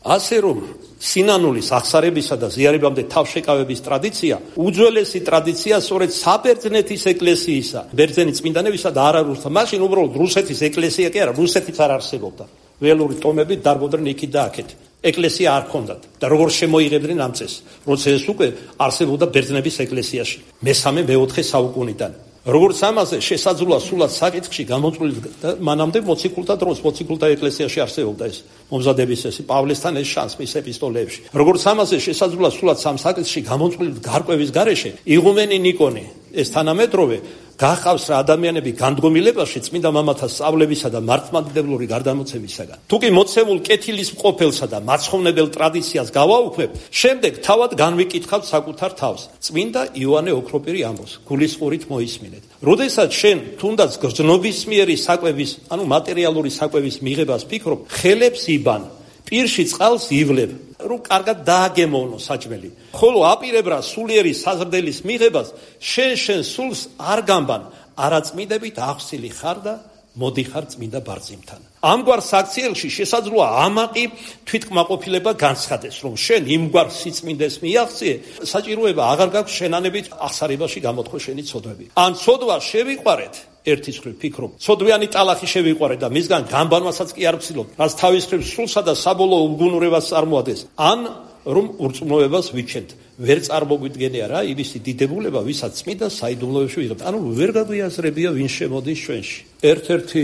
ასე რომ სინანულის აღსარებისა და ზიარებამდე თავშეკავების ტრადიცია უძველესი ტრადიცია სწორედ საბერძნეთის ეკლესიისა, ბერძენი წმინდანებისა და არა რუსთა. მაშინ უბრალოდ რუსეთის ეკლესია კი არა, რუსეთიც არ არსებობდა. ველური ტომები დარბოდნენ იქით და აქეთ. ეკლესია არ ჰქონდათ და როგორ შემოიღებდნენ ამ წესს, როცა ეს უკვე არსებობდა ბერძნების ეკლესიაში მე-4 საუკუნიდან. როგორც ამაზე შესაძლოა სულად საკითხში გამოწვეული და მანამდე მოციქულთა დროს, მოციქულთა ეკლესიაში არსებობდა ეს მომზადების წესი, პავლესთან ეს შანსი მის ეპისტოლეებში. როგორც ამაზე შესაძლოა სულად სამ საკითხში გამოწვეული გარკვევის გარეშე, იღუმენი ნიკონი, ეს თანამედროვე გახავს რა ადამიანები განდგომილებაში წმინდა მამათა სწავლებისა და მართლმადიდებლური გარდამოცემისაგან. თუ კი მოცემულ კეთილის მყოფელსა და მაცხოვნებელ ტრადიციას გავაუქმებ, შემდეგ თავად განვიკითხავთ საკუთარ თავს. წმინდა იოანე ოქროპირი ამბობს, გულისყურით მოისმინეთ. როდესაც შენ თუნდაც გრძნობისმიერი საკვების, ანუ მატერიალური საკვების მიღებას ფიქრობ, ხელებს იბან, პირში წყალს ივლებ, რომ კარგად დააგემოვნო საჭმელი. ხოლო აპირებრა სულიერი საზრდელის მიღებას შენ სულს არ გამბან, არაწმიდებით აღსილი ხარ და მოდიხარ წმინდა ბარძიმთან. ამგვარ საქციელში შესაძლოა ამაყი თვითკმაყოფილება განცხადეს, რომ შენ იმგვარ სიწმინდეს მიაღწიე, საჭიროება აღარ გაქვს შენანებით აღსარებაში გამოთხო შენი ცოდვები. ან ცოდვა შევიყვარეთ, ერთის მხრივ ფიქრობ, ცოდვიანი ტალახი შევიყვარეთ და მისგან გამბანვასაც კი არ ვცდილობ, რაც თავის მხრივ სულსა და საბოლოო უგუნურებას წარმოადგენს, ან რომ ურწმუნოებას ვიჩენთ. ვერ წარმოგვიდგენია რა იმისი დიდებულება, ვისაც წმინდა საიდუმლოებში ვიღებთ. ანუ ვერ გაგვიაზრებია ვინ შემოდის ჩვენში. ერთ-ერთი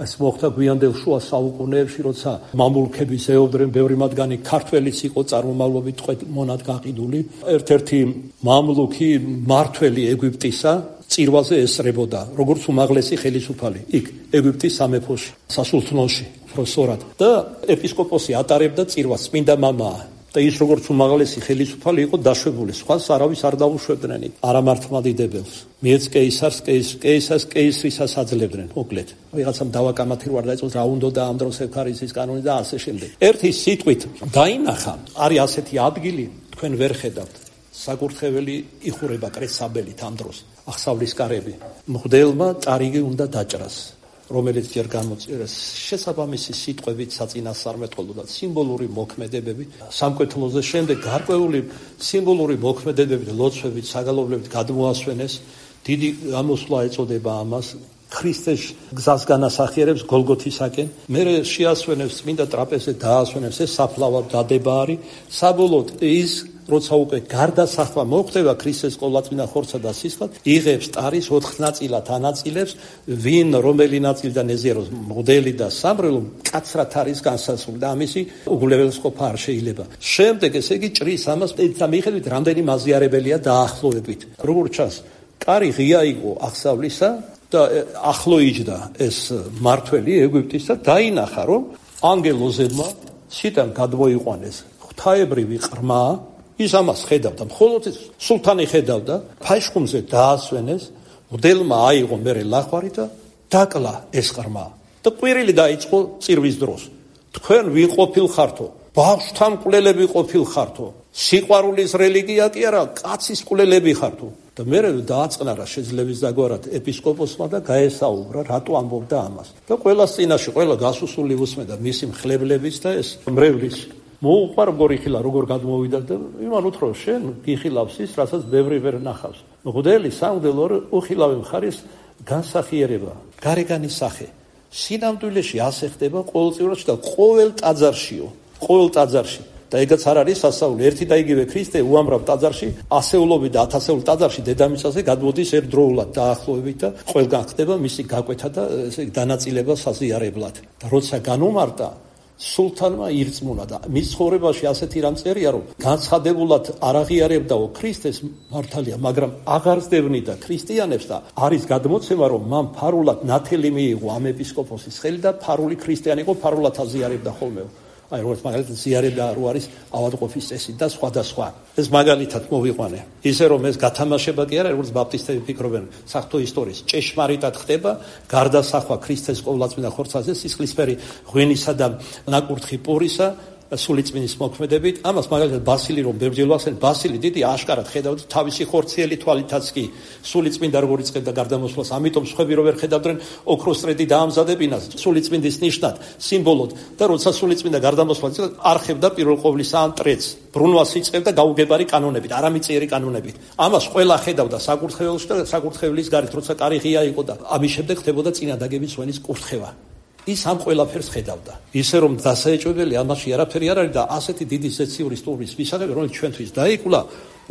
ეს მოხდა გვიანდელ შუა საუკუნეებში, როცა მამლუქები ზეობდნენ, ბევრი მათგანი ქართველიც იყო წარმომავლობით მონად გაყიდული. ერთ-ერთი მამლუქი მართველი ეგვიპტისა წირვაზე ესწრებოდა, როგორც უმაღლესი ხელისუფალი იქ ეგვიპტის სამეფოში, სასულთნოში, პროსორად და ეპისკოპოსი ატარებდა წირვას, წმინდა მამაა. და ის როგორც უმაღლესი ხელისუფალი იყო დაშვებული, სხვას არავის არ დაუშვებდნენ არა მართლმადიდებელს. მიეც კეისარს, კეისარს კეისრისას აძლევდნენ, მოკლედ. ვიღაცამ დავაკამათი რო არ დაიწყოს რა უნდა და ამ დროს ექვთარისის კანონი და ასე შემდეგ. ერთი სიტყვით დაინახა, არის ასეთი ადგილი, თქვენ ვერ ხედავთ. საკურთხეველი იხურება კრესაბელით ამ დროს, აღსავლის კარები. მღვდელმა წარიგი უნდა დაჭრას, რომელიც ჯერ გამოწერეს შესაბამისი სიტყვებით საწინასწარმეტყველო და სიმბოლური მოქმედებებით. სამკვეთლოზე შემდეგ გარკვეული სიმბოლური მოქმედებებით, ლოცვებით, საგალობლებით გადმოასვენეს. დიდი გამოსვლა ეწოდება ამას. ქრისტეს გზას განასახიერებს გოლგოთისაკენ. მერე შეასვენებს წმინდა ტრაპეზზე დაასვენებს ეს საფლავად დადება არის. საბოლოოდ ის როცა უკვე გარდასახვა მოხდება ქრისტეს ყოვლადწმინდა ხორცსა და სისხლად, იღებს ტარის 4 ნაწილად ანაწილებს, ვინ რომელი ნაწილიდან ეზიაროს მღვდელი და სამრელო მკაცრად არის განსასრული და ამისი უგულებელსყოფა არ შეიძლება. შემდეგ ესე იგი ჭრის ამას და მიხედვით რამდენი მაზიარებელია დაახლოებით. როგორც ჩანს, კარი ღია იყო აღსავლისა და ახლო იჯდა ეს მართველი ეგვიპტის და დაინახა, რომ ანგელოზებმა სიტან გადმოიყვანეს ღვთაებრივი ყრმა. ის ამას ხედავდა, მხოლოდ სულთანი ხედავდა, ფაშხუმზე დაასვენეს, მღვდელმა აიღო მერე ლახვარი და დაკლა ეს ყრმა. და ყვირილი დაიწყო წირვის დროს. თქვენ ვინ ყოფილხართო? ბავშვთა მკვლელები ყოფილხართო? სიყვარულის რელიგია კი არა, კაცის მკვლელები ხართო? და მერე დააწყნარა შეძლების დაგვარად ეპისკოპოსმა და გაესაუბრა, რატო ამბობდა ამას. და ყველას წინაშე, ყველა გასუსული უსმენდა მისი მხლებლების და ეს მრევლის მოუყვარ გორიხილა როგორ გადმოვიდა და იმან უთრო შენ გიხილავს ის, რასაც ბევრი ვერ ნახავს. მღვდელი სამღვდელო უხილავი მხარის განსახიერება, გარეგანის სახე. სინამდვილეში ასე ხდება ყოველწლიურად და ყოველ ტაძარშიო, ყოველ ტაძარში. და ეგაც არ არის სასაული. ერთი და იგივე ქრისტე უამრავ ტაძარში, ასეულობით და ათასეულ ტაძარში დედამიწაზე გადმოდის ერთდროულად დაახლოებით და ყველგან ხდება მისი გაკვეთა და ესე დანაწილება საზიარებლად. და როცა განუმარტა სულთანმა ირწმუნა და მის ცხოვრებაში ასეთი რამ წერია, რომ განცხადებულად არ აღიარებდაო ქრისტეს მართალია, მაგრამ აღარ ზდევნიდა ქრისტიანებს და არის გადმოცემა, რომ მან ფარულად ნათელი მიიღო ამ ეპისკოპოსის ხელი და ფარული ქრისტიანი იყო, ფარულად აზიარებდა ხოლმე. აი როგორც მაგალითად ზიარება რო არის ავადმყოფის წესი და სხვა. ეს მაგალითად მოვიყვანე. ისე რომ ეს გათამაშება კი არა, როგორც ბაპტისტები ფიქრობენ, საღვთო ისტორიის ჭეშმარიტად ხდება გარდასახვა ქრისტეს ყოვლადწმინდა ხორცაზე სისხლისფერი ღვინისა და ნაკურთხი პურისა სულიწმინდის მოქმედებით. ამას მაგალითად ბასილი რომ ბევრჯერ ვახსენე, ბასილი დიდი აშკარად ხედავდა თავისი ხორციელი თვალითაც კი სულიწმინდა როგორ იწყებდა გარდამოსვლას, ამიტომ სხვები რო ვერ ხედავდნენ ოქროსტრედი დაამზადებინას სულიწმინდის ნიშნად, სიმბოლოდ და როცა სულიწმინდა გარდამოსვლა არხებდა პირველ ყოვლისა ამ ტრედს, ბრუნვას იწყებდა გაუგებარი კანონებით, არამიწიერი კანონებით. ამას ყველა ხედავდა საკურთხეველში და საკურთხევლის გარეთ, როცა კარი ღია იყო და ამის შემდეგ ხდებოდა წინადაგების სვენის კურთხევა. ის ამ ყველაფერს ხედავდა. ისე რომ დასაეჭვებელი ამაში არაფერი არ არის და ასეთი დიდი ზეციური სტუმრის მისაღები, რომელიც ჩვენთვის დაიკულა,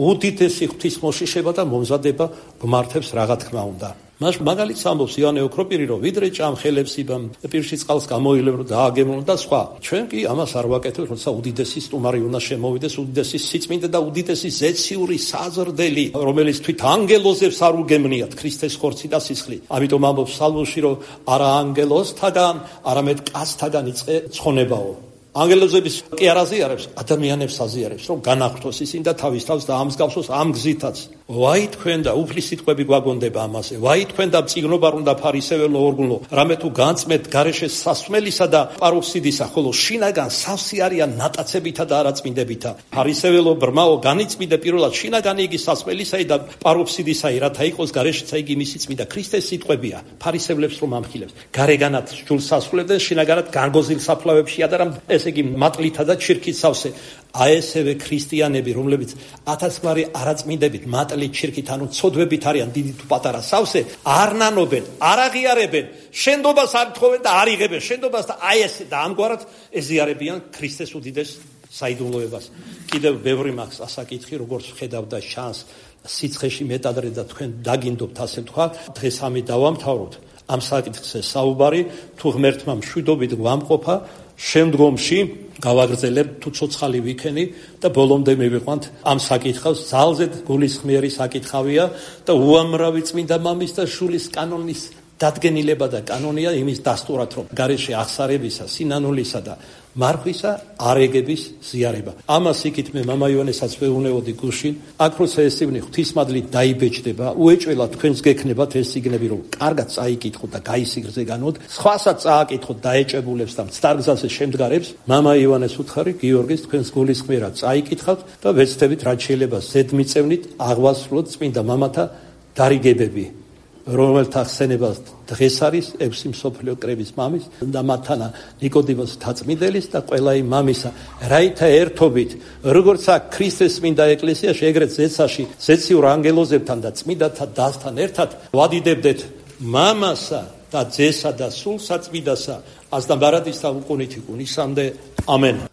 უდიდესი ღვთისმოშიშება და მომზადება გმართებს რა თქმა უნდა. მაგალითს ამბობს ივანე ოქროპირი, რომ ვიდრე ჭამხელებს იბამ, პირში წყალს გამოილებ, რომ დააგემრონ და სხვა. ჩვენ კი ამას არ ვაკეთებთ, როცა უდიდესი სტუმარი უნდა შემოვიდეს, უდიდესი სიწმინდე და უდიდესი ზეციური საზრდელი, რომელიც თვით ანგელოზებს არ უგემრიათ ქრისტეს ხორცი და სისხლი. ამიტომ ამბობს სალმოში, რომ არა ანგელოზთაგან, არამედ კაცთაგან იწყე ცხონებაო. ანგელოზების კი არ აზიარებს, ადამიანებს აზიარებს, რომ განახვრთოს ისინი და თავის თავს დაამსგავსოს ამ გზითაც. ვაი თქვენ და უფლის სიტყვები გვაგონდება ამაზე. ვაი თქვენ და მწიგნობარ უნდა ფარისეველო ორგულო, რამე თუ განწმეთ გარეშე სასმელისა და პაროფსიდისა, ხოლო შინაგან სავსე არიან ნატაცებითა და არაწმინდებითა. ფარისეველო ბრმაო, განიწმინდე პირველად შინაგანი იგი სასმელისაი და პაროფსიდისაი, რათა იყოს გარეშეცა იგი მისი წმინდა. ქრისტეს სიტყვებია, ფარისევლებს რომ ამხილებს. გარეგანად ჯულს ასრულებდნენ, შინაგანად განგოზილ საფლავებში ადარამ ესე იგი მატლითა და ჩირქით სავსე. აი ესევე ქრისტიანები, რომლებიც ათასგვარი არაწმინდებით, მატლით, ჩირქით, ანუ ცოდვებით არიან დიდი თუ პატარა სავსე, არ ნანობენ, არ აღიარებენ, შენდობას არ თხოვენ და არ იღებენ შენდობას და აი ესე და ამგვარად ეზიარებიან ქრისტეს უდიდეს საიდუმლოებას. კიდევ ბევრი მაქვს ასაკითხი, როგორც ხედავდა შანს სიცხეში მეტადრე და თქვენ დაგინდობთ ასე თქვა, დღეს ამი დავამთავროთ. ამ საკითხზე საუბარი, თუ ღმერთმა მშვიდობით გვამყოფა, შემდგომში გავაგრძელებ თუ ცოცხალი ვიქენი და ბოლომდე მივიყვანთ ამ საკითხავს. ძალზედ გულისხმიერი საკითხავია და უამრავი წმინდა მამის და შულის კანონის დადგენილება და კანონია იმის დასტურად, რომ გარეშე აღსარებისა, სინანულისა და მარხვისა არეგების ზიარება. ამას იქით მე მამა ივანესაც ვეუნეოდი გუშინ, აქ როცა ეს წიგნი ღვთისმადლით დაიბეჭდება, უეჭველად თქვენს გექნებათ ეს წიგნები, რომ კარგად წაიკითხოთ და გაისიგრძე განოთ, სხვასაც წააკითხოთ დაეჭებულებს და მცდარგზაზე შემდგარებს. მამა ივანეს უთხარი, გიორგის თქვენს გულისხმიერად წაიკითხავთ და ვეცდებით რაც შეიძლება ზედმიწევნით აღვასრულოთ წმინდა მამათა დარიგებები, რომელთა ხსენებას დღეს არის 6 მსოფლიო კრების მამის და მათანა ნიკოდიმოს თაწმიდელის და ყველა იმ მამისა, რაითა ერთობით, როგორც აქ ქრისტეს წმინდა ეკლესიაში, ეგრეთ ზეცაში, ზეციურ ანგელოზებთან და წმინდათა დასთან ერთად ვადიდებდეთ მამასა და ძესა და სულ საწმინდასა, ას და ბარადისა უკუნითი კუნისამდე. ამენ.